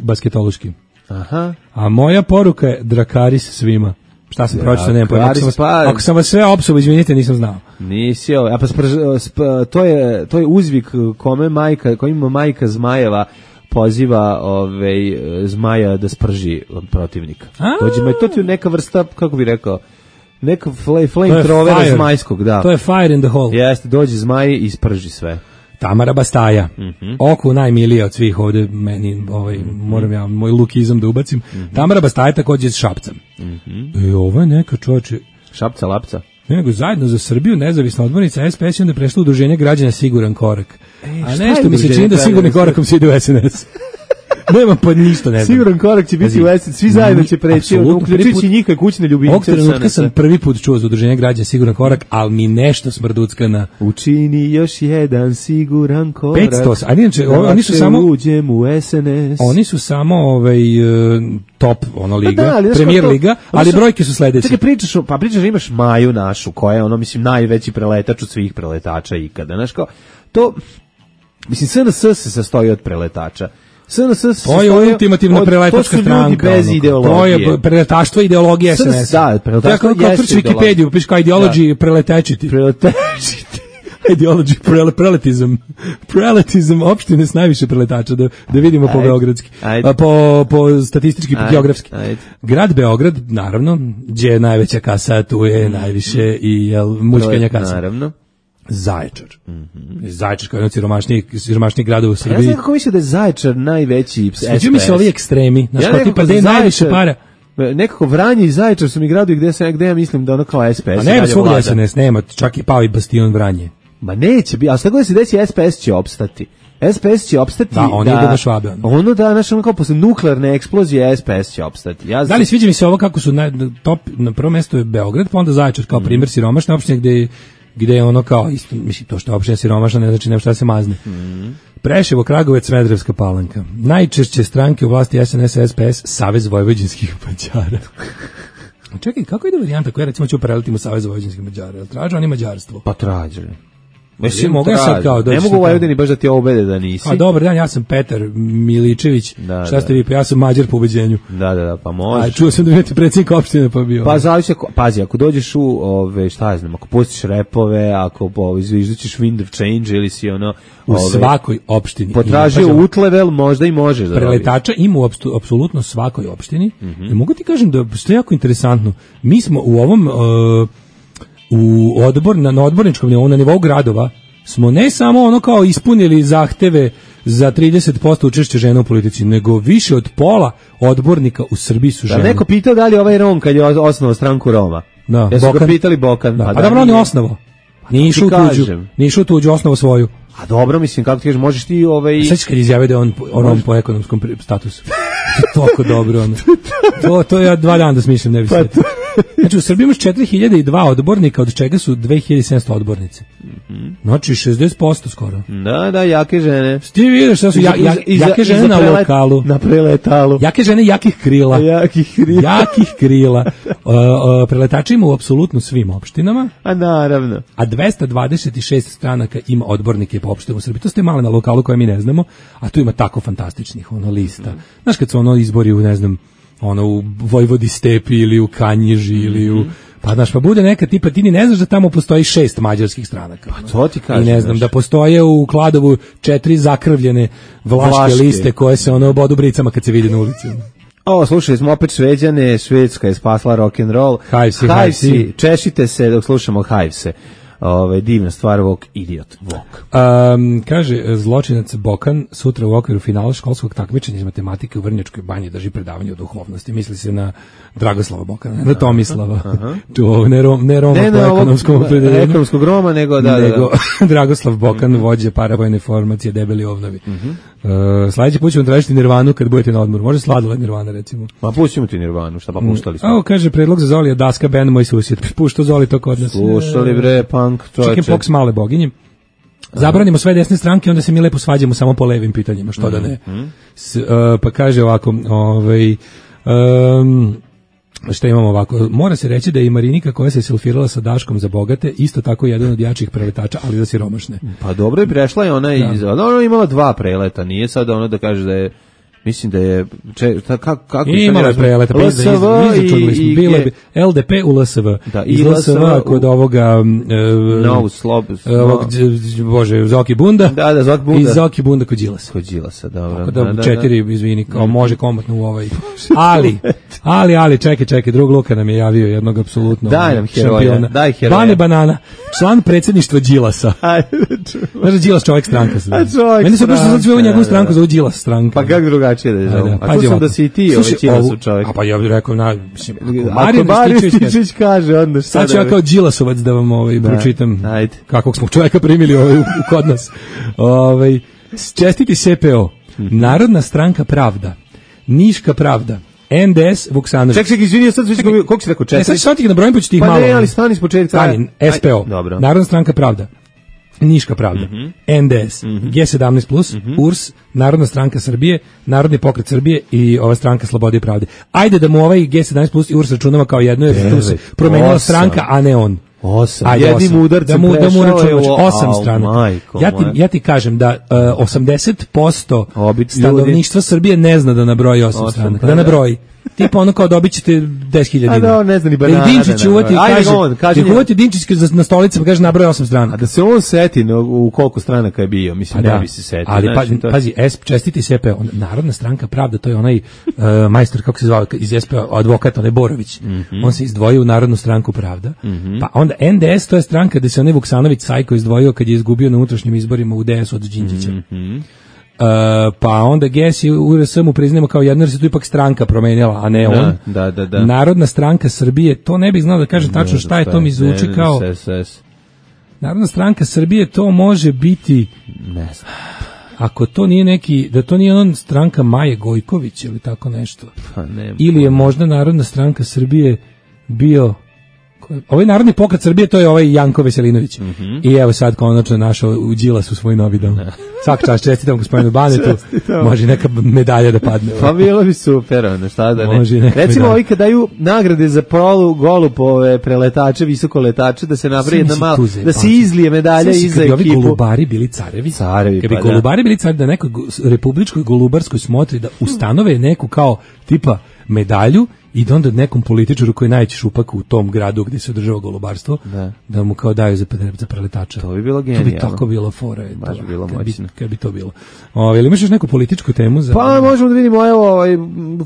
basketološki. Aha. A moja poruka je Drakaris svima. Šta sam pročitao, nema pojma. Ako, pa... ako sam vas sve opsuo, izvinite, nisam znao. Nisi, a pa spr, spr, to je to je uzvik kome majka, kojima majka Zmajeva poziva ovaj Zmaja da sprži protivnika. Dođe ma to ti je neka vrsta, kako bi rekao, neka flame, flame trovera zmajskog, da. To je fire in the hole. Jeste, dođe Zmaj i sprži sve. Tamara Bastaja, mm-hmm. oko najmilija od svih ovde, meni, ovaj, mm-hmm. moram ja moj lukizam da ubacim. Mm-hmm. Tamara Bastaja takođe iz Šapca. Mm-hmm. E, ovo je neka čoveče. Šapca, lapca. Nego zajedno za Srbiju, nezavisna odbornica S P S i onda prešla u udruženje građana Siguran korak. E, a nešto mi se čini da sigurni korakom se ide u S N S. Nemam pa ništa, ne znam. Siguran korak će biti u S N S, svi zajedno će preći, uključujući njihove kućne ljubimce. Ovog trenutka sam prvi put čuo za udruženje građana Siguran korak, ali mi nešto smrducka na... Učini još jedan siguran korak. petsto, a inače, oni su samo... uđem u S N S. Oni su samo ovaj, top, ono, liga, da, ali, premijer to, liga, ali su, brojke su sledeće. Čekaj, pričaš, pa pričaš, imaš Maju našu, koja je, ono, mislim, najveći preletač od svih preletača ikada, znaš kao, to, mislim, S N S se sastoji od preletača. S N S to je ultimativna preletačka stranka. Bez ideologije. To je preletaštvo ideologije S N S. Da, preletaštvo jeste ideologija. Wikipediju, piš kao ideology preletečiti. Preletečiti. Ideology prel, preletizam. Preletizam opštine s najviše preletača, da, da vidimo po Ajde. beogradski. Ajde. A, po, po statistički, po Ajde. geografski. Ajde. Grad Beograd, naravno, gdje je najveća kasa, tu je najviše i jel, mučkanja kasa. Naravno. Zaječar. Mm-hmm. Zaječar kao jedan od siromašnijih, siromašnijih grada u Ja Srbiji. znam kako misle da je Zaječar najveći S P S. Sviđu mi se ovi ekstremi. Znaš, Ja kao nekako tipa gde je Zaječar- najviše para. Nekako Vranje i Zaječar su mi gradovi gde, se, gde ja mislim da ono kao S P S. A nema dalje svugdje vlada. S N S, nema, čak i pao i Bastion Vranje. Ma neće biti, a šta god da se desi, S P S će opstati. S P S će opstati Da, on ide na Švabe, ono. Ono da, znaš, ono kao posle nuklearne eksplozije S P S će opstati. Ja Da li sviđa mi se ovo kako su na, top, na prvo mesto je Beograd, pa onda Zaječar kao primjer siromašne opštine gde, gde je ono kao, isto, mislim, to što je opština siromašna ne znači nema šta se mazne. Mm. Preševo, Kragovec, Smederevska Palanka. Najčešće stranke u vlasti S N S, S P S, Savez vojvođanskih Mađara. Čekaj, kako ide varijanta koja recimo će prelitimo Savez vojvođanskih Mađara? Jel traže oni mađarstvo? Pa traže. Mislim, mogu ja sad kao doći ne mogu sad u kao- Vojvodini baš da ti obede da nisi. A dobar dan, ja sam Petar Miličević. Da, Šta da. ste vi? Pa ja sam Mađar po ubeđenju. Da, da, da, pa A možeš. čuo sam da imate predsjednik opštine pa bio. Pa zavisi ako, pazi, ako dođeš u, ove, šta ja znam, ako pustiš repove, ako ove, izviždućeš wind of change ili si ono... u ove, svakoj opštini. potražio ima, pazi, utlevel, možda i možeš da dobiješ. preletača ima u apstu- apsolutno svakoj opštini. I mogu ti kažem da što je jako interesantno. Mi smo u ovom uh, u odbor na, na odborničkom nivou, na nivou gradova smo ne samo ono kao ispunili zahteve za trideset posto učešća žena u politici, nego više od pola odbornika u Srbiji su Da žene. neko pitao da li je ovaj Rom kad je osnovao stranku Roma? Da, Ja su ga Bokan. pitali Bokan. Da, Pa a da, dobro, on je nije. osnovo. Nije išao u ti tuđu, kažem. nije išao u tuđu, osnovu svoju. A dobro, mislim, kako ti kažeš, možeš ti ovaj... Sveći kad izjavio da je on, on, on po ekonomskom pri- statusu. To je toliko dobro. Ono. To, to ja dva dana da smišljam, ne bi Pa sve. Znači, u Srbiji imaš četiri hiljade dva odbornika, od čega su dve hiljade sedamsto odbornice. Znači, šezdeset posto skoro. Da, da, jake žene. Ti vidiš šta su ja, ja, Iza- jake žene iza na prelet- lokalu. Na preletalu. Jake žene jakih krila. Jakih krila. Jakih krila. Uh, uh, preletači ima u apsolutno svim opštinama. A naravno. A dvesta dvadeset šest stranaka ima odbornike po opštinama u Srbiji. To ste male na lokalu koje mi ne znamo, a tu ima tako fantastičnih ono lista. Znaš kad su ono izbori u, ne znam, ono u Vojvodi Stepi ili u Kanjiži ili u pa znaš, pa bude neka tipa, ti ni ne znaš da tamo postoji šest mađarskih stranaka. Pa to ti kažem. I ne znam, znaš. da postoje u Kladovu četiri zakrvljene vlaške, Vlaške. liste koje se ono bodu bricama kad se vidi na ulici. O, slušali smo opet Šveđane, Švedska je spasla rock'n'roll. Hivesi, Hivesi, Hivesi. češite se dok slušamo Hivese. Ove, divna stvar, Vok, idiot, Vok. Um, kaže, zločinac Bokan sutra u okviru finala školskog takmičenja iz matematike u Vrnjačkoj banji drži predavanje o duhovnosti. Misli se na Dragoslava Bokana, na Tomislava. Tu, ne, rom, ne Roma Ne po na ovog ekonomskom opredeljenju. ekonomskog Roma, nego da, da, nego da. Dragoslav Bokan, vođe paravojne formacije Debeli ovnovi. Uh, sljedeći put ćemo tražiti Nirvanu kad budete na odmoru. Može Sladoled Nirvana, recimo. Ma pustimo ti Nirvanu, šta pa puštali smo. Evo, kaže, predlog za Zolija Daska, band Moj susjed. Pušto Zoli to kod nas. Slušali bre, punk, čoveče. Chicken Pox male boginje. Zabranimo sve desne stranke, onda se mi lepo svađamo samo po levim pitanjima, što da ne. S, uh, pa kaže ovako, ovaj, um, šta imamo ovako, mora se reći da je i Marinika koja se selfirala sa Daškom za bogate, isto tako jedan od jačih preletača, ali za siromašne. Pa dobro je prešla je ona Da. iz... Ona ona je imala dva preleta, nije sad ono da kaže da je... Mislim da je... Če, ta, kako, kako, I imala je preleta, pa L S V izračunali smo, i... bilo je L D P u L S V. Da, i iz L S V L S V kod ovoga... Uh, No, slob... ovog, dž- bože, Zoki Bunda. Da, da, Zoki Bunda. I Zoki Bunda kod Đilasa. Kod Đilasa, dobro. Tako da, četiri, izvini, kao može komotno u ovaj. Ali, ali, ali, čekaj, čekaj, drug Luka nam je javio jednog apsolutno Daj nam heroja, šampiona. daj heroja. Bane Banana, član predsjedništva Đilasa. Ajde, Znaš da Đilas čovjek stranka se zove. A čovjek Meni se baš sad sve u stranka, njegovu da, stranku da. zove Đilas stranka. Pa kako drugačije da je zovu? Ajde, A pazi čuo sam ovako. da si i ti Slušaj, ovaj Đilasov ovu- čovjek. A pa ja bih rekao, na, mislim, ako Ako Marijan Marijan Rističević kaže- Rističević kaže, onda šta Sad ću da ja bi- kao Đilasovac da vam ovaj, Da, pročitam ajde. kakvog smo čovjeka primili ovaj, u- kod nas. Ovaj, čestiti S P O, Narodna stranka Pravda, Niška Pravda, N D S Vuksanović. Ček, ček, izvini, sad ću koliko si rekao, Ne, sad četiri? ću sad ti ga nabrojim, pa ću ti ih Pa malo. ne, ali stani s početka. Stani, S P O, Aj, dobro. Narodna stranka Pravda, Niška Pravda, N D S, G sedamnaest plus, U R S, Narodna stranka Srbije, Narodni pokret Srbije i ova stranka Slobode i pravde. Ajde da mu ovaj G sedamnaest plus i U R S računamo kao jedno, jer tu se Devet, promenila osam. stranka, a ne on. Osam. Ajde, Jednim osam. udarcem da mu, da mu prešao je računamo, u- osam Au, strana. majko Ja ti, moja. ja ti kažem da uh, osamdeset posto Obit ljudi. stanovništva Srbije ne zna da nabroji osam Osam, stranaka. pa Da da. nabroji. tipa ono kao dobit ćete deset hiljada dinara. A da, ne zna ni banana. Da Dinčić uvati i kaže, on, kaže da uvati Dinčić na stolici pa kaže nabroj osam strana. A da se on seti no, u koliko stranaka je bio, mislim, pa ne bi se setio. Ali znači, pa, to... pazi, S, čestiti S P, on, Narodna stranka pravda, to je onaj uh, majstor, kako se zvao, iz S P, advokat, onaj Borović. Mm-hmm. On se izdvojio u Narodnu stranku pravda. Mm-hmm. Pa onda N D S, to je stranka gde se onaj Vuksanović Sajko izdvojio kad je izgubio na unutrašnjim izborima u D S od Đinđića. Mm-hmm. Uh, pa onda G S i U R S mu priznamo kao jedno, jer se tu ipak stranka promenila, a ne on. Da, da, da. Narodna stranka Srbije, to ne bih znao da kažem tačno šta je, to mi zvuči kao... Narodna stranka Srbije, to može biti... Ne znam. Ako to nije neki, da to nije on stranka Maje Gojković ili tako nešto. Pa ne. Ili je možda Narodna stranka Srbije bio... Ovaj Narodni pokret Srbije, to je ovaj Janko Veselinović. Mm-hmm. I evo sad konačno našao u Đilasu svoj novi dom. Svaka čast, čestitam gospodinu Banetu. Može neka medalja da padne. Pa bilo bi super, ono, šta da ne. Može recimo ovi kad daju nagrade za prolu golupove preletače, visokoletače, da se napravi jedna malo, da se izlije medalja iza ekipu. Kad bi ovi golubari bili carevi, carevi kad bi pa golubari bili carevi, da nekoj republičkoj golubarskoj smotri da ustanove neku kao tipa medalju i da onda nekom političaru koji je najveći šupak u tom gradu gdje se održava golubarstvo, da, da mu kao daju za, za preletača. To bi bilo genijalno. To bi tako bilo fora. Baš bi bilo moćno. Kad bi to bilo. O, ili imaš još neku političku temu? Za... Pa možemo da vidimo, evo, ovaj,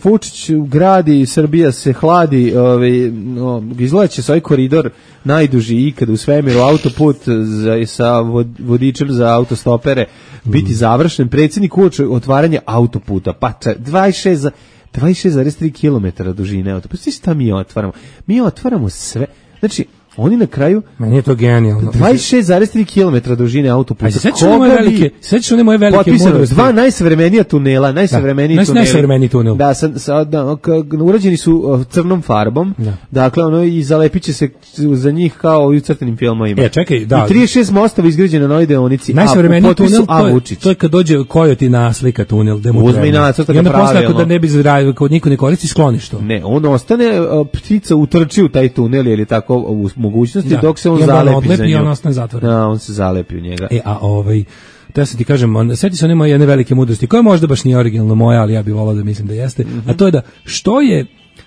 Vučić gradi, Srbija se hladi, ovaj, no, izgleda će se ovaj koridor najduži ikada u svemiru, autoput za, sa vodičem za autostopere biti mm. završen. Predsjednik uoči otvaranje autoputa, pa dvadeset šest za dvadeset šest zarez tri kilometra dužine autoputa. Pa šta mi otvaramo? Mi otvaramo sve. Znači, oni na kraju... Meni je to genijalno. dvadeset šest zarez tri kilometra dužine autoputa. A sećaš one moje velike, sećaš one moje velike mudrosti? Dva najsavremenija tunela, najsavremeniji da, tuneli. Najsavremeniji tunel. Da, sa, sa, da, urađeni su crnom farbom. Da. Dakle, ono i zalepiće se za njih kao i u crtenim filmovima. E, čekaj, da. I trideset šest mostova izgrađeno na novoj deonici. Najsavremeniji tunel, to je, to je kad dođe Kojoti na slika tunel, gde mu uzme i nacrta ga pravilno. I onda posle, ako da ne bi zradio, kod niko ne koristi, skloniš to. Ne, on ostane, ptica utrči u taj tunel ili tako u mogućnosti, da. Dok se on zalepi za nju. I on ostane zatvoren. Da, on se zalepi u njega. E, a ovaj, to ja sam ti kažem, on, seti se one moje jedne velike mudrosti, koja možda baš nije originalno moja, ali ja bih volao da mislim da jeste, mm-hmm. a to je da, što je,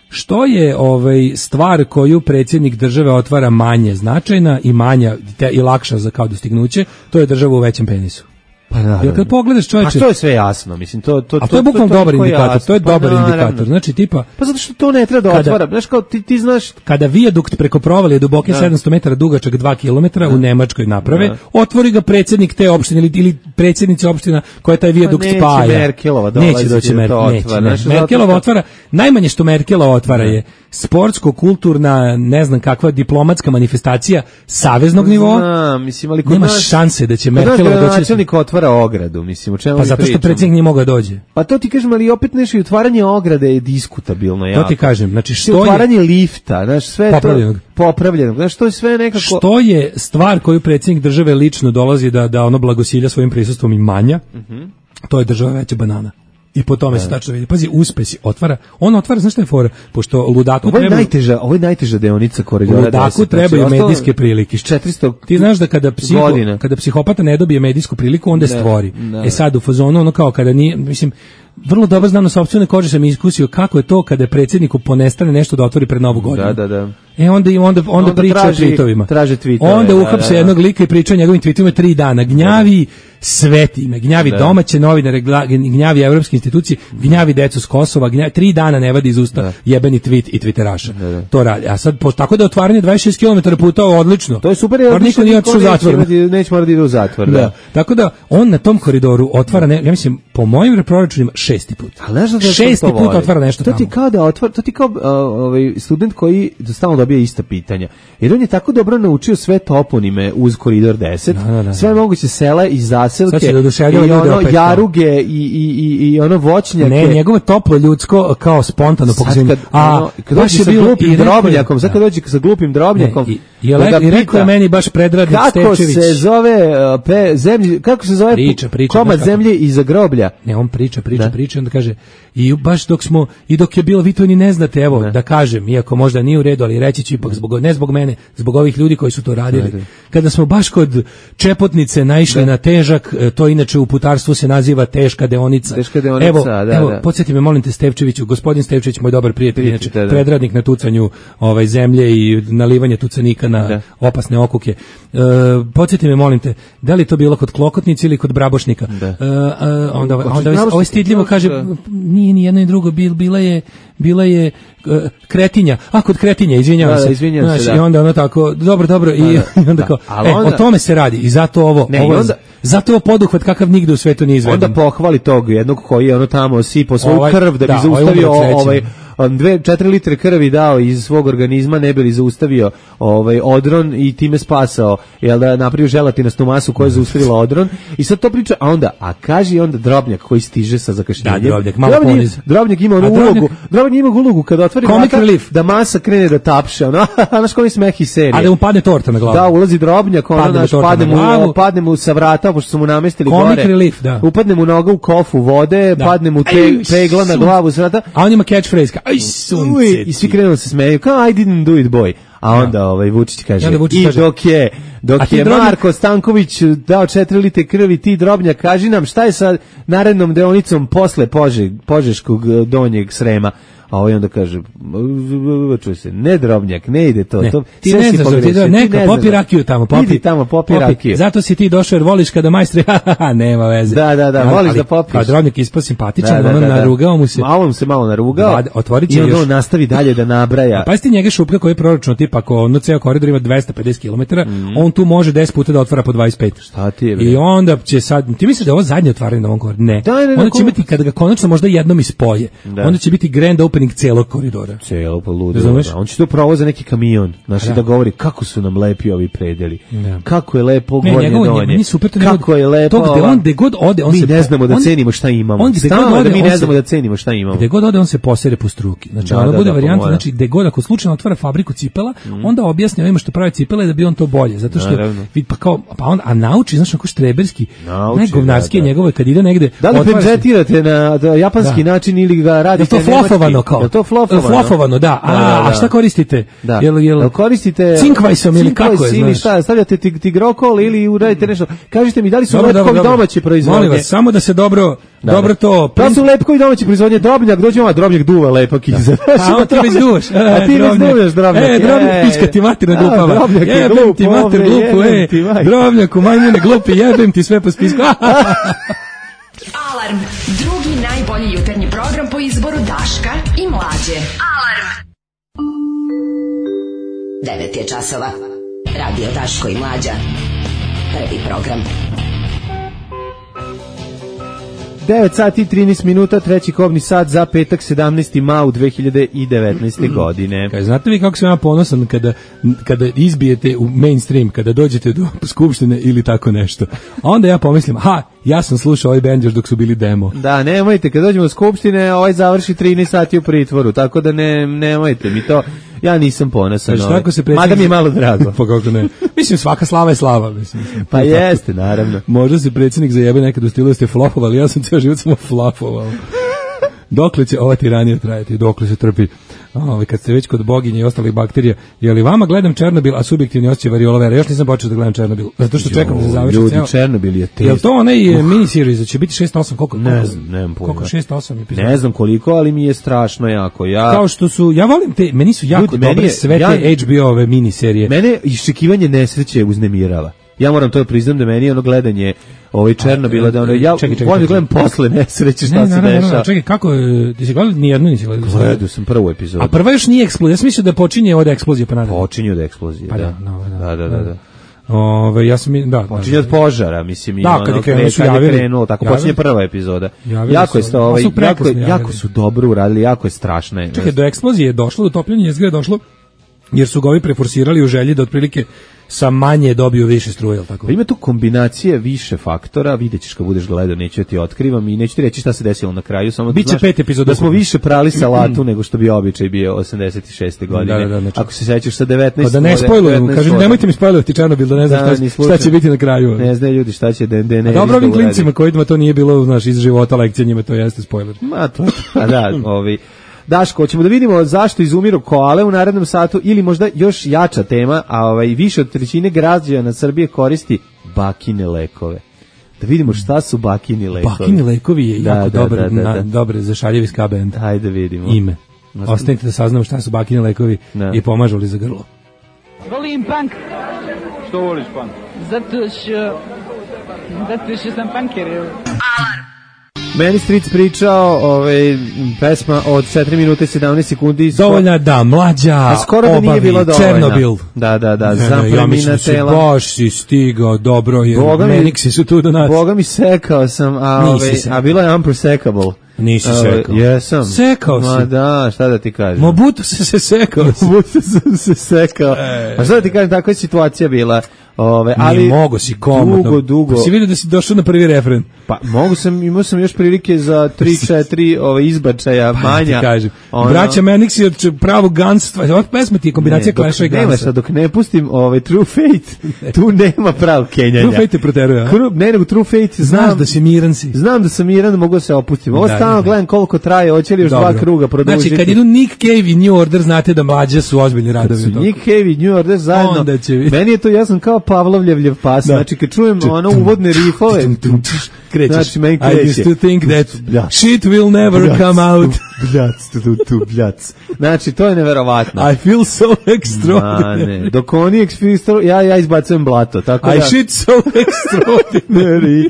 što je ovaj, stvar koju predsjednik države otvara manje značajna i manja te, i lakša za kao dostignuće, to je država u većem penisu. Pa da. Jer kad pogledaš čovječe, a to je sve jasno, mislim, to to a to je bukvalno dobar indikator, jasno. To je pa dobar naravno. indikator. Znači tipa, pa zato što to ne treba da otvara, znaš kao ti ti znaš kada vijadukt preko provalije duboke sedamsto metara dugačak dva kilometra u Nemačkoj naprave, da. Otvori ga predsjednik te opštine ili, ili predsjednica opština koja taj vijadukt pa spaja. Neće Merkelova dolazi, neće doći Mer, otvara, neće, ne. Merkelova otvara, najmanje što Merkelova otvara ne. Je sportsko-kulturna, ne znam kakva diplomatska manifestacija saveznog nivoa. Znam, mislim, ali kod nema nas, šanse da će Merkelova doći. Načelnik otvara ogradu, mislim, o čemu pa zato što predsjednik nije mogao dođe. Pa to ti kažem, ali opet nešto i otvaranje ograde je diskutabilno jako. To ti kažem, znači što je otvaranje lifta, znaš, sve popravljenog. to popravljenog, znaš, to je sve nekako. Što je stvar koju predsjednik države lično dolazi da da ono blagosilja svojim prisustvom i manja. Mhm. To je država veća banana. I po tome se tačno vidi. Pazi, uspesi otvara. On otvara, znaš šta je fora? Pošto ludaku ovo je treba... najteža, ovo je najteža deonica koridora deset. Ludaku trebaju znači, medijske prilike. četiristo Ti znaš da kada, psiho, kada psihopata ne dobije medijsku priliku, onda je stvori. Ne, ne. E sad, u fazonu, ono kao kada nije, mislim, vrlo dobro znam na sopstvene kože sam iskusio kako je to kada je predsjedniku ponestane nešto da otvori pred Novu godinu. Da, da, da. E onda onda onda, onda priča o tweetovima. Traže tweetove. Onda uhapse da, da. jednog lika i priča o njegovim tweetovima tri dana. Gnjavi sve time, gnjavi da. domaće novinare, gnjavi evropske institucije, gnjavi decu s Kosova, gnjavi, tri dana ne vadi iz usta da. jebeni tweet i twitteraša. Da, da. To radi. A sad po, tako da otvaranje dvadeset šest kilometara puta odlično. To je super, jer niko nije otišao u zatvor. Neće morati da ide u zatvor. Da. Da. Tako da on na tom koridoru otvara, ne, ja mislim, po mojim proračunima šesti put. Da šesti put otvara nešto to ti tamo. Kao da otvara, to ti kao uh, ovaj student koji stalno dobija ista pitanja. Jer on je tako dobro naučio sve toponime uz koridor deset, da, da, da. Sve moguće sela i zaselke, da i ono jaruge i, i, i, i ono voćnjake. Ne, njegovo toplo ljudsko kao spontano pokazivanje. A ono, kad dođe sa glupim drobnjakom, sad kad dođe sa glupim drobnjakom, ne, i, i, le, i rekao je meni baš Predradnik kako Stečević. Se zove, uh, pe, zemlji, kako se zove priča, priča, komad zemlje iza groblja? Ne, on priča, priča, da. priča, onda kaže, I baš dok smo, i dok je bilo, vi to ni ne znate, evo, ne. da kažem, iako možda nije u redu, ali reći ću ipak, zbog, ne zbog mene, zbog ovih ljudi koji su to radili. Ne. Kada smo baš kod Čepotnice naišli ne. na težak, to inače u putarstvu se naziva teška deonica. Teška deonica, evo, da, evo, da. Podsjeti me, molim te, Stevčeviću, gospodin Stevčević, moj dobar prijatelj, inače, da, da. predradnik na tucanju ovaj, zemlje i nalivanje tucanika na da. opasne okuke. E, podsjeti me, molim te, da li to bilo kod Klokotnice ili kod Brabošnika? Da. E, a, onda, onda ovaj, ovaj stidljivo kaže, nije ni jedno i drugo, bil, bila je, bila je uh, Kretinja, a kod Kretinja, izvinjavam da, se. Da, izvinjam Znaš, se, da. I onda ono tako, dobro, dobro, da, i, da, i onda kao, e, onda, o tome se radi, i zato ovo, ne, ovo onda, zato ovo poduhvat kakav nigde u svetu nije izveden. Onda pohvali tog jednog koji je ono tamo sipao svoju ovaj, krv da bi da, zaustavio ovaj, ovaj dve četiri litre krvi dao iz svog organizma, ne bi li zaustavio ovaj odron i time spasao, jel da napravio želatinastnu masu koja je zaustavila odron. I sad to priča, a onda, a kaži onda Drobnjak koji stiže sa zakašnjenjem. Da, Drobnjak, malo poniz. Drobnjak ima onu ulogu, Drobnjak ima ulogu kada otvori vrata, da masa krene da tapše, ono, znaš koji smeh iz serije. A da mu padne torta na glavu. Da, ulazi Drobnjak, ono, naš, padne mu, padne mu sa vrata, pošto su mu namestili Comic gore. Relief, da. Upadne mu noga u kofu vode, da. padne mu te, pegla na glavu sa vrata. A on ima catchphrase, aj sunce. I svi krenu se smeju, kao I didn't do it boy. A onda ovaj Vučić kaže, Vučić i kaže, dok je, dok je Drobnjak... Marko Stanković dao četiri litre krvi, ti Drobnjak, kaži nam šta je sa narednom deonicom posle Pože, Požeškog donjeg Srema. A ovaj onda kaže, čuj se, ne Drobnjak, ne ide to. Ne, to ti ne znaš, ti da, neka, popi rakiju tamo, popi. Idi tamo, popi, popi rakiju. Zato si ti došao jer voliš kada majstri, haha, nema veze. Da, da, da, voliš ali, da popiš. Kao Drobnjak ispao simpatičan, da, da, ono da, da. narugao mu se. Malo mu se malo narugao da, otvorit će i onda još. on nastavi dalje da nabraja. Pa ti njega Šupka koji je proračunao tipa ako ono ceo koridor ima dvesta pedeset kilometara, mm. on tu može deset puta da otvara po dvadeset pet. Šta ti je? Bre? I onda će sad, ti misliš da je ovo zadnje otvaranje na ovom koridoru? Ne. Da, ne, onda će biti kada ga konačno možda jednom ispoje. Da. Onda će biti grand opening celog koridora. Celo pa ludo. Da, on će to provoza neki kamion, znači da. da govori kako su nam lepi ovi predeli. Da. Kako je lepo gornje donje. Kako je lepo. To gde on gde god ode, on mi se ne znamo da on, cenimo šta imamo. On gde god ode, da mi ne znamo da cenimo šta imamo. Gde god ode on se posere po struki. Znači da, ono da, bude da, varijanta, znači gde god ako slučajno otvara fabriku cipela, mm. onda objasni ovima što pravi cipele da bi on to bolje, zato što vid pa kao pa on a nauči, znači kako štreberski, najgovnarski njegove kad ide negde. Da li penzetirate na japanski način ili ga radite nemački? To flofovano kao. To flofovano. Flofovano, da. A šta koristite? Da. Jel, jel koristite cinkvajsom ili kako je, ili šta, stavljate tigrokol ili uradite nešto. Kažite mi da li su lepkovi domaće proizvodnje? Molim vas, samo da se dobro, da, dobro to. Da su lepkovi domaće proizvodnje, Drobnjak, dođe ovaj Drobnjak duva lepak iza. A ti već duvaš. A ti već duvaš, Drobnjak. E, Drobnjak pička ti mater na glupava. Jebem ti mater glupu, e. Drobnjaku, majmune glupi, jebem ti sve po spisku. Alarm, drugi najbolji jutarnji program po izboru Daška i Mlađe. Alarm. devet je časova. Radio Daško i Mlađa. Prvi program. devet sati i trinaest minuta, treći kobni sat za petak sedamnaesti maj dve hiljade devetnaeste. godine. Kaj, znate vi kako sam ja ponosan kada, kada izbijete u mainstream, kada dođete do skupštine ili tako nešto. A onda ja pomislim, ha, ja sam slušao ovaj bend još dok su bili demo. Da, nemojte, kad dođemo do skupštine, ovaj završi trinaest sati u pritvoru, tako da ne, nemojte mi to... Ja nisam ponosan. Znači, tako se predsjednik... Mada mi je malo drago. Pa kako ne. Mislim, svaka slava je slava. Mislim. Pa jeste, naravno. Možda se predsjednik zajebe nekad u stilu da ste flopovali, ja sam cijel život samo flopovao. Dokle će ova tiranija trajati, dokle se trpi. Ove, kad ste već kod boginje i ostalih bakterija, je li vama gledam Černobil, a subjektivni osjećaj variole vera? Još nisam počeo da gledam Černobil, zato što čekam da se završi. Ljudi, Černobil je teško. Je li to onaj uh. miniseries, će biti šest osam, koliko? Ne znam, nemam pojma. Koliko šest osam epizoda? Ne znam koliko, ali mi je strašno jako. Ja... Kao što su, ja volim te, meni su jako Ljudi, dobre je, sve te ja, H B O-ove miniserije. Mene iščekivanje nesreće uznemirava. Ja moram to priznam da meni ono gledanje ovaj Černobila da ono ja volim da gledam posle nesreće šta ne, se ne, dešava. Ne, čekaj, kako ti si gledao ni jednu nisi gledao? Gledao sam prvu epizodu. A prva još nije eksplozija. Ja sam mislio da počinje od eksplozije pa nadalje. Počinje od eksplozije, pa da. Da, no, da, da, da, da. Ove, ja sam da, počinje da, od požara, mislim, da, kad je krenulo, su javili, krenulo, tako javili, počinje prva epizoda. Jako je sto, ovaj, jako, jako su dobro uradili, jako je strašno. Čekaj, do eksplozije je došlo, do topljenja jezgre je došlo jer su ga ovi preforsirali u želji da otprilike sa manje dobiju više struje, jel tako? Pa ima tu kombinacije više faktora, vidjet ćeš kad budeš gledao, neću ti otkrivam i neću ti reći šta se desilo na kraju, samo da Biće znaš pet epizoda da smo više prali salatu nego što bi običaj bio osamdeset šeste godine. Da, da, da, znači, ako se sećaš sa devetnaest... Pa da ne spojlujem, kažem, nemojte mi spojlovati Černobil, da ne znam da, šta, šta će biti na kraju. Ne znaju ljudi šta će da ne... Dobro, ovim klincima kojima to nije bilo, znaš, iz života lekcija, njima to jeste spojler. Ma to, pa da, ovi... Daško, ćemo da vidimo zašto izumiru koale u narednom satu ili možda još jača tema, a ovaj više od trećine građana Srbije koristi bakine lekove. Da vidimo šta su bakini lekovi. Bakini lekovi je da, jako da, dobar, da, da, da. na, dobre za šaljevi ska band. Hajde vidimo. Ime. Ostanite da saznamo šta su bakini lekovi da. I pomažu li za grlo. Volim punk. Što voliš punk? Zato što... Zato što sam punker. Alarm. Meni Stric pričao, ovaj, pesma od četiri minute i sedamnaest sekundi. Dovoljna da, mlađa, a skoro da nije bilo dovoljna. Černobil. Da, da, da, ne, ja mislim si baš si stigao, dobro je, Meniksi su tu do nas. Boga mi sekao sam, a, ovaj, a bilo je unprosecable. Nisi sekao. Jesam. Sekao si. Ma da, šta da ti kažem. Mobutu se se sekao. Mobutu sam se sekao. E, pa šta da ti kažem, takva je situacija bila. Ove, ali mogu si komodno. Dugo, dugo. Pa si vidio da si došao na prvi refren. Pa mogu sam, imao sam još prilike za tri četiri ove izbačaja pa, manja. Kažem. Ono, Braća Meniksi od pravog ganstva. Ova pesma ti je kombinacija Clash-a i Gansa. Nema, dok ne pustim ove True Fate, tu nema pravog kenjanja. True Fate te proteruje, a? Ne, nego True Fate znam. Znaš da si miran si. Znam da sam miran, da mogu da se opustim. Ovo stalno gledam koliko traje, hoće li još Dobro. dva kruga produžiti. Znači, kad idu Nick Cave i New Order, znate da mlađe su ozbiljni radovi. Kad su Nick Cave i New Order zajedno, meni je to jasno kao Pavlovljevljev pas. Da. Znači, kad čujem ono uvodne rifove, krećeš. Znači, meni kreće. I used to think that shit will never come out. Bljac, tu, tu, bljac. Znači, to je neverovatno. I feel so extraordinary. Dok oni extraordinary, ja, ja izbacujem blato. Tako I da... shit so extraordinary.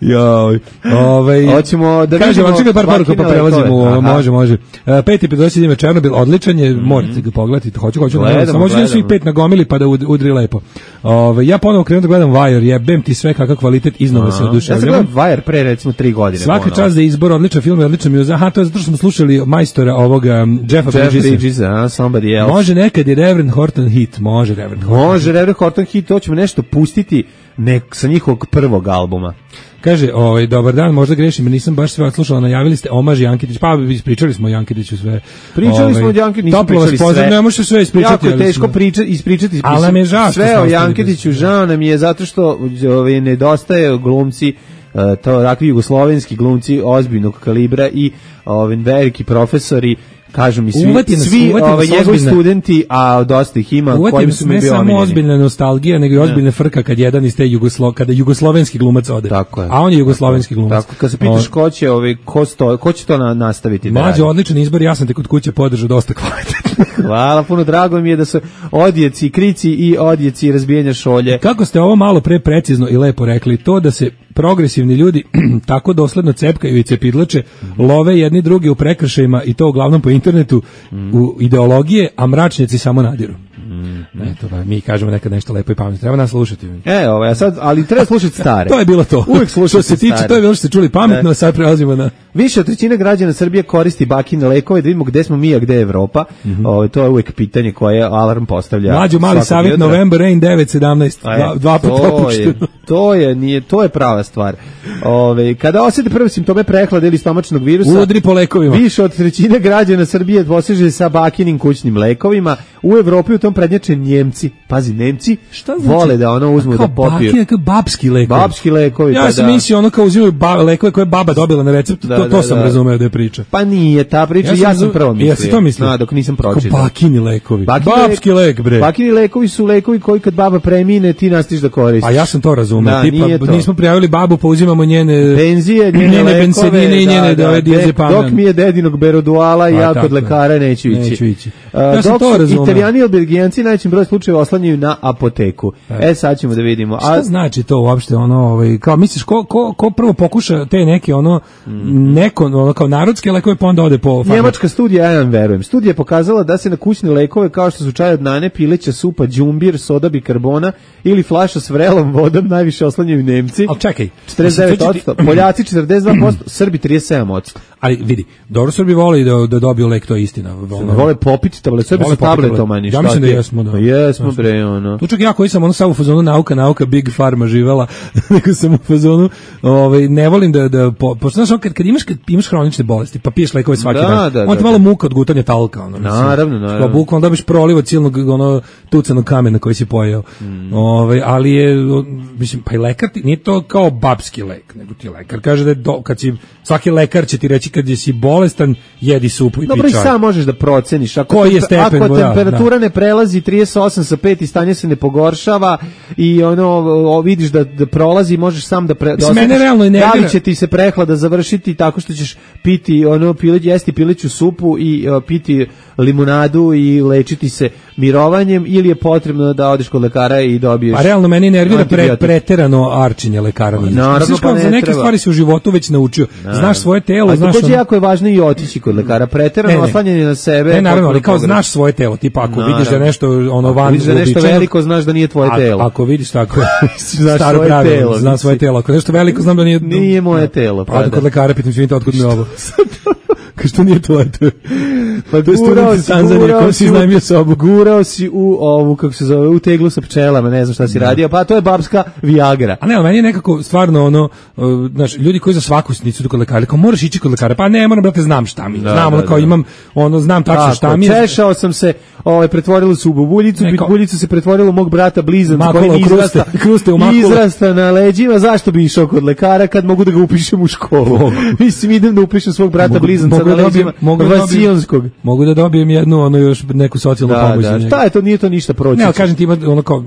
Joj. Ovaj hoćemo da kažem, vidimo. Čekaj par poruka pa prelazimo, može, može. Uh, peti epizod ima Černobil, odličan je, mm. morate ga pogledati. Hoću, hoću, samo možete svi pet nagomili pa da udri lepo. Ovaj ja ponovo krenem da gledam Wire, jebem ti sve kakav kvalitet, iznova se oduševljavam. Ja sam gledam Wire pre recimo tri godine. Svaka čast za izbor, odličan film, odličan muzika. Aha, to je zato što smo slušali majstora ovoga Jeffa Bridgesa. Jeff Bridges, a somebody else. Može nekad je Reverend Horton hit, može Reverend Horton. Može Reverend Horton hit, to ćemo nešto pustiti nek sa njihovog prvog albuma. Kaže, ovaj, dobar dan, možda grešim, jer nisam baš sve odslušala, najavili ste omaž Jankitić, pa ispričali smo o Jankitiću sve. Pričali ovaj, smo o Jankitiću, nismo pričali sve. Ne možete sve ispričati. Jako je teško priča, ispričati ali nam je žao sve o Jankitiću, žao nam je zato što ovaj, nedostaje glumci, to rakvi jugoslovenski glumci ozbiljnog kalibra i ovaj, veliki profesori, kažu mi svi, nas, svi ovaj, njegovi studenti, a dosta ih ima, kojim su mi bio samo omiljeni. Ozbiljna nostalgija, nego i ozbiljna frka kad jedan iz te Jugoslo, kada jugoslovenski glumac ode. Tako je. A on je jugoslovenski glumac. Tako, kad se pitaš ko će, ovaj, ko, sto, ko će to na, nastaviti da Mlađe, odličan izbor, ja sam te kod kuće podržao dosta kvalitetno. Hvala, puno drago mi je da su odjeci, krici i odjeci razbijanja šolje. Kako ste ovo malo pre precizno i lepo rekli, to da se progresivni ljudi tako dosledno cepkaju i cepidlače, mm. love jedni drugi u prekršajima i to uglavnom po internetu mm. u ideologije, a mračnjaci samo nadiru. Mm. Eto, ba, mi kažemo nekad nešto lepo i pametno. Treba nas slušati. E, ovo, ja sad, ali treba slušati stare. To je bilo to. Uvijek slušati se tiče, stare. to je bilo što ste čuli pametno, a sad prelazimo na... Više od trećine građana Srbije koristi bakine lekove, da vidimo gde smo mi, a gde je Evropa. Mm -hmm. Ovo, to je uvijek pitanje koje Alarm postavlja. Mlađu mali savjet, jutra. November Rain devet sedamnaest, dva, dva puta opušteno. To je, nije, to je prava stvar. Ove, kada osjete prve simptome prehlade ili stomačnog virusa, udri po lekovima. Više od trećine građana Srbije poseže sa bakinim kućnim lekovima. U Evropi u tom prednjače Njemci. Pazi, Nemci šta znači? Vole da ono uzmu da popiju. Bakine, kao babski lekovi. Babski lekovi, ja pa sam da. mislio ono kao uzimaju ba, lekove koje baba dobila na recept, da, to, to da, sam da. razumeo da je priča. Pa nije ta priča, ja sam, ja sam prvo mislio. Ja sam to mislio. No, dok nisam pročitao. Kao bakini lekovi. Bakini Babski lek, bre. Bakini lekovi su lekovi koji kad baba premine, ti nastiš da koristiš. A ja sam to razumeo. Da, tipa, nismo prijavili babu, pa uzimamo njene penzije, njene, njene lekove, bensedine i njene da, da, diazepam. dok mi je dedinog beroduala i ja kod lekara neću ići. Neću ići. Uh, ja sam dok to razumeo. Italijani i Belgijanci najvećim broj slučajeva oslanjaju na apoteku. E, sad ćemo da vidimo. A šta znači to uopšte, ono, ovaj, kao misliš, ko, ko, ko prvo pokuša te neke, ono, mm. neko, ono, kao narodske lekove, pa onda ode po farmaci? Njemačka studija, ja vam verujem. Studija je pokazala da se na kućne lekove, kao što su čaj od nane, pileća supa, đumbir, soda bikarbona ili flaša s vrelom vodom, najviše oslanjaju Nemci. Al čekaj, četrdeset devet posto, Poljaci četrdeset dva posto, Srbi trideset sedam posto. Ali vidi, dobro Srbi vole da da dobiju lek, to je istina. Ono, vole popiti tablet, Srbi su tabletomani. Ja mislim da jesmo, da. Jesmo bre, ono. Tu čak ja koji sam ono samo u fazonu nauka, nauka, Big Pharma živela, nego sam u fazonu, ovaj ne volim da da po, pošto znaš kad kad imaš kad imaš hronične bolesti, pa piješ lekove svaki da, dan. Da, on te da, malo da. muka od gutanja talka, ono. Naravno, naravno. Kao bukvalno dobiš proliv od silnog ono tucanog kamena koji si pojeo. Mm. Ovaj, ali je mislim pa i lekar ti, nije to kao babski lek, nego ti lekar kaže da je do, kad si svaki lekar će ti reći kad si bolestan, jedi supu i dobro, pi čaj. Dobro, i sam možeš da proceniš. Ako, koji je stepen, ako ja, temperatura da. ne prelazi trideset osam sa pet i stanje se ne pogoršava i ono o, vidiš da, da prolazi, možeš sam da pre, da mene realno i da li će ti se prehlada završiti tako što ćeš piti ono pilić, jesti piliću supu i o, piti limunadu i lečiti se mirovanjem, ili je potrebno da odeš kod lekara i dobiješ. Pa realno meni nervira pre, preterano arčenje lekara. Naravno, pa ne za neke treba. Stvari se u životu već naučio. Naravno. Znaš svoje telo, a znaš. Takođe jako je važno i otići kod lekara. Preterano oslanjanje na sebe. Ne, naravno, ali kao znaš svoje telo, tipa ako naravno. Vidiš da nešto ono van, vidiš da nešto veliko, znaš da nije tvoje telo. A, ako vidiš tako, znaš svoje pravilo, telo, znam svoje telo. Ako nešto veliko, znam da nije nije moje telo. Pa da kod lekara pitam se, otkud mi ovo. Što nije tvoje, to je. Pa to je student Tanzanija, ko si iznajmio sobu. Gurao si u ovu, kako se zove, u teglu sa pčelama, ne znam šta si radio, pa to je babska Viagra. A ne, ali meni je nekako stvarno ono, uh, znaš, ljudi koji za svaku sitnicu idu kod lekara, kao moraš ići kod lekara, pa ne, moram, brate, znam šta mi, da, znam, da, ono, kao da. Imam, ono, znam tačno šta mi je. Češao sam se, ovaj, pretvorilo se u bubuljicu, ne, buljicu se pretvorilo u mog brata blizanca, koji izrasta, kruste u izrasta na leđima, zašto bi išao kod lekara kad mogu da ga upišem u školu? Mislim, idem da upišem svog brata blizanca na leđima Vasiljonskog. Mogu da dobijem jednu, ono, još neku socijalnu da, pomoć. Da, šta je to, nije to ništa proći. Ne, ali kažem ti ima, ono, kao,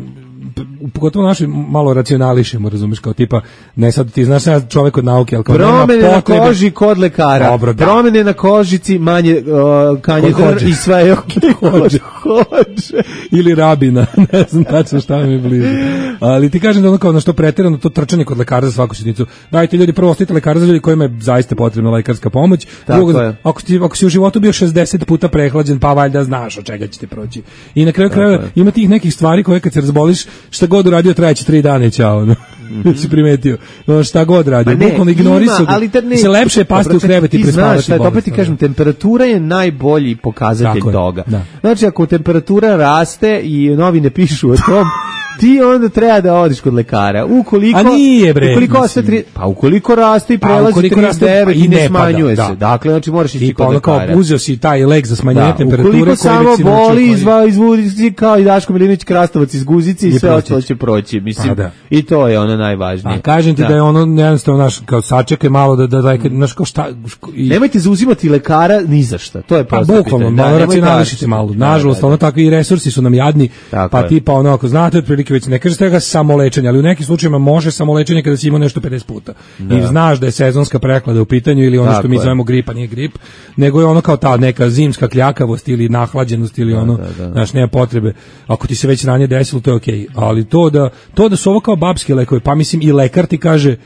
pogotovo naši malo racionališemo, razumeš, kao tipa, ne sad ti znaš sad čovjek od nauke, ali kao promene nema potrebe. Na koži kod lekara, dobro, da. Promene na kožici, manje uh, kanjedar i sve je okej. Hođe. Hođe. Ili rabina, ne znam tačno šta mi je blizu. Ali ti kažem da ono kao na što preterano to trčanje kod lekara za svaku sitnicu. Dajte ljudi, prvo ostite lekara za ljudi kojima je zaista potrebna lekarska pomoć. Drugo, ako, ti, ako si u životu bio šezdeset puta prehlađen, pa valjda znaš od čega ćete proći. I na kraju krajeva ima tih nekih stvari koje kad se razboliš, šta god uradio trajeće tri dana i ćao. No. Mm-hmm. Si primetio. No, šta god radio. Bukvalno ignorisao. Se lepše je pasti u krevet i prespavati bolest. Opet ti kažem, temperatura je najbolji pokazatelj tako toga. Da. Znači, ako temperatura raste i novine pišu o tom, ti onda treba da odiš kod lekara. Ukoliko, a nije bre. Ukoliko ostaje tri, pa ukoliko raste i prelazi trideset devet i ne smanjuje se. Dakle, znači moraš ići kod lekara. Kao uzeo si taj lek za smanjenje da, temperature. Ukoliko samo boli, izva, izvudi kao i Daško Milinović Krastavac iz Guzice i sve ostalo će proći. Mislim, da. I to je ono najvažnije. A kažem ti da, da je ono jednostavno naš kao sačekaj malo da da da znaš kao šta i... Nemojte zauzimati lekara ni za šta. To je prosto. Pa bukvalno, malo racionališite malo. Nažalost, ono takvi resursi su nam jadni. Pa tipa ono ako znate otprilike već ne kažete ga samolečenje, ali u nekim slučajevima može samolečenje kada si imao nešto pedeset puta. Da. I znaš da je sezonska prehlada u pitanju ili ono tako što mi je. Zovemo gripa, nije grip, nego je ono kao ta neka zimska kljakavost ili nahlađenost ili da, ono, da, da. Znaš, nema potrebe. Ako ti se već ranije desilo, to je okej. Okay. Ali to da, to da su ovo kao babski lekovi, pa mislim i lekar ti kaže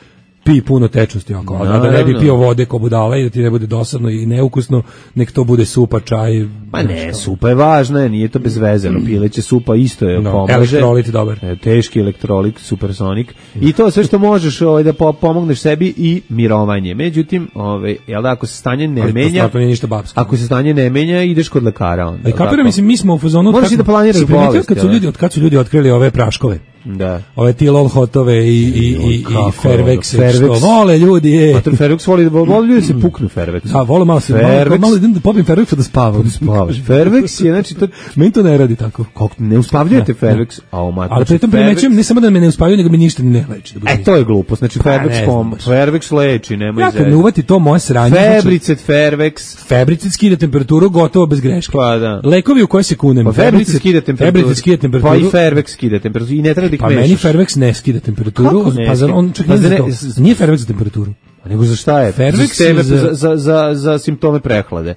pi puno tečnosti oko, a da ne bi pio vode ko budala i da ti ne bude dosadno i neukusno, nek to bude supa, čaj. Pa ne, supa je važna, nije to bez veze, no pileće supa isto je no, pomaže. Elektrolit dobar. E, teški elektrolit, supersonik. I to sve što možeš ovaj, da pomogneš sebi i mirovanje. Međutim, ovaj, jel da, ako se stanje ne ali menja, to nije ništa babsko. Ako se stanje ne menja, ideš kod lekara onda. I kapira, mislim, mi smo u fazonu. Možeš i da planiraš bolest. Kad su ljudi, od kad su ljudi otkrili ove praškove. Da. Ove Tilol hotove i i i i Fairvex, što vole ljudi je. Pa to Fairvex voli, vole ljudi se puknu Fairvex. Da, vole malo se malo, malo idem da popijem Fairvex da spavam. Da spavaš. Fairvex je, znači to meni to ne radi tako. Kako ne uspavljujete Fairvex, a o mater. Ali pritom primećujem ne samo da me ne uspavljuje, nego mi ništa ne leči. Da e to je glupost, znači Fairvex pom, Fairvex leči, nemoj zezati. Ja kad ne uvati to moje sranje. Febricet Fairvex, Febricet skida temperaturu gotovo bez greške. Pa da. Lekovi u koje se kunem. Febricet skida temperaturu. Febricet skida temperaturu. Pa i Fairvex skida temperaturu i ne treba da ih mešaš. Pa meni Fairvex ne skida temperaturu, pa za on čak nije za to. Nije Fairvex za temperaturu. A nego za šta je? Fairvex za, za, za, za, za simptome prehlade.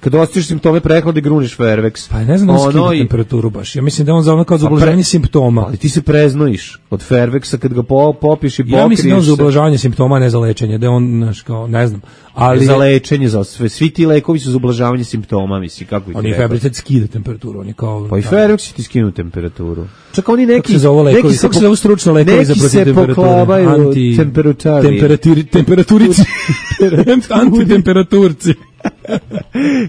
kad osjećaš simptome prehlade, gruniš Fairvex. Pa ne znam da on skida temperaturu baš. Ja mislim da on za ono kao za ublažavanje simptoma. Ali ti se preznojiš od Fairvexa kad ga po, popiš i pokriješ. Ja mislim da on za ublažavanje simptoma, ne za lečenje. Da on, znaš, kao, ne znam. Ali za lečenje, za sve. Svi ti lekovi su za ublažavanje simptoma, misli, kako ti oni Fairvex skida temperaturu, oni kao... Pa i Fairvex ti skinu temperaturu. Čak oni neki... Kako se zove lekovi? Kako se zove stručno lekovi za protiv temperature? Neki se poklabaju Anti, temperaturi. Temperaturi, temperaturici. Antitemperaturci.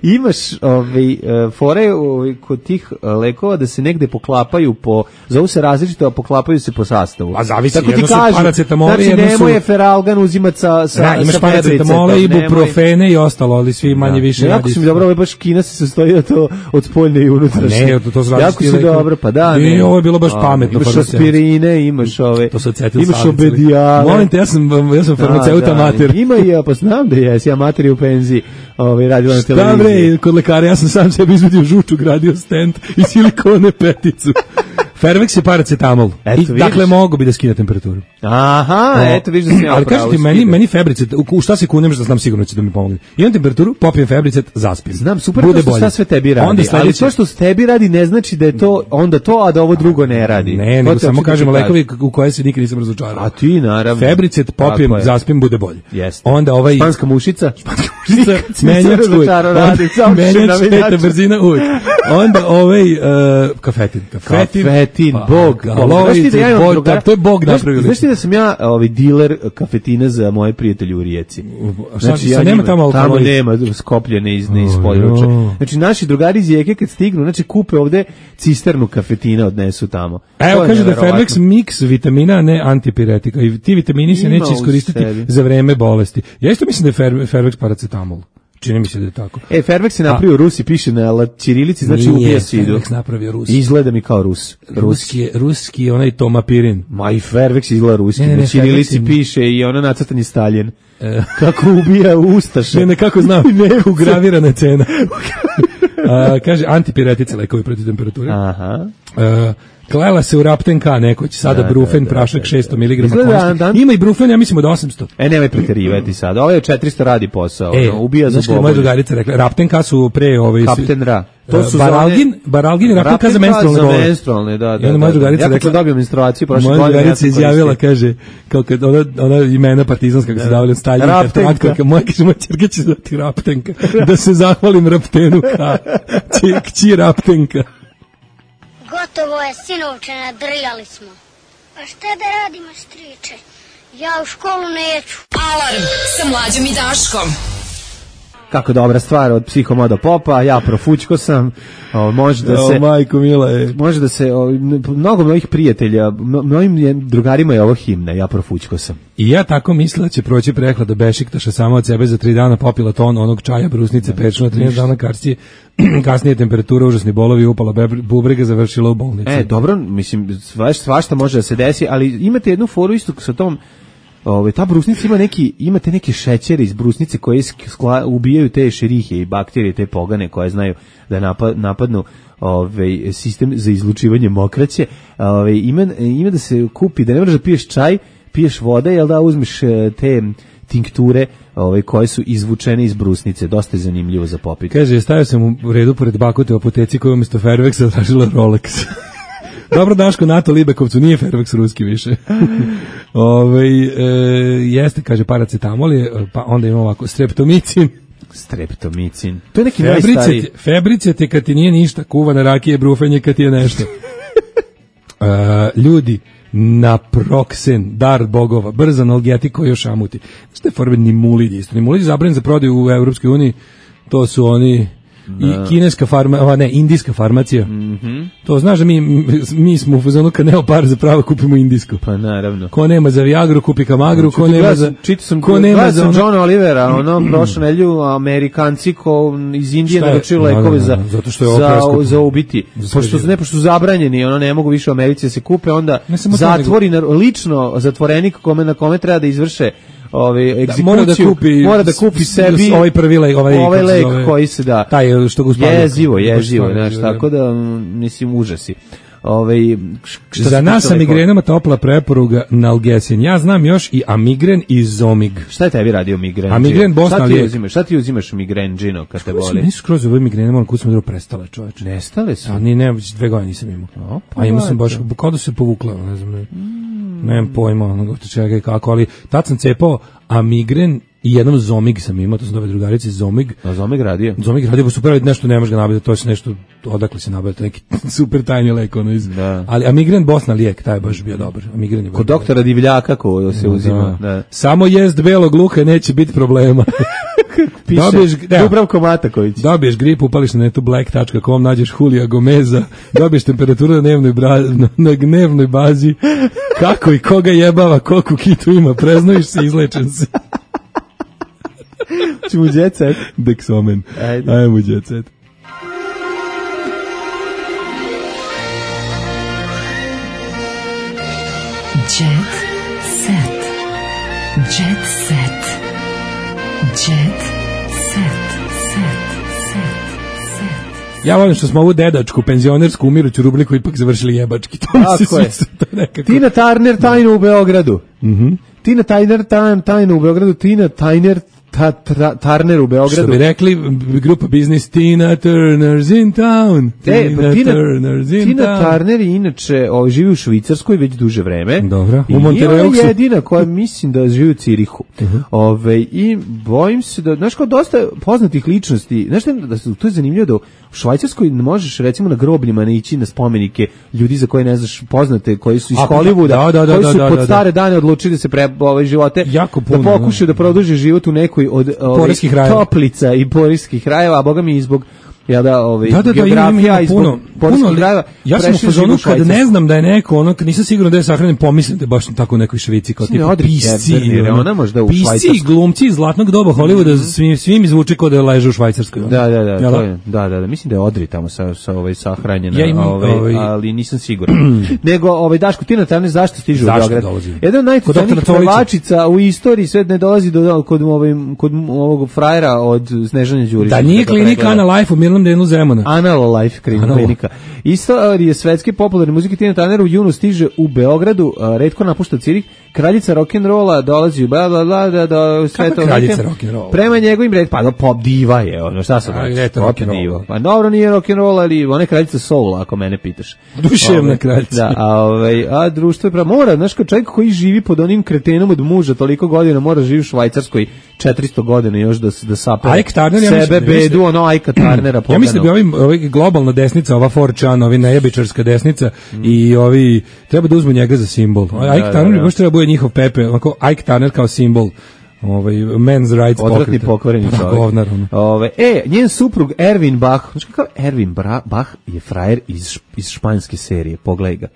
Imaš ovaj fore ovaj, kod tih lekova da se negde poklapaju po, zovu se različito, a poklapaju se po sastavu. A zavisi, tako jedno su paracetamole, znači, jedno su... nemoj je feralgan uzimat sa, sa, da, imaš sa paracetamole, ibuprofene i ostalo, ali svi manje više ne, radi. Jako si mi dobro, ovaj baš kina se sastoji od, to, od spoljne i unutrašnje. Ne, to, to su jako si dobro, pa da. Ne, ne, ovo je bilo baš a, pametno. Imaš aspirine, imaš ove, to su imaš obedijale. Molim te, ja sam, ja sam farmaceuta amater. Ima i ja, pa znam da jesi, amater je u penziji, ovaj, radila na televiziji. Kod lekara, ja sam sam sebi izvadio žuču, gradio stent i silikone peticu. Fairvex je paracetamol. Eto, I, dakle, mogu bi da skine temperaturu. Aha, o, eto, vidiš da sam ja ali kažete ti, meni, meni Fabricet, u, u šta se kunem, što znam sigurno će da mi pomogne. Imam temperaturu, popijem Fabricet, zaspim. Znam, super to što šta sve tebi radi, onda ali to što s tebi radi ne znači da je to onda to, a da ovo drugo ne radi. Ne, nego samo kažemo lekovi u koje se nikad nisam razočarao. A ti, naravno. Fabricet, popijem, zaspim, bude bolje. Jeste. Onda ovaj... Španska mušica. Španska mušica, menjač uvijek. Menjač, peta brzina uvijek. Onda ovaj kafetin. Kafetin, bog. Aloice, bog, da, to je bog napravio. Znaš ti da sam ja ovaj diler kafetina za moje prijatelje u Rijeci? Znači, ja nema tamo alkaloid. Tamo nema skopljene iz, iz područja. Znači, naši drugari iz Rijeke kad stignu, znači kupe ovde cisternu kafetina, odnesu tamo. Evo, kaže da Fairvex mix vitamina, a ne antipiretika. I ti vitamini se neće iskoristiti za vreme bolesti. Ja isto mislim da je Fairvex paracetamol. Čini mi se da je tako. E, Fairvex je napravio Rusi, piše na ćirilici, znači ubija sidu. Fairvex napravio Rus. Izgleda mi kao Rus. Ruski je, ruski je onaj tomapirin. Ma i Fairvex izgleda ruski. Ne, ne, na ćirilici piše i ono nacrtan je Stalin. E. Kako ubija ustaše. Ne, ne, kako znam, ugravirana cena. A, kaže, antipiretice lekovi protiv temperature. Aha. A, klela se u Rapten K nekoć, sada da, Brufen, da, da, prašak šesto miligrama. Da, ima i Brufen, ja mislimo da osamsto. E, nemoj preterivati sad, ovo je četiristo radi posao, e, no, ubija za bobolje. Moja drugarica rekla, Rapten K su pre... Ovaj, Kapten Ra. To su baralgin, baralgin i Rapten K za menstrualne bole. menstrualne, da, da. I onda moja drugarica ja rekla... Ja dobio menstruaciju, prošle godine... Moja drugarica izjavila, kaže, kao kad ona, ona imena partizanska kako se davali od Staljinka, traktorka, moja, kaže, moja čerka će zvati Raptenka, da se zahvalim Raptenu K, kći Raptenka. Gotovo je, sinovče, nadrljali smo. A šta da radimo, striče? Ja u školu neću. Alarm sa Mlađom i Daškom. Kako dobra stvar od Psihomodo Popa, ja profućko sam, o, može da se... O, majko mila je. Može da se, o, mnogo mojih prijatelja, mojim drugarima je ovo himna, ja profućko sam. I ja tako mislila da će proći prehlada Bešiktaša samo od sebe za tri dana, popila ton onog čaja, brusnice, pečuna, trinaest dana karcije, kasnije temperatura, užasni bolovi, upala bubrega, završila u bolnici. E, dobro, mislim, svašta, svašta može da se desi, ali imate jednu foru isto sa tom. Ove, ta brusnica ima neki, imate neke šećere iz brusnice koje skla, ubijaju te šerihe i bakterije, te pogane koje znaju da napad, napadnu ove, sistem za izlučivanje mokraće. Ove, ima, ima da se kupi, da ne moraš da piješ čaj, piješ vode, jel da uzmeš te tinkture ove, koje su izvučene iz brusnice. Dosta je zanimljivo za popiti. Kaže, stavio sam u redu pored Bakute u apoteci koju umjesto Fairvexa tražila Rolex. Dobro, Daško, NATO Libekovcu, nije Fairvex ruski više. Ove, e, jeste, kaže, paracetamol je, pa onda ima ovako, streptomicin. Streptomicin. To je neki Febricet, najstariji. Febricet je kad ti nije ništa, kuvana rakije, brufenje kad ti je nešto. e, ljudi, naproksen, dar bogova, brz analgetik koji još šamuti. Što je forme nimulid isto? Nimulid je zabranjen za prodaju u Evropskoj uniji, to su oni... I kineska farma, ne, indijska farmacija. Mm-hmm. To znaš da mi, mi smo u fazonu kad nema para za pravo kupimo indijsku. Pa naravno. Ko nema za Viagru kupi Kamagru, ko nema za čitao sam ko nema za ono... John Olivera, ono prošle nedelju Amerikanci ko iz Indije naručili lekove za zato što je za za ubiti. Pošto ne pošto su zabranjeni, ono ne mogu više u Americi da se kupe, onda zatvori nego... lično zatvorenik kome na kome treba da izvrše ovaj egzekuciju, mora da kupi mora da kupi sebi ovaj prvi lek, ovaj, ovaj lek koji se da taj što ga uspavlja. Jezivo, jezivo, znači tako da mislim užasi. ovaj Za nas sa migrenama topla preporuga Nalgesin. Ja znam još i Amigren i Zomig. Šta je tebi radio migren? Amigren Bosna šta ti lijek. uzimaš? Šta ti uzimaš migren džino kad te boli? Nisu skroz ove migrene, moram kud sam dobro prestale, čoveče. Nestale su. A ni ne, dve godine nisam imao. O, pa A imao sam baš kao da se povukla, ne znam, ne. Mm. Nemam pojma, ono čega i kako, ali tad sam cepao Amigren i jednom Zomig sam imao, to sam dove drugarice, Zomig. A Zomig radio? Zomig radio, pa super, nešto ne može ga nabaviti, to je nešto, odakle se nabaviti, neki super tajni lek, ono iz. Da. Ali Amigren Bosna lijek, taj je baš bio dobar. Amigren je kod doktora Divljaka ko se uzima. Da. Da. Samo jest belog luka, neće biti problema. Piše dobiješ, Dubravko Mataković. Dobiješ grip, upališ na netu black dot com, nađeš Julija Gomeza, dobiješ temperaturu na dnevnoj, bra, na, na dnevnoj bazi, kako i koga jebava, koliko kitu ima, preznojiš se, izlečen se. Čemu jet set? Dexomen. Ajde. Ajmo jet set. Jet set. Jet set. Jet set. Set. Set. Ja volim što smo ovu dedačku, penzionersku, umiruću rubriku ipak završili jebački. To mi se je. Tina Turner tajno u Beogradu. Mhm. Tina Turner tajno u Beogradu. Tina Turner Ta, tra, Turner u Beogradu. Što bi rekli grupa Business, Tina Turner's in town. E, Tina, pa Tina Turner's in Tina town. Turner inače ovaj, živi u Švicarskoj već duže vreme. Dobro. I nije ona jedina koja mislim da živi u Cirihu. Uh-huh. Ove, I bojim se da, znaš kao dosta poznatih ličnosti, znaš da su, to je zanimljivo da u Švajcarskoj možeš recimo na grobljima ne ići na spomenike ljudi za koje ne znaš poznate, koji su iz Hollywooda, da, da, da, koji su da, da, pod da, stare dane odlučili da se pre ove živote, jako puno, da pokušaju da produže život u nekoj od ove, toplica i porijskih krajeva, a boga mi i zbog ja da ovaj da, da, geografija da, i puno puno krajeva. Ja sam u fazonu kad ne znam da je neko, ono nisam siguran da je sahranjen, pomislim da je baš tako u nekoj Švici kao tipa pisci, ona možda u Švajcarskoj. Pisci, glumci iz zlatnog doba Hollywooda, svim svim izvuče kao da leže u Švajcarskoj. Da, da, da, to je, da, da, da, mislim da je Odri tamo sa sa ovaj sahranjena, ja ovaj, ovaj, ali nisam siguran. Nego ovaj Daško Tina Turner zašto stiže u Beograd? Jedan najpoznatijih pevačica u istoriji, sve ne dolazi do kod ovaj kod ovog frajera od Snežane Đurića. Da nije klinika Ana Life u mirnom delu Zemuna. Anal Life klinika. Istorije svetske popularne muzike Tina Turner u junu stiže u Beogradu, retko napušta Cirih, kraljica rock'n'rolla dolazi u bla bla bla da do sve to. Kraljica rock'n'rolla. Prema njegovim red pa pop diva je, ono šta se rock diva. Pa dobro nije rock'n'roll, ali ona je kraljica soul ako mene pitaš. Duševna kraljica. Da, a ovaj a društvo je pravo mora, znaš kao čovjek koji živi pod onim kretenom od muža toliko godina mora živi u Švajcarskoj četiristo godina još da da sape sebe bedu ono Ajka Turnera. Ja mislim da bi ovim ovaj globalna desnica, ova four chan, ovi nejebičarska desnica mm. i ovi treba da uzmu njega za simbol. Ike da, Turner da, da. baš treba bude njihov Pepe, onako Ike Turner kao simbol. Ovaj men's rights odvratni pokvareni čovjek. Ove, e, njen suprug Erwin Bach, znači kako Erwin Bach je frajer iz iz španske serije, pogledaj ga.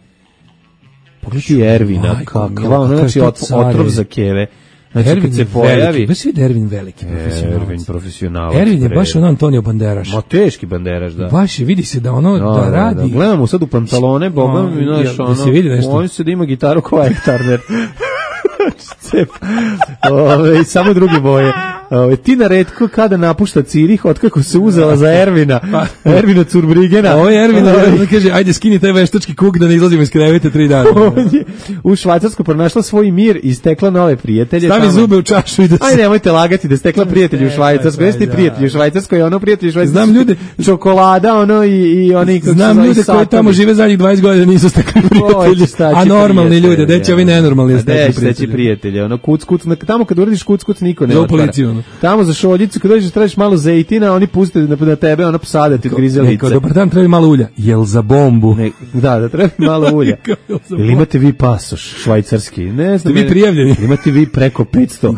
Pogledaj Ervina, kakva, znači otrov za keve. Znači, Ervin kad se pojavi... Baš vidi Ervin veliki profesionalac. Ervin profesionalac. Ervin je baš on Antonio Banderaš. Ma teški Banderaš, da. Baš je, vidi se da ono da, da radi. Da, da. Gledamo sad u pantalone, boga mi, znaš, ono... se vidi nešto. On se da ima gitaru kao Ike Turner. Cep. Ove, samo druge boje. Ove, Tina retko kada napušta Cirih, otkako se uzela za Ervina. Ervina Curbrigena. Ovo je Ervina, da kaže, ajde skini taj veštački kuk da ne izlazimo iz kreveta tri dana. U Švajcarskoj pronašla svoj mir i stekla nove prijatelje. Stavi tamo zube u čašu i da se... Ajde, nemojte lagati da stekla prijatelji u Švajcarskoj. Jeste prijatelji u Švajcarskoj, ono prijatelji u Švajcarskoj. Znam ljude, čokolada, ono i, i oni... Znam ljude koji tamo žive zadnjih dvadeset godina nisu stekli prijatelji. A normalni ljudi, deći ovi nenormalni stekli prijatelje. Ono, kuc, kuc, tamo kad uradiš kuc, kuc, niko ne otvara. Tamo za šoljicu, kad dođeš tražiš malo zejtina, oni puste na, na tebe, ono psade ti odgrize lice. Dobar dan, treba malo ulja. Jel za bombu? Ne, da, da treba malo ulja. Ili imate vi pasoš švajcarski? Ne znam. Ste vi prijavljeni? Imate vi preko petsto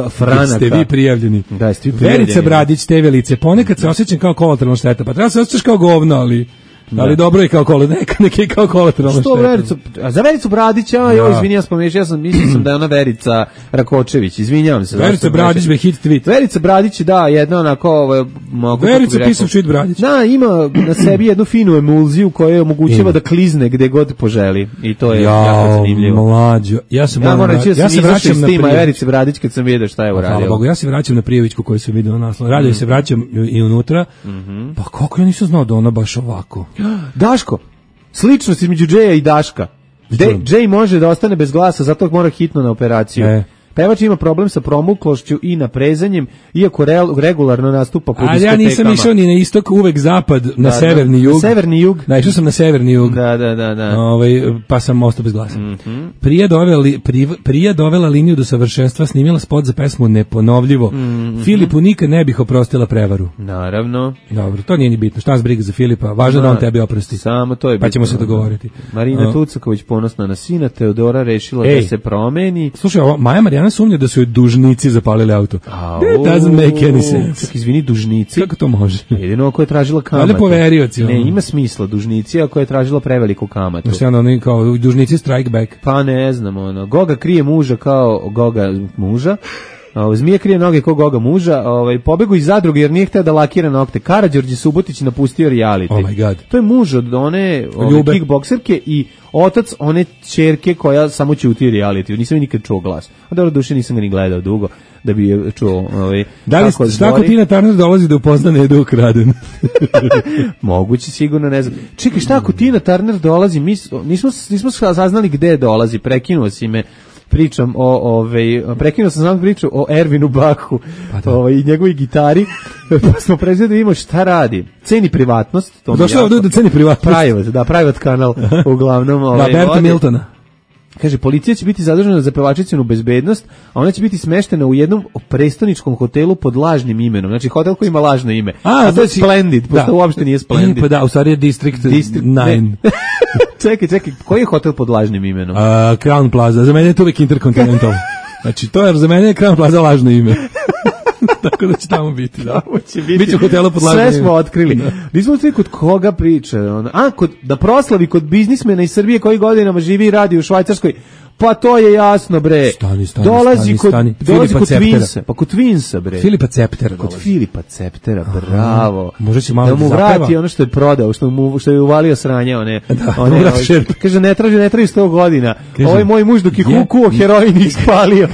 franaka. Ste vi prijavljeni? Da, ste vi prijavljeni. Verica Bradić, te velice, ponekad se osjećam kao kolateralna šteta, pa treba se osjećaš kao govno, ali... Da. Ali dobro je kao kola, neka neki kao kolateralna šteta. Što Vericu? A za Vericu Bradića, ja, joj, izvinjavam se, pomiješ, ja sam mislio sam da je ona Verica Rakočević, izvinjavam se. Verica Bradić be hit tweet. Verica Bradić, da, jedna onako, ovaj, mogu Verica pisao shit Bradić. Da, ima na sebi jednu finu emulziju koja je omogućava da klizne gde god poželi i to je ja, jako zanimljivo. Mlađo. Ja se ja moram reći da ja se vraćam na Tima Verice Bradić kad sam vidio šta je uradio. Hvala Bogu, ja se vraćam na Prijevićku koju sam video na naslov. Radio mm. se vraćam i unutra. Mm-hmm. Pa kako ja nisam znao da ona baš ovako. Daško, Sličnost između Džeja i Daška. Džej može da ostane bez glasa, zato mora hitno na operaciju. E. Pevač ima problem sa promuklošću i naprezanjem, iako re, regularno nastupa po diskotekama. A ja nisam išao ni na istok, uvek zapad, na da, severni da, jug. Na severni jug. Da, išao sam na severni jug. Da, da, da. da. Ovaj, pa sam ostao bez glasa. Mm-hmm. Prija, dovela, pri, prija dovela liniju do savršenstva, snimila spot za pesmu Neponovljivo. Mm-hmm. Filipu nikad ne bih oprostila prevaru. Naravno. Dobro, to nije ni bitno. Šta nas briga za Filipa? Važno da, da on tebi oprosti. Samo to je bitno. Pa ćemo se dogovoriti. Marina uh. Tucaković ponosna na sina, Teodora rešila Ej. da se promeni. Slušaj, ovo, Maja Marijana sumnja da su joj dužnici zapalili auto. It doesn't make any sense. Čak, izvini, dužnici. Kako to može? Jedino ako je tražila kamatu. Ali poverioci. Ne, ima smisla. Dužnici ako je tražila preveliku kamatu. Znači, ono, kao dužnici strike back. Pa ne znam, ono. Goga krije muža kao Goga muža. Ovo, Zmija krije noge kao Goga muža, ovaj, pobegu iz zadruge jer nije hteo da lakira nokte. Karađorđe Subotić napustio reality. Oh my god. To je muž od one ove, kickbokserke i otac one ćerke koja samo ćuti u reality. Nisam je nikad čuo glas. A dobro, duše nisam ga ni gledao dugo da bi je čuo. Ovaj, da li tako Tina Turner dolazi da upozna Nedu Ukraden? Moguće, sigurno, ne znam. Čekaj, šta ako Tina Turner dolazi? Mi nismo, nismo saznali gde dolazi, prekinuo si me. Pričam o ovaj prekinuo sam znam priču o Ervinu Baku, pa ovaj i njegovoj gitari. Pa smo prezeli da vidimo šta radi. Ceni privatnost, to došao ovde da ceni privatnost. Private, da, private kanal uglavnom ovaj. Da, Berta Miltona. Kaže, policija će biti zadužena za pevačicinu bezbednost, a ona će biti smeštena u jednom prestoničkom hotelu pod lažnim imenom. Znači, hotel koji ima lažno ime. A, a to je Splendid, pošto da. uopšte nije Splendid. E, pa da, u stvari je District, District nine. čekaj, čekaj, koji je hotel pod lažnim imenom? Uh, Crown Plaza, za mene je to uvijek Intercontinental. Znači, to je za mene je Crown Plaza lažno ime. Tako da će tamo biti, da. Će biti. Biće hotela pod lažnim. Sve smo otkrili. Da. Nismo otkrili kod koga priča. A, kod, da proslavi kod biznismena iz Srbije koji godinama živi i radi u Švajcarskoj. Pa to je jasno, bre. Stani, stani, dolazi stani, kod, stani. Dolazi kod Twinsa. Pa kod Twinsa, bre. Filipa Ceptera Kod dolazi. Filipa Ceptera, bravo. Može će malo da mu vrati ono što je prodao, što mu što je uvalio sranje, one. Da, one ovaj, kaže, ne traži, ne traži sto godina. Ovo je moj muž dok je kukuo heroin i ispalio.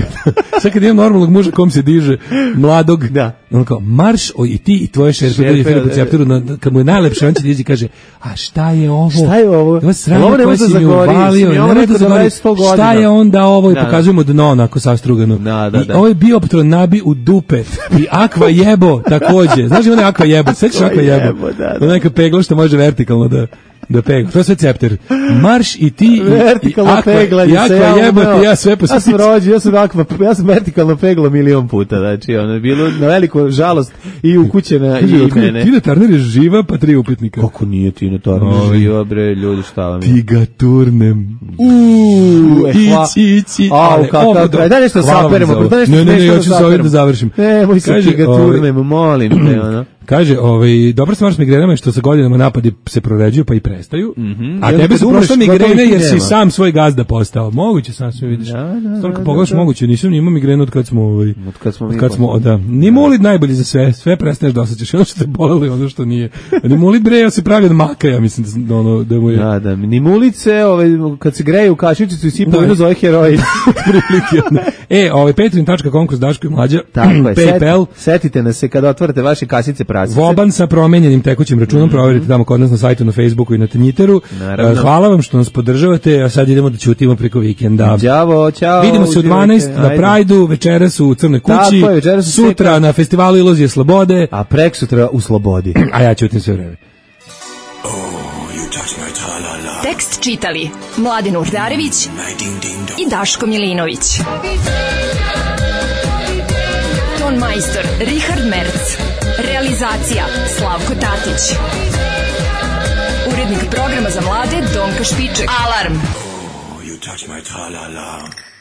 Sad kad imam normalnog muža kom se diže, mladog, da. On kao, marš, o, i ti i tvoje šerpe dođe Filipu Cepteru, na, kad mu je najlepše, on će dići i kaže, a šta je ovo? Šta je ovo? Ovo sranje koje si mi uvalio, ne može da zagori. Šta je onda ovo? I pokazujemo dno onako sastrugano. Da, da, da. I ovo je Bioptron nabi u dupe. I Aqua Jebo takođe. Znaš ima ne Aqua Jebo? Sećaš Aqua Jebo? Da, da. Neka pegla što može vertikalno da da pegla. To je sve Cepter. Marš i ti vertikalno pegla i Aqua Jebo ti ja sve po ja sam rođen, ja sam Aqua, ja sam vertikalno pegla milion puta. Znači ono je bilo na veliku žalost i ukućena i mene. Tina Turner je živa pa tri upitnika. Kako nije Tina Turner živa, bre, ljudi, šta vam je? Ti ga turnem. Uuu, ići, ići. A, kakav, daj nešto saperemo. Ne, ne, ne, ja ću se ovdje da završim. Ne, moj se ti ga turnem, molim te, ono. Kaže, ovaj, dobra stvar s migrenama je što sa godinama napadi se proređuju pa i prestaju. Mm-hmm. A tebi su prošle migrene jer si sam svoj gazda postao. Moguće sam sve vidiš. Da, da, Stvarno, da, pogledaš da. moguće, nisam ni imao migrenu od kad smo ovaj od kad smo od kad smo da. Ni mulit najbolji za sve, sve prestaneš da osjećaš ono što te bolelo i ono što nije. Ni mulit bre, ja se pravi od maka, ja mislim da ono da mu je. Da, da, ni mulice, ovaj kad se greje u kašičicu i sipa vino zove heroin. Prilike. E, ovaj patreon tačka com kroz Daško i Mlađa. Tako je. PayPal. Setite nas se kada otvorite vaše kasice prasice. Voban sa promenjenim tekućim računom, mm-hmm. proverite tamo kod nas na sajtu, na Facebooku i na Twitteru. Naravno. Hvala vam što nas podržavate, a sad idemo da ćutimo preko vikenda. Ćao, ćao. Vidimo se u dvanaest na Prajdu, večeras u Crnoj kući, tako je, večeras sutra seka. Na festivalu Iluzije slobode, a preksutra u Slobodi. A ja ćutim sve vreme. Tekst čitali Mladin Urdarević i Daško Milinović. Ton majstor Richard Merc. Realizacija Slavko Tatić. Urednik programa za mlade Donka Špiček. Alarm! Oh, you touch my tra-la-la.